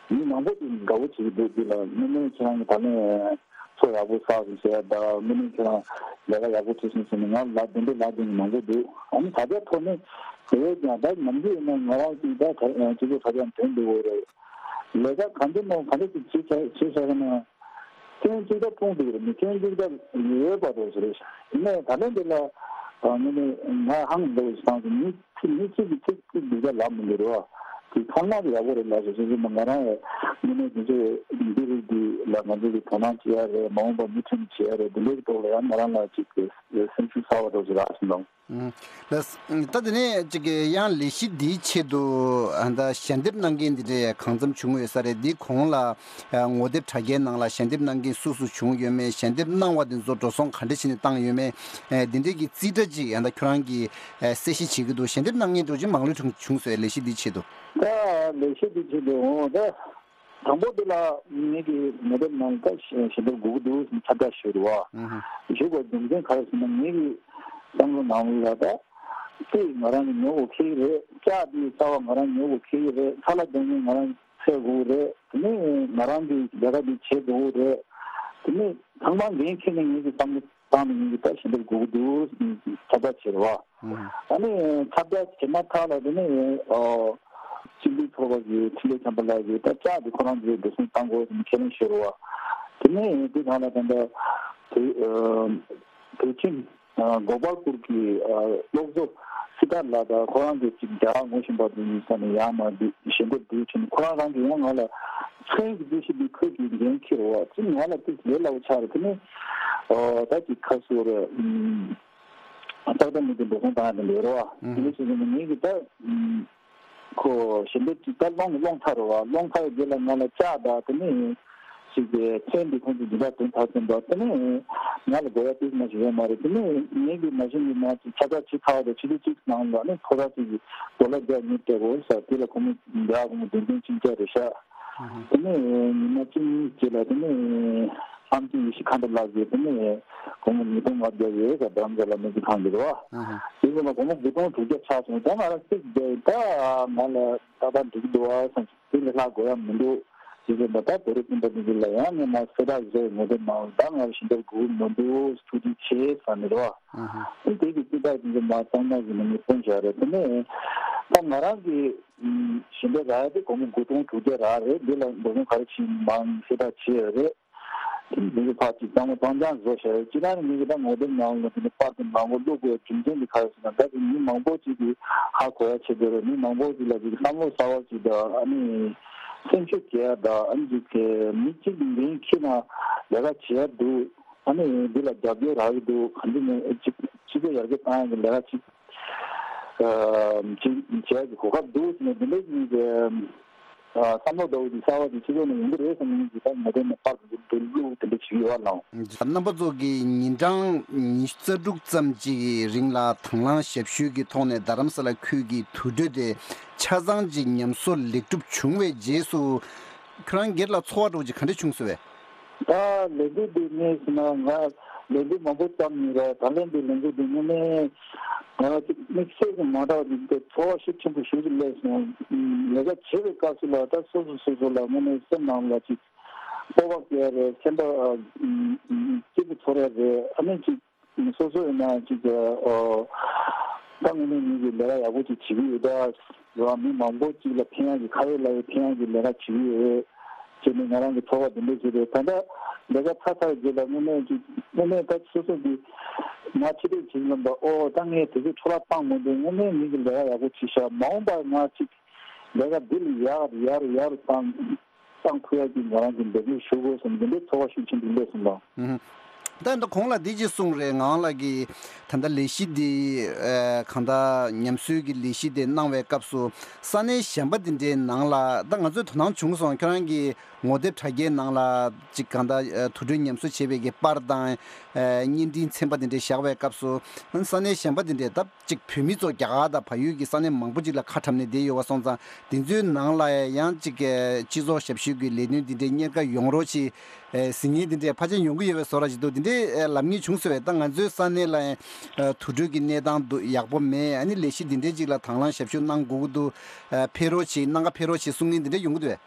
མི་མང་པོ་ཅིག་དགའ་བོ་བྱེད་ཀྱི་འདུག་འདི་ལ་དངོས་གནས་ཁྱེད་རང་གི་ད་ལན་ཚོ་ཡག་པོ་བསགས་ཟིན་བྱས་ད་དངོས་གནས་ཁྱེད་རང་ལས་ཀ་ཡག་པོ་བྱེད་སོང་ཟེར་ནས་ང་ལ་དེ་འདྲའི་ལབ་མཁན་མང་པོ་འདུག་ཨ་ནི་ད་ལྟའི་ཐོག་ནས་དེ་བས་ཀྱང་ད་ནམ་རྒྱུན་ཡིན་ན་ང་རང་ཅིག་ད་སྤྱི་ཚོགས་དྲ་རྒྱ་འདོན་འདུག་འོ་རེད། ལས་ཀ་ག་འདྲ་མོ་ག་འདྲ་ཅིག་བྱེད་བྱ་བྱེད་བྱ་ན། སྐྱོན་གཅིག་ད་སྤུངས་འདུག་རེད་མི་སྐྱོན་གཅིག་ད་ཡོད་པ་རེད་ཟེར་རེད། ཡིན་ནའི་ད་ལན་འདི་ལ་ངས་ནི་ང་ཧང་འདུག་ཞིག་བཏང་སོང་མི་ཚིག་མི་གཅིག་གིས་ཚིག་གཅིག་འདུག་ད་ལབ་མི་འདུག་རེད་བ། དེ་ཐ་མག་ཡག་པོ་རེད་ལབ་ཟེར་ཟེར་ཟེར་ན་ང་རང་ཡང་དངོས་གནས་དེ་ཚོ་འདི་རིགས་འདི་ལ་ང་ཚོ་གི་དོ་སྣང་བྱེད་ཡ་རེད་མ་འོངས་པ་མུ་མཐུད་ནས་བྱེད་ཡ་རེད་འདི་འདྲའི་ཐོག་ལ་ཡང་ང་རང་ལ་ཅིག་སེམས་ཤུགས་ཚ་བ་འདྲ་ཞིག་རག་སོང་། ལགས། ད་དེ་ནས་ཅིག་ཡང་ལས་གཞི་འདིའི་ཆེད་དུ་ད་ཞལ་འདེབས་གནང་མཁན་འདི་འདྲ་གང་འཚམ་བྱུང་ཡོད་ས་རེད། འདི་གོང་ལ་ངོ་དེབ་དྲ་རྒྱའི་ནང་ལ་ཞལ་འདེབས་གནང་མཁན་སུ་སུ་བྱུང་ཡོད་མེད། ཞལ་འདེབས་གནང་བ་འདི་ཚོ་འགྲོ་སོང་ག་འདྲ་བྱས་ནས་བཏང་ཡོད་མེད། འདི་འདྲས་ཀྱི་རྩིས་ཁྲ་ཅིག་ད་ཁྱོད་རང་གིས་གསལ་བཤད་བྱེད་ཀྱི་འདུག་ཞལ་འདེབས་གནང་མཁན་འདྲ་ཅིག་མང་ལོས་བྱུང་བྱུང་སོང་ལས་གཞི་འདིའི་ཆེད་དུ། ད་ལས་གཞི་འདིའི་ཆེད་དུ་འོང་ད། དང་པོ་དེ་ལ་ངེད་ཀྱི་ངོ་དེབ་ནང་ལ་ཞལ་འདེབས་དགོས་ཀྱི་འདུག་ཟེར་ཁྱབ་བསྒྲགས་ཞུས་རེད་བ། ཞུས་པའི་རྒྱུ་མཚན་ག་རེ་ཟེར་ན་ངེད་ཀྱི་བསམ་བློ་ནང་ལ་ད་རྩིས་ང་རང་གིས་ཉོ་དགོས་ཁེལ་གྱི་རེད། ལྕགས་དེ་གསར་པ་ང་རང་ཉོ་དགོས་ཁེལ་གྱི་རེད། ཁ་ལག་འདོན་མཁན་ང་རང་འཚོལ་དགོས་རེད། དེ་ནས་ང་རང་གི་ལས་ཀ་འདི་བྱེད་དགོས་རེད། དེ་ནས་ཚང་མ་འགན་འཁྱེར་ནས་ངེད་ཀྱི་བསམ་བློ་བཏང་ནས་ངེད་ཀྱི་ད་ཞལ་འདེབས་དགོས་ཀྱི་འདུག་ཟེར་ཁྱབ་བསྒྲགས་བྱས་རེད་བ། ཨ་ནི་ཁྱབ་བསྒྲགས་བྱས་མ་ཐག་ལ་དེ་ནས་ཨོ་སྤྱི་འཐུས་ཚོགས་པ་གི་འཕྲིན་ལས་འཆམ་པ་ལགས་ཀྱིས་ད་ལྕགས་དེ་ཁོ་རང་ཚོས་འགྲོ་སོང་བཏང་དགོས་ཟེར་ནས་ཁས་ལེན་ཞུས་རེད་བ། དེ་ནས་དེ་གང་ལ་ད་ལྟ་བོད་ཨ་བོད་ཁྱིམ་ཨ་གོ་པལ་པུར་གྱི་ཨ་སློབ་གཙོ་སི་ཐར་ལགས་དང་ཁོ་རང་ཚོ་གཅིག་རྒྱ་གར་ངོ་ཤེས་པ་དེ་ཡིན་ས་ནས་ཡར་མར་འདི་ཞལ་འདེབས་འདི་བྱས་ནས་ཁོ་རང་རང་གིས་ཡང་ང་ལ་མཚན་གྱི་རྩིས་གཞི་འདི་ཁོས་ཀྱིས་འགན་འཁྱེར་རེད་བ། ཅི་ང་ལ་ཏིག་ལས་སླ་པོ་ཆགས་རེད། དེ་ནས་ཨོ་ད་ཅིག་ཁ་སོ་རེད། ཏག་ཏག་མི་འདུག་འགྲོ་སོང་བཏང་ཡ་དེ་འདྲ་རེད་བ། དེ་འདྲ་བྱས་ནས་ངེད་ཀྱི་ད་ཁོ་ཞལ་འདེབས་ཀྱི་ད་སློང་སློང་ཚར་རེད་བ། སློང་ཚར་བའི་རྗེས་ལ་ང་ལ་ལྕགས་དང་དེ་ནས་ཞིག་གི་མཚན་འདི་ཁོང་ཚོ་འདི་འདྲ་དོན་དག་ཟིན་པ་དེ་ནས་ང་ལ་དགོས་ཡ་ཏིག་མ་ཞིག་ཡོད་མ་རེད། དེ་ནས་ངེད་ཀྱི་མ་གཞི་ནས་མ་ཅིག་ཁྱབ་བསྒྲགས་བྱེད་ཚར་བ་དང་ཕྱི་ཚེས་གཅིག་ནང་ལ་ནི་ཁོ་ར་ཅིག་གི་ཌོ་ལར་བརྒྱ་ཉིས་སྤྲད་དགོས་ཟེར། དེ་ལ་ཁོ་མོ་འདི་ཨ་ཁོ་མོ་དོན་ཚན་ཕྱིན་ཆད་རེད་ཤག་དེ་ནས་ཉི་མ་གཅིག་རྗེས་ལ་དེ་ནས་ཨམ་ཆི་ཡེ་ཤེས་མཁའ་འགྲོ་ལགས་ཀྱིས་དེ་ནས་སྒོར་མོ་ཉིས་སྟོང་ལྔ་བརྒྱ་ཡོད་ས་འགྲམ་རྩ་ལ་སྨན་རྩིས་ཁང་གི་རེད་བ། དེ་ཚོ་ལ་སྒོར་མོ་དགུ་སྟོང་དྲུག་བརྒྱ་ཆགས་སོང་། ད་ང་རང་ཚིག་བརྒྱབ་ད་ང་ལ་ཏག་ཏག་འགྲིག་འདུག་བ་བསམ་སོང་། དེ་ལས་ལྷག་དགོས་ཡ་མི་འདུག་ཅེས་ཟེར་ནས་ད་བོད་རིགས་སྤུན་ཟླ་འདི་ཚོ་ལ་ཡང་ངས་མར་གསལ་བསྒྲགས་བཟོས། ངོ་དེབ་ནང་ད་ང་ལ་ཞལ་འདེབས་དགོས་ཀྱི་མི་འདུག་ཐུགས་རྗེ་ཆེ་ཟེར་ནས་རེད་བ། དེ་དེ་གི་རྩིས་ཐག་དེ་ཚོ་མར་གཙང་མ་ཟིན་ནས་ངས་བཏོན་བཞག་རེད། དེ་ནས་ད་ང་རང་གི་ཞལ་འདེབས་རག་ཡ་དེ་སྒོར་མོ་དགུ་སྟོང་དྲུག་བརྒྱ་རག་རེད། འདི་ལ་འགྲོ་སོང་ག་རེ་ཕྱིན་མིན་གསལ་བསྒྲགས་བྱས་ཡོད་རེད། དེ་ནི་མི་གི་ཕར་ཅིག་གཙང་མ་གཙང་རྐྱང་བཟོ་བྱ་ཡོད། སྤྱིར་བཏང་ནི་མི་གི་ད་ངོ་དེབ་ནང་ལ་དེ་ནི་པར་དེ་མང་པོ་བླུག་དགོས་རྒྱུ་མཚན་དེ་ག་རེ་ཟེར་ན། ད་དེ་མི་མང་པོ་ཅིག་གིས་ཧ་གོ་ཡ་བྱེད་དགོས་རེད། མི་མང་པོ་ཅིག་ལ་ཅིག་བསམ་བློ་གསར་བ་ཅིག་དང་ཨ་ནི་སེམས་ཤུགས་རྒྱས་ཡ་དང་ཨ་ནི་ཅིག་མི་གཅིག་གི་འགན་འཁྱེར་ན་ལས་ཀ་བྱེད་ཡ་འདུག་ཨ་ནི་འདི་ལ་རྒྱབ་སྐྱོར་རག་གི་འདུག་ག་འདྲ་ནས་ཅིག་སྤྱི་ཚོགས་ཡར་རྒྱས་བཏང་ཡ་གི་ལས་ཀ་ཅིག་ཨ་ཅིག་བྱེད་ཡ་གི་གོ་སྐབས་འདུག་ཟེར་ནས་འདི་འདྲ་ཞིག་གི་ཨ་བསམ་བློ་འདྲ་བོ་ཅིག་གསར་བ་ཅིག་སྤྱི་ཚོགས་ནང་ཡོང་གི་རེད་བསམ་ནས་ཅིག་ད་ངོ་དེབ་ནས་པར་འདི་འདི་བླུག་དེ་འདྲ་བྱེད་ཀྱི་ཡོད་པ་ལགས། རྣམ་པ་ཚོ་གིས་ཉིན་གྲངས་ཉི་ཤུ་རྩ་དྲུག་ཙམ་ཅིག་གི་རིང་ལ་དང་བླངས་ཞབས་ཞུ་གི་ཐོག་ནས་རྡ་རམ་ས་ལ་ཁུལ་གྱི་དུར་ཁྲོད་དེ་ཆ་ཚང་ཅིག་ཉམས་གསོ་ལེགས་གྲུབ་བྱུང་བའི་རྗེས་སུ། ཁྱོད་རང་སྒེར་ལ་ཚོར་བ་འདྲ་བོ་ཅིག་ག་འདྲ་བྱུང་སོང་བས། ད་ལས་འགུལ་འདི་ངས་ཟེར་ན་ང་ལས་འགུལ་མང་པོ་བརྩམས་ཡིན་ར། ད་ལན་འདི་ལས་འགུལ་འདི་དངོས་གནས་ང་ཅིག་དམིགས་བསལ་གྱི་མ་འདྲ་བ་ཅིག་འདི་ཚོར་བ་ཤུགས་ཆེན་པོ་ཞེ་པོ་ཅིག་སླེབས་སོང་། ལས་ཀ་བྱེད་པའི་སྐབས་སུ་ལ་ད་སོ་སོ་སོ་སོ་ལ་དངོས་གནས་སེམས་ནང་ལ་ཅིག་སྤོབས་པ་སྐྱེ་ཡ་རེད། སེམས་པ་སྐྱིད་པོ་ཚོར་ཡ་རེད། ཨ་ནི་ཅིག་སོ་སོ་ཡིན་ན་ཅིག་ཨོ། ད་དངོས་གནས་ངེད་ཀྱིས་ལས་ཀ་ཡག་པོ་ཅིག་བྱེད་ཀྱི་ཡོད་ད། རེད་བ། མི་མང་པོ་ཅིག་ལ་ཕན་ཡག་གི་ཁ་ཡོད་ལག་ཡོད་ཕན་ཡག་གི་ལས་ཀ་བྱེད་ཀྱི་ཡོད་ཅེས་ནས་ང་རང་གི་ཚོར་བ་འདི་འདྲ་ཞིག་རེད། ད་ལྟ་ལས་ཀ་ཚར་ཚར་རྗེས་ལ་དངོས་གནས་ཅིག་དངོས་གནས་ད་སོ་སོ་གི་ང་ཕྱི་དྲོད་བྱེད་ཀྱི་ལམ་པ་ཨོ་ད་ངས་དེ་ཚོ་འཕྲོ་བརླག་བཏང་མི་འདུག་དངོས་གནས་ངེད་ཀྱིས་ལས་ཀ་ཡག་པོ་བྱས་ཤག་མ་འོངས་པར་ང་ཅིག་ལས་ཀ་འདི་ལས་ཡག་ཡག་ཡག་བཏང་། གཏང་ཐུབ་ཡག་གི་ང་རང་གི་འབད་བརྩོན་ཞུ་དགོས་བསམ་འདི་འདྲའི་ཚོར་བ་ཤུགས་ཆེན་པོ་སླེབས་སོང་ལགས། ཨུ་ཧུ། ད་ད་གོང་ལ་འདི་ཅིག་གསུངས་རེད། ངག་དབང་ལགས་ཀྱིས་ད་ལྟ་ལས་གཞི་འདི་ཨ་གང་ལྟར་ཉམས་གསོའི་གི་ལས་གཞི་དེ་གནང་བའི་སྐབས་སུ་ས་གནས་གཞན་པ་འདི་འདྲའི་ནང་ལ་ད་ང་ཚོས་དོ་སྣང་བྱུང་སོང་། ཁྱོད་རང་གི་ངོ་དེབ་དྲ་རྒྱའི་ནང་ལ་ཅིག་གང་ལྟར་ཨ་དུར་ཁྲོད་ཉམས་གསོ་བྱེད་པའི་གི་པར་དང་ཨ་བརྙན་འཕྲིན་ཚན་པ་འདི་འདྲའི་བཞག་པའི་སྐབས་སུ་ས་གནས་གཞན་པ་འདི་འདྲའི་ད། གཅིག་བོད་མི་ཚོ་རྒྱ་གར་དང་བལ་ཡུལ་གྱི་ས་གནས་མང་པོ་ཅིག་ལ་ཁ་འཁྲབ་ནས་བསྡད་ཡོད་པ་སོང་ཙང་དེ་ཚོའི་ནང་ལ་ཡང་གཅིག་གི་སྤྱི་ཚོགས་ཞབས་ཞུ་གི་ལས་དོན་འདི་འདྲའི་གཉེར་ཁ་ཡོང་རོགས་ཞེས་ཟེར་མཁན་འདི་འདྲའི་ཕལ་ཆེར་ཡོང་གི་ཡོད་པའི་བཟོ་འདྲ་ཞིག་འདུག་འདི་འདྲའི། ཨེ་ལབ་མཁན་བྱུང་ཟེར་བས། ད་ང་ཚོའི་ས་གནས་ལ་ཡང་དུར་ཁྲོད་ཀྱི་གནས་སྟངས་འདུག་ཡག་པོ་མེད། ཨ་ནི་ལས་གཞི་འདི་འདྲའི་ཅིག་ལ་དང་བླངས་ཞབས་ཞུ་གནང་དགོས་ཀྱི་འདུག་ཕེབས་རོགས་བྱེད། གནང་ག་ཕེབས་རོགས་བྱེད་གསུང་མཁན་འདི་འདྲ་ཡོང་གི་འདུག་བས།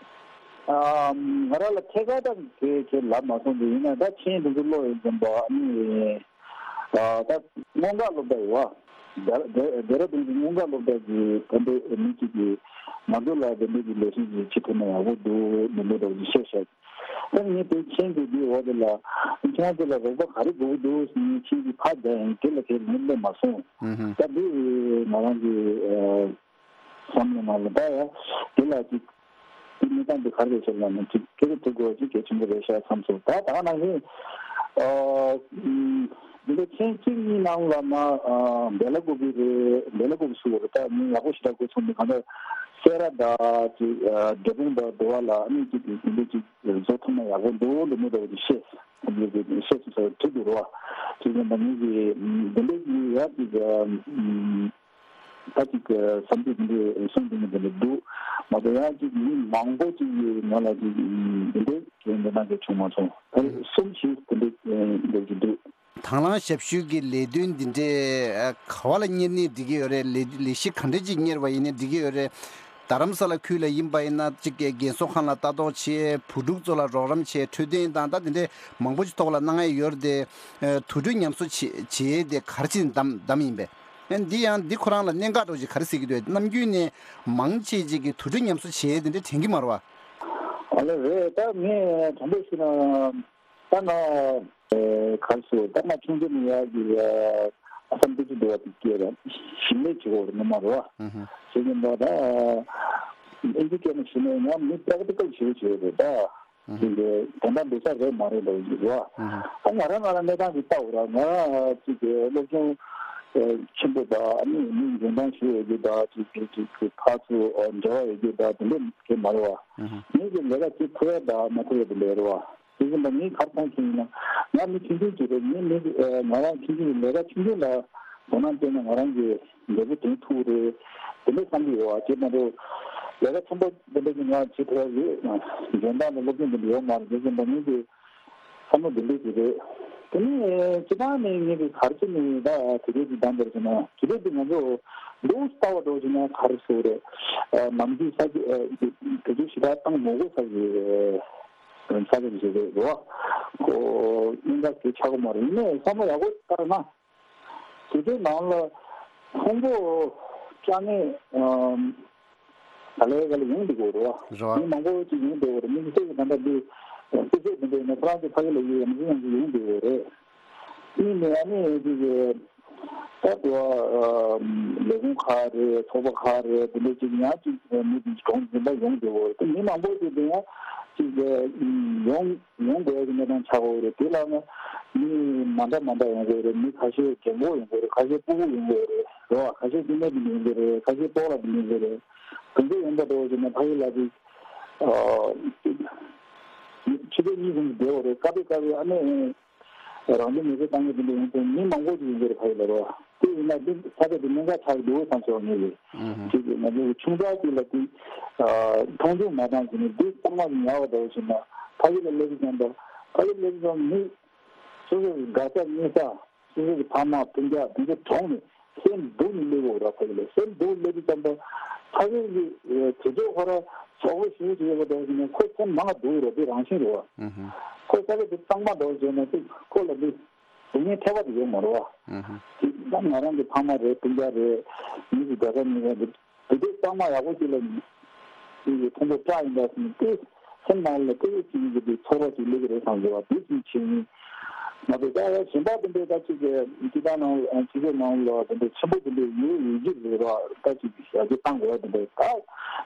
ང་རང་ལ་ཐད་ཀར་ད་གེ་གེ་ལབ་མ་སོང་། དེ་ཡིན་ན་ད་མཆན་དེ་ཚོ་ཀློག་ཡོང་དུས་ཙམ་པ་ཨ་ནི། ད་སྔོན་འགོག་སློབ་གྲྭ་ཡོད་བ། རྡེ་ར་ལྡུན་གྱི་སྔོན་འགོག་སློབ་གྲྭ་གི་དཔོན་པོ་མི་གཅིག་གིས་ང་ཚོ་ལ་དེ་འདྲ་གི་ལས་གཞི་ཅིག་བྱེད་ཐུབ་ན་ཡག་པོ་འདུག་མི་འདུག་འདྲ་བོ་ཅིག་བཤད་བཞག་ད་ངས་དེ་མཆན་དེ་འདིའི་འོག་དེ་ལ་ཁྱེད་རང་ཚོ་ལ་རོགས་པ་ག་རེ་དགོས་ཀྱི་འདུག་ཟེར་ནས་མཆན་གྱི་ཕར་བརྒྱབ་ཡིན། དེ་ལ་དེ་ངས་སླེབས་མ་སོང་། ད་འདི་ང་རང་གི་བསམ་བློ་ནང་ལ་ད་ཡ་དེ་ལ་ཅིག་དེ་གནས་སྟངས་དེ་ག་རེ་རེད་ཟེར་ན་ནི་ཅིག་སྐད་ཆ་དྲི་དགོས་ཅིག་གལ་ཆེན་པོ་རེད་ཤག་བསམ་སོང་། ད་ད་ག་ནང་བཞིན་འདི་འདྲ་མཆན་གཅིག་གཉིས་ནང་ལ་མ་འབེལ་ལ་དགོས་ཀྱི་རེད། འབེལ་ལ་དགོས་ཀྱི་སུ་རེད། ད་ངས་ཡག་པོ་ཞེ་དྲག་དགོས་ཚོར་མི་གང་ལྟར་སེ་ར་དང་ཅིག་འབྲས་སྤུངས་དང་འདི་བ་ལ་ཨ་ནི་ཅིག་དེ་འདྲ་ཅིག་བཟོ་ཐུབ་ན་ཡག་པོ་འདུག་འདི་མོ་འདྲ་བོ་ཅིག་བཤད་བཤད་སོང་ཟེར་དྲི་འདུག་རོ། ཅིག་ཡིན་པ་ངེད་ཀྱི་འདི་འདྲ་ཅིག་ཡག་ཅིག་ད་ཅིག་བསམ་ཚུལ་འདི་འདྲའི་གསུང་འདི་འདྲ་འདི་འདྲ་འདུག་མ་གཏོགས་ཡང་ཅིག་མི་མང་པོ་ཅིག་གིས་ང་ལ་ཅིག་འདི་འདྲའི་གི་འདི་ནང་གི་བྱུང་མ་སོང་། ད་གསུམ་བཞི་འདི་འདྲའི་འདྲ་ཅིག་འདུག་དང་བླངས་ཞབས་ཞུ་གི་ལས་དོན་འདི་འདྲའི་ག་བ་ལ་གཉེར་ནས་འགྲིག་གི་ཡོད་རེད། ལས་ལས་གཞི་ག་འདྲ་ཅིག་གཉེར་བ་ཡིན་ནའི་འགྲིག་གི་ཡོད་རེད། རྡ་རམ་ས་ལ་ཁུལ་ལ་ཡིན་པ་ཡིན་ན་ཅིག་རྒན་གསོ་ཁང་ལ་ལྟ་རྟོག་བྱེད། བུ་ཕྲུག་ཚོ་ལ་རོགས་རམ་བྱེད། འཕྲོད་བསྟེན་དང་ད་འདི་འདྲའི་མང་པོ་ཅིག་ཐོག་ལ་གནང་ཡ་ཡོད་རེད་དེ། དུར་ཁྲོད་ཉམས་གསོ་བྱེད་བྱེད་དེ་ག་རེ་བྱས་ནས་བདམས་བདམས་ཡིན་པས། ཨ་འདི་ཡང་འདི་ཁོ་རང་ལ་གནད་འགག་འདྲ་བོ་ཅིག་ག་རེ་ཟེར་གྱི་འདུག་ནམ་རྒྱུན་ནས་མང་ཆེ་ཅིག་གིས་དུར་ཁྲོད་ཉམས་གསོ་བྱེད་དེ་འདྲ་དྲན་གྱི་མ་རེད་བ། ཨ་ལེ་རེད། ད་ངས་དྲང་པོ་ཞུས་ན་ད་ང་གར་སོ་ད་ང་ཆུང་དུས་ནས་ཡག་གི་ཨ་སམ་ཏི་ཅི་འདུག་བ་དེ་སྐྱེས་ར་ཞིང་ལས་བྱེད་དགོས་རེད་ནི་མ་རེད་བ། ཞེས་ཀྱི་འདུག་ད་ཨིན་ཇི་སྐད་ནས་ཞུས་ན་ང་མི་པེག་ཊི་ཀལ་ཞིག་བྱེད་རེད་ད། ཅིག་གི་དོན་དག་འདི་ས་རེད་མ་རེད་འདྲ་བོ་ཅིག་རེད་བ། ཨ་ང་རང་ང་རང་གནས་སྟངས་ཅིག་ལྟ་འོ་ར། ང་ཅིག་གི་སློབ་སྦྱོང་ཆེན་པོ་དང་ཨ་ནི་མི་འཇོན་ཐང་ཞིག་ཡོད་རྒྱུ་དང་ཅིག་གི་ཅིག་གི་ཕར་ཚུར་འབྲེལ་བ་ཡོད་རྒྱུ་དང་དེ་འདྲ་གི་མ་རེད་བ། ངེད་ཀྱི་ལས་ཀ་ཅིག་ཐུབ་ཡ་དང་མ་ཐུབ་ཡ་དེ་འདྲ་རེད་བ། དེ་བཞིན་པ་ངས་ག་རེ་མཐོང་མཁན་ཡིན་ན་ང་མི་ཆུང་ཆུང་ཅིག་རེད། ངས་མི་ང་རང་ཆུང་ཆུང་ལས་ཀ་ཆུང་ཆུང་ལ་དོ་སྣང་བྱས་ན་ང་རང་གི་འབྲས་བུ་དེ་ཐུག་རེད་དེ་འདྲ་བསམ་གྱི་ཡོད་བ། བྱས་མ་གཏོགས་ལས་ཀ་ཆེན་པོ་དེ་འདྲ་ཅིག་ང་བྱེད་ཐུབ་ཡ་ཡོད། འཇོན་ཐང་དང་སློབ་སྦྱོང་དེ་འདྲ་ཡོད་མ་རེད། དེ་བཞིན་པ་ངེད་ཀྱི་བསམ་བློ་འདི་འདྲ་ཅིག་རེད། དེ་ནས་སྤྱིར་བཏང་ནས་ངེད་ཀྱི་ག་རེ་བྱས་ནས་ད་དུས་ཚོད་ཅིག་འདང་བར་བྱས་ན་དུས་ཚོད་དེ་ང་ཚོ་ལུགས་ལྟ་བ་འདྲ་བྱས་ན་ག་རེ་ཟེར་རེད། ནམ་རྒྱུན་ས་ཆ་དུས་ཚོད་ཞེ་དྲག་བཏང་མ་དགོས་ས་ཀྱི་ས་ཆ་ཞིག་རེད་རོ། ཁོ་གཉན་འགག་གི་ཆག་སྒོ་མ་རེད། ཡིན་ནའི་བསམ་བློ་ཡག་པོ་བཏང་ན། དེ་ཚོའི་ནང་ལ་ཕུང་པོ་ཅ་ནེ་ཨམ་ག་ལེ་ག་ལེ་ཡོང་འདུག་གོ་རེད་བ། རེད་བ། མི་མང་པོ་ཅིག་ཡོང་འདུག་གོ་རེད། མི་སེར་གྱི་ད་ལྟ་འདི་སྤུས་ཚད་འདི་འདྲ་ཡིན་ན་ཁོ་རང་ཚོ་ཕ་གི་ལ་ཡོད་ཡ་མི་ཚོ་ཡང་ཅིག་ཡོང་འདུག་གོ་རེད། གཉིས་ནས་ཨ་ནི་ཅིག་ད་དུ་ལས་ཁུངས་ཁག་རེད། ཚོགས་པ་ཁག་རེད། འདི་འདྲ་ཅིག་ཡང་ཅིག་མི་འདི་གྲོང་འཛིན་པ་ཡོང་འདུག་གོ་རེད། དེ་མི་མང་པོ་ཅིག་འདི་ཡང་ཅིག་ཡོང་ཡོང་དགོས་ཀྱི་གནས་སྟངས་ཆགས་ཡོད་རེད། དེ་ལ་ནི་མི་མ་འདྲ་མ་འདྲ་ཡོང་གི་རེད། མི་ཁ་ཤས་རྒན་གོག་ཡོང་གི་རེད། ཁ་ཤས་སྤུ་གུ་ཡོང་གི་རེད། རེད་བ། ཁ་ཤས་སྐྱེ་དམན་དེ་འདྲ་ཡོང་གི་རེད། ཁ་ཤས་སྤོག་ལ་དེ་འདྲ་ཡོང་གི་རེད། དེ་འདྲ་ཡོང་པ་འདྲ་བོ་ཞིག་ན་ཕ་གི་ལ་དེ་ཕྱི་ཚེས་གཉིས་ཙམ་བསྡད་ཡོད་རེད། སྐབས་དེ་སྐབས་དེ་ཨ་ནེ་རང་བཙན་མི་ཚེ་བཏང་གི་དེ་འདྲ་ཡོང་དུས་མི་མང་པོ་ཞིག་ཡོང་གི་རེད། ཕ་གི་ལ་རེད་བ། དེ་ཡིན་ན་དེ་ས་ཆ་དེ་གནད་འགག་ཆགས་འདུག་བསམ་སོང་ངེས་རེད། ཅིག་ང་ཚོ་ཆུང་ཙག་ཅིག་ལ་དེ་མཐོང་ཆུང་མ་བཏང་ཟིན་ནས་དེ་གཙང་མ་ཞིག་ཉར་བ་འདྲ་བོ་ཞིག་ན་ཕ་གི་ལ་སླེབས་དུས་ཙམ་པ་ཕ་གི་སླེབས་དུས་ཙམ་མི་སོ་སོ་གི་དགའ་ས་གནས་ས། སོ་སོ་གི་ཕ་མ་སྤུན་ཀྱག་དེ་ཚོ་གྲོངས་ནས་སེམས་སྡུག་ནས་སླེབས་ཡོད་ར། ཕ་གི་ལ་སེམས་སྡུག་སླེབས་དུས་ཙམ་པ་ཕ་གི་གི་དེ་ཚོ་ཁོ་ར་གྲོགས་པོ་ཞེ་པོ་ཅིག་ཡོད་པ་འདྲ་བོ་ཞིག་ནས་ཁོ་སེམས་མང་ང་སྡུག་ར། དེ་རང་བཞིན་རེད་བ། ཁོ་ས་ཆ་དེ་གཙང་མ་འདྲ་བོ་བྱས་ན་དེ་ཁོ་ལ་དེ་སྡུག་བསྔལ་ཐེབས་པ་དེ་ཡོད་མ་རེད་བ། དེ་ད་ང་རང་གི་ཕ་མ་རེད། སྤུན་ཀྱག་རེད། མི་གི་དགའ་ས་ཉེ་ས་རེད། དེ་དུས་གཙང་མ་ཡག་པོ་ཅིག་ལ་ཅིག་གི་ཕུང་པོ་བཀྲ་ཡིན་པ་ཟིན་ཏེ་སེམས་ནང་ལ་ཏོག་ཙམ་གྱི་དེ་ཚོར་བ་ཅིག་སླེབས་ཀྱི་རེད་བསམ་གྱི་བ། དེ་ཅིག་བྱས་ཡིན། མ་གཏོགས་ད་ཡ་གཞན་པ་དེ་འདྲའི་ད་ཅིག་གི་སྤྱི་བཏང་ནང་སྤྱི་ཚོགས་ནང་ལ་དེ་འདྲའི་ཆེན་པོ་དེ་འདྲའི་ཡོད་ཡོད་ཀྱི་རེད་བ། ད་ཅིག་ཞབས་ཕྱི་བཏང་དགོས་ཡ་དེ་འདྲ་ད་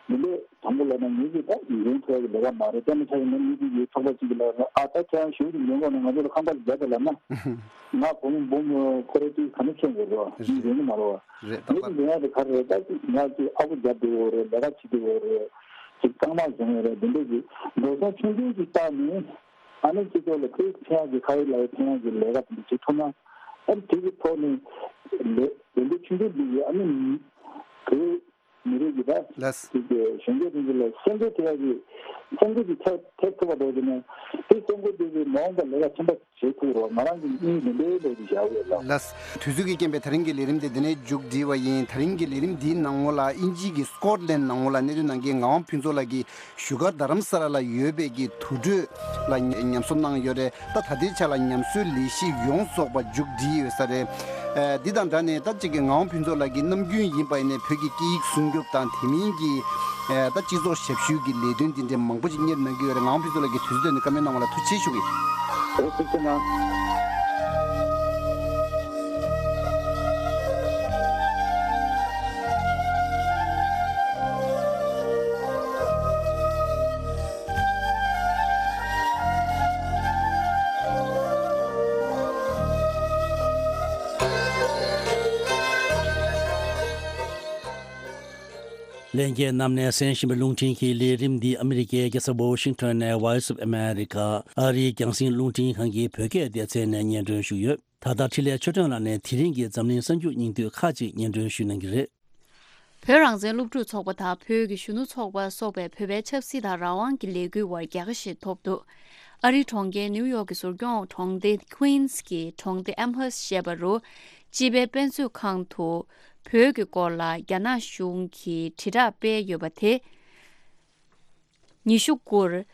མི་ལས་དང་པོ་ལབ་ན་ངེད་ཀྱིས་ད་ཡོང་ཐུབ་ཡ་གི་ལས་ཀ་མ་རེད། དཔེར་ན་ཆ་བཞག་ན་མི་གཅིག་གིས་ཚོགས་པ་གཅིག་གི་ལ་ཨ་ད་ཁྱེད་རང་ཞུགས་ཀྱི་ཡོང་དགོས་ན་ང་ཚོ་ལ་ཁང་པ་ཞིག་རྒྱག་དང་ལབ་ན། ང་བུ་མོ་བུ་མོ་ཁོ་རེ་གཅིག་ག་ནས་མཁྱེན་དགོས་རེད་བ། མི་རེ་ནི་མ་རེད་བ། རེད། ཏག་ཏག་ངས་འདི་ཡང་དེ་ག་རེ་རེད། ད་ཅིག་ང་ཅིག་ཨ་ཁུ་རྒྱབ་བསྡད་ཡོད་རེད། ལས་ཀ་བྱེད་བསྡད་ཡོད་རེད། ཅིག་རྐང་མ་བཟུང་ཡོད་རེད། འདི་འདྲ་ཅིག་འགྲོ་སོང་ཆུང་ཆུང་ཅིག་བཏང་ནས་ཨ་ནི་སྤྱི་ཚོགས་ལ་ཁོས་ཕན་ཡག་གི་ཁ་ཡོད་ལག་ཡོད་ཕན་ཡག་གི་ལས་ཀ་དེ་འདྲ་བྱེད་ཐུབ་ན། ཨ་ནི་དེ་གི་ཐོག་ནས་ལས་ལས་འགུལ་ཆུང་ཆུང་འདི་ཡིས་ཨ་ནི་ཁོས་ མི་རིགས་ཀྱི་ད་ལགས། ཅིག་གི་གཞོན་སྐྱེས་ཚོ་ལ་སེམས་ཁུར་ཐེབས་ཡག་གི་སེམས་ཁུར་གྱི་ཐེབས་ཐེབས་ཐུབ་པ་འགྲོ་རྒྱུ་ནས་དེ་སེམས་ཁུར་དེ་གི་མ་འོངས་པ་ལས་ཀ་ཆེན་པོ་བྱེད་ཐུབ་རོགས། ང་རང་གི་གཉིས་མི་འདོད་འདོད་ཀྱི་བྱ་བ་ཡོད་ལ། ལགས། དུས་ཚོད་ཀྱི་རྐྱེན་པས་ད་རིང་གི་ལས་རིམ་དེ་འདི་ནས་མཇུག་སྒྲིལ་བ་ཡིན། ད་རིང་གི་ལས་རིམ་འདིའི་ནང་ལོགས་ལ་དབྱིན་ཇི་གི་སི་ཀོཊ་ལན་ནང་ལོགས་ལ་གནས་སྡོད་གནང་མཁན་ངག་དབང་ཕུན་ཚོགས་ལགས་ཀྱིས་བཞུགས་སྒར་རྡ་རམ་ས་ལ་ལ་ཡོད་པའི་གི་དུར་ཁྲོད་ལ་ཉམས་གསོ་གནང་ཡོད་རེད། ད་ད་ལྟའི་ཆ་ལ་ཉམས་གསོའི་ལས་གཞི་ཡོངས་རྫོགས་པ་མཇུག་སྒྲིལ་ཡོད་ས་རེད། ཨ། འདི་དང་སྦྲགས་ནས་ད་ཅིག་གི་ངག་དབང་ཕུན་ཚོགས་ལགས་ཀྱིས་ནམ་རྒྱུན་ཡིན་པ་ཡིན་ནའི་བོད་ཀྱི་སྐད་ཡིག་སྲུང་སྐྱོབ་དང་དེ་མིན་གྱི་ཨ། ད་སྤྱི་ཚོགས་ཞབས་ཞུའི་གི་ལས་དོན་འདི་འདྲའི་མང་པོ་ཅིག་གཉེར་གནང་གི་ཡོད་རེད། ངག་དབང་ཕུན་ཚོགས་ལགས་ཀྱིས་དུས་ཚོད་བཏོན་ནས་བཀའ་མོལ་གནང་བ་ལ་ཐུགས་རྗེ་ཆེ་ཞུ་གི། འོ་ཐུགས་རྗེ་གནང་། ལྷན་རྒྱས་རྣམས་ནས་གསན་བཞིན་པའི་རླུང་འཕྲིན་གྱི་ལས་རིམ་འདི་ཨ་མི་རི་ཀའི་རྒྱལ་ས་ཝ་ཤིང་ཊོན་ནས་Voice of America ཨ་རིའི་རྒྱང་སྲིང་རླུང་འཕྲིན་ཁང་གི་བོད་སྐད་སྡེ་ཚན་ནས་སྙན་སྒྲོན་ཞུས་ཡོད། ད་ལྟ་འཕྲིན་ལས་ཆོས་སྒྲོན་ལགས་ནས་དེ་རིང་གི་འཛམ་གླིང་གསར་འགྱུར་སྙིང་བསྡུས་ཁག་ཅིག་སྙན་སྒྲོན་ཞུ་གནང་གི་རེད། བོད་རང་བཙན་སློབ་ཕྲུག་ཚོགས་པ་དང་བོད་ཀྱི་གཞོན་ནུ་ཚོགས་པ་སོགས་པས་བོད་པའི་ཆབ་སྲིད་དང་རང་དབང་གི་ལས་འགུལ་བར་རྒྱལ་ཁ་ཞིག་ཐོབ་འདུག་ཨ་རིའི་གྲོང་ཁྱེར་ནིའུ་ཡོག་གི་ཟུར་སྐྱོང་གྲོང་སྡེ་Queens གྱི་གྲོང་སྡེ་Amherst ཞེས་པ་རུ། སྤྱི་པའི་དཔེ་མཛོད་ཁང་དུ་བོད་ཀྱི་སྐོར་ལ་རྒྱ་ནག་གཞུང་གིས་དྲིལ་བསྒྲགས་སྤེལ་ཡོད་པ་དེ། ཉི་ཤུ་དགུར།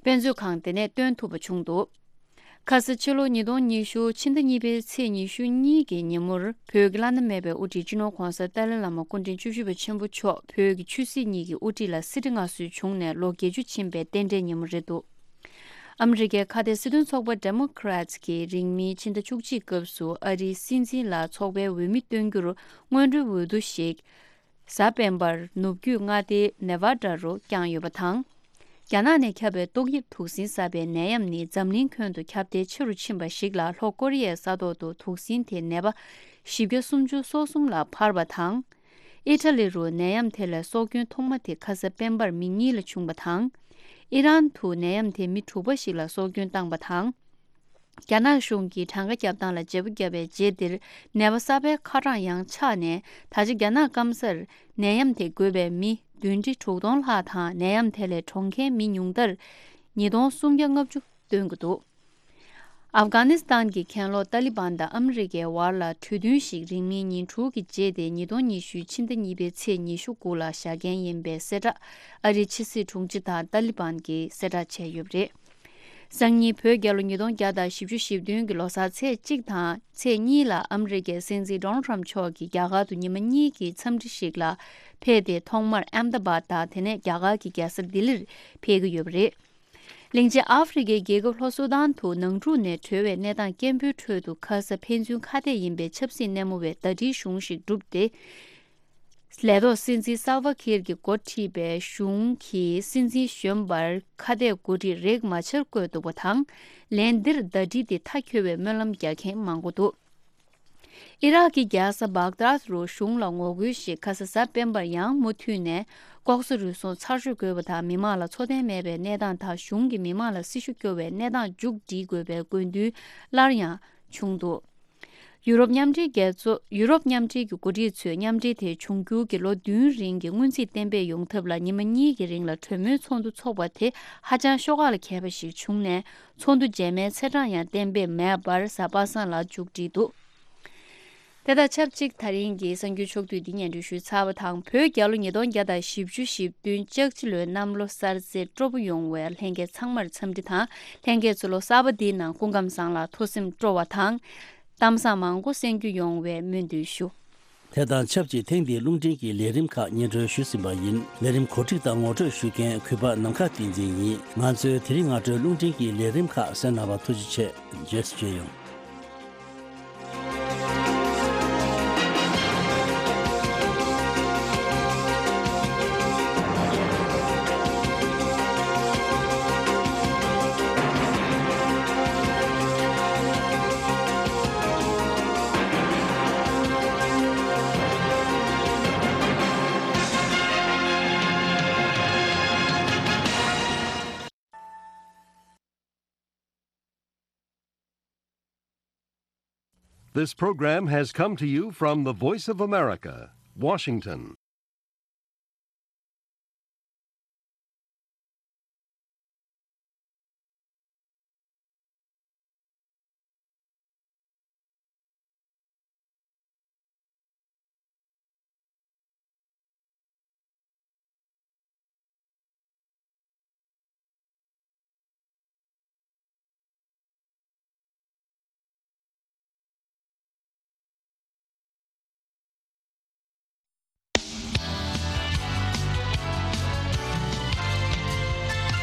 དཔེ་མཛོད་ཁང་དེ་ནས་སྟོན་ཐུབ་པ་བྱུང་འདུག་ཁ་ས་ཕྱི་ལོ་ཉིས་སྟོང་ཉི་ཤུ་ཕྱི་ཟླ་གཉིས་པའི་ཚེས་ཉི་ཤུ་གཉིས་ཀྱི་ཉིན་མོར་བོད་ཀྱི་བླ་ན་མེད་པའི་དབུ་ཁྲིད་སྤྱི་ནོར་༧གོང་ས་ཏཱ་ལའི་བླ་མ་སྐུ་ཕྲེང་བཅུ་བཞི་པ་ཆེན་པོ་མཆོག་བོད་ཀྱི་ཆོས་སྲིད་གཉིས་ཀྱི་དབུ་ཁྲིད་ལ་གསེར་ཁྲི་མངའ་གསོལ་བྱུང་ནས་ལོ་བརྒྱད་ཅུ་ཕྱིན་པའི་རྟེན་འབྲེལ་ཉིན་མོ་རེད་འདུག་ཨ་མི་རི་ཀའི་ཁ་གཏད་སྲིད་དོན་ཚོགས་པ་Democrats གིས་རིང་མིན་ཕྱི་ཟླ་བཅུ་གཅིག་སྐབས་སུ་ཨ་རིའི་སྲིད་འཛིན་ལ་ཚོགས་པའི་འོས་མི་སྟོན་རྒྱུར་སྔོན་འགྲོའི་འོས་བསྡུ་ཞིག་གཟའ་སྤེན་པར་ནུབ་རྒྱུད་མངའ་སྡེ་Nevada རུ་བསྐྱངས་ཡོད་པ་དང་། རྒྱ་ནག་ནས་ཁྱབ་པའི་ཏོག་དབྱིབས་དུག་སྲིན་ཟ་བའི་ནད་ཡམས་ནི་འཛམ་གླིང་ཁྱོན་དུ་ཁྱབ་གདལ་ཆེ་རུ་ཕྱིན་པ་ཞིག་ལ། ལྷོ་ཀོ་རི་ཡའི་ས་ཐོག་ཏུ་དུག་སྲིན་དེ་ནད་པ་བཞི་བརྒྱ་སུམ་ཅུ་སོ་གསུམ་ལ་འཕར་བ་དང་། ཨི་ཊ་ལི་རུ་ནད་ཡམས་དེ་ལས་སྲོག་སྐྱོན་ཐོག་མ་དེ་ཁ་ས་སྤེན་པར་མི་གཉིས་ལ་བྱུང་བ་དང་། ཨི་རན་དུ་ནད་ཡམས་དེ་མི་དྲུག་པ་ཞིག་ལ་སྲོག་སྐྱོན་བཏང་བ་དང་། རྒྱ་ནག་གཞུང་གིས་གྲངས་ཀ་བརྒྱབ་སྟངས་ལ་བརྗེ་པོ་བརྒྱབ་པའི་རྗེས་འདིར། ནད་པ་གསར་པའི་ཁ་གྲངས་ཡང་ཆག་ནས། ད་ཆ་རྒྱ་ནག་སྐམ་སར་ནད་ཡམས་དེ་འགོས་པའི་མི་བདུན་ཁྲི་དྲུག་སྟོང་ལྷག་དང་། ནད་ཡམས་དེ་ལས་གྲོངས་མཁན་མི་ཉུང་མཐར་ཉིས་སྟོང་སུམ་བརྒྱ་ལྔ་བཅུ་བཏོན་གྱི་འདུག་ཨབ་གྷ་ནི་སི་ཐན་གྱི་གྱེན་ལོག་ཏཱ་ལི་བན་དང་ཨ་མི་རི་ཀའི་བར་ལ་གྲོས་མཐུན་ཞིག་རིང་མིན་ཉིན་དྲུག་གི་རྗེས་ཏེ་ཉིས་སྟོང་ཉི་ཤུའི་ཕྱི་ཟླ་གཉིས་པའི་ཚེས་ཉི་ཤུ་དགུ་ལ་བཞག་འགན་ཡིན་པའི་གསལ་བསྒྲགས་ཨ་རིའི་ཕྱི་སྲིད་དྲུང་ཆེ་དང་ཏཱ་ལི་བན་གྱིས་གསལ་བསྒྲགས་བྱས་ཡོད་པ་རེད། སང་ཉིན་བོད་རྒྱལ་ལོ་ཉིས་སྟོང་བརྒྱ་དང་བཞི་བཅུ་ཞེ་བདུན་གྱི་ལོ་གསར་ཚེས་གཅིག་དང་ཚེས་གཉིས་ལ་ཨ་མི་རི་ཀའི་སྲིད་འཛིན་Donald Trump མཆོག་གིས་རྒྱ་གར་དུ་ཉི་མ་གཉིས་ཀྱི་འཚམས་འདྲི་ཞིག་ལ་ཕེབས་ཏེ། ཐོག་མར་ཨེམ་ད་བཱད་དང་དེ་ནས་རྒྱ་གར་གྱི་རྒྱལ་ས་ལྡི་ལིར་ཕེབས་ཀྱི་ཡོད་པ་རེད། གླིང་ཆེན་ཨ་ཧྥེ་རི་ཁའི་རྒྱལ་ཁབ་ལྷོ་སུ་དཱན་དུ་ནང་འཁྲུག་ནས་གྲོལ་བའི་གནས་སྟངས་སྐྱེན་པོའི་ཁྲོད་དུ། ཁ་ས་ཕན་ཚུན་ཁ་གཏད་ཡིན་པའི་ཆབ་སྲིད་གནས་མོ་བའི་ཟླ་སྒྲིལ་གཞུང་ཞིག་བསྒྲུབས་ཏེ། ལས་ཐོག་སྲིད་འཛིན་སལ་ཝ་ཁིར་གྱིས་འགོ་ཁྲིད་པའི་གཞུང་གིས་སྲིད་འཛིན་གཞོན་པར་ཁ་གཏད་གོ་སྒྲིག་རེག་མ་ཆར་བཀོད་འདུག་པ་དང་། ལན་འདིར་ཟླ་སྒྲིལ་དེ་མཐའ་འཁྱོལ་བའི་སྨོན་ལམ་རྒྱག་མཁན་མང་པོ་འདུག་ཨི་རག་གི་རྒྱལ་ས་བྷག་དཱད་རུ་གཞུང་ལ་ངོ་རྒོལ་ཞིག་ཁ་ས་གཟའ་སྤེན་པར་ཡང་མུ་མཐུད་ནས། ལྐོག་ཟ་རུལ་སུངས་ཚར་ཤོག་དགོས་པ་དང་། མི་མང་ལ་འཚོ་རྟེན་མེད་པའི་གནས་སྟངས་དང་། གཞུང་གིས་མི་མང་ལ་སྲི་ཞུ་སྐྱོར་བའི་གནས་སྟངས་མཇུག་སྒྲིལ་དགོས་པའི་དགོས་འདུན་སླར་ཡང་བྱུང་འདུག་ཡུ་རོབ་མཉམ་འབྲེལ་རྒྱལ་ཚོགས། ཡུ་རོབ་མཉམ་འབྲེལ་གྱི་འགོ་ཁྲིད་ཚོས་མཉམ་འབྲེལ་དེ་འབྱུང་འགྱུར་གྱི་ལོ་བདུན་རིང་གི་སྔོན་རྩིས་གཏན་འབེབས་ཡོང་ཐབས་ལ་ཉི་མ་གཉིས་ཀྱི་རིང་ལ་གྲོས་མོལ་ཚོགས་འདུ་འཚོགས་པ་དེ་ཧ་ཅང་ཤོག་ཁག་ལ་མཁས་པ་ཞིག་བྱུང་ནས། ཚོགས་འདུ་རྗེས་མའི་ཚེས་གྲངས་ཡང་གཏན་འབེབས་མེད་པར་གཟའ་པ་སངས་ལ་མཇུག་བསྒྲིལ་འདུག་དེ་དང་ཆབས་ཅིག་ད་རིང་གི་གསར་འགྱུར་ཕྱོགས་བསྡུས་འདི་སྙན་སྒྲོན་ཞུས་ཚར་བ་དང་། བོད་རྒྱལ་ལོ་ཉིས་སྟོང་བརྒྱ་དང་བཞི་བཅུ་ཞེ་བདུན་ལྕགས་བྱི་ལོའི་གནམ་ལོ་གསར་ཚེས་སྤྲོ་པོ་ཡོང་བའི་ལྷན་རྒྱས་ཚང་མར་འཚམས་འདྲི་དང་། ལྷན་རྒྱས་ཚོ་ལོ་གསར་པ་འདིའི་ནང་སྐུ་ཁམས་བཟང་ལ་ཐུགས་སེམས་སྤྲོ་བ་དང་། གཏམ་བཟང་མང་པོ་གསན་རྒྱུ་ཡོང་བའི་སྨོན་འདུན་ཞུ། དེ་དང་ཆབས་ཅིག་ཐེངས་འདིའི་རླུང་འཕྲིན་གྱི་ལས་རིམ་ཁག་སྙན་སྒྲོན་ཞུས་ཟིན་པ་ཡིན། ལས་རིམ་གོ་སྒྲིག་དང་ངོ་སྤྲོད་ཞུ་མཁན་གུས་པ་ནམ་མཁའ་བསྟན་འཛིན་ཡིན། ང་ཚོའི་དེ་རིང་སྔ་དྲོའི་རླུང་འཕྲིན་གྱི་ལས་རིམ་ཁག་གསན་གནང་བར་ཐུགས་རྗེ་ཆེ། རྗེས་སུ་མཇལ་ཡོང་། This program has come to you from the Voice of America, Washington.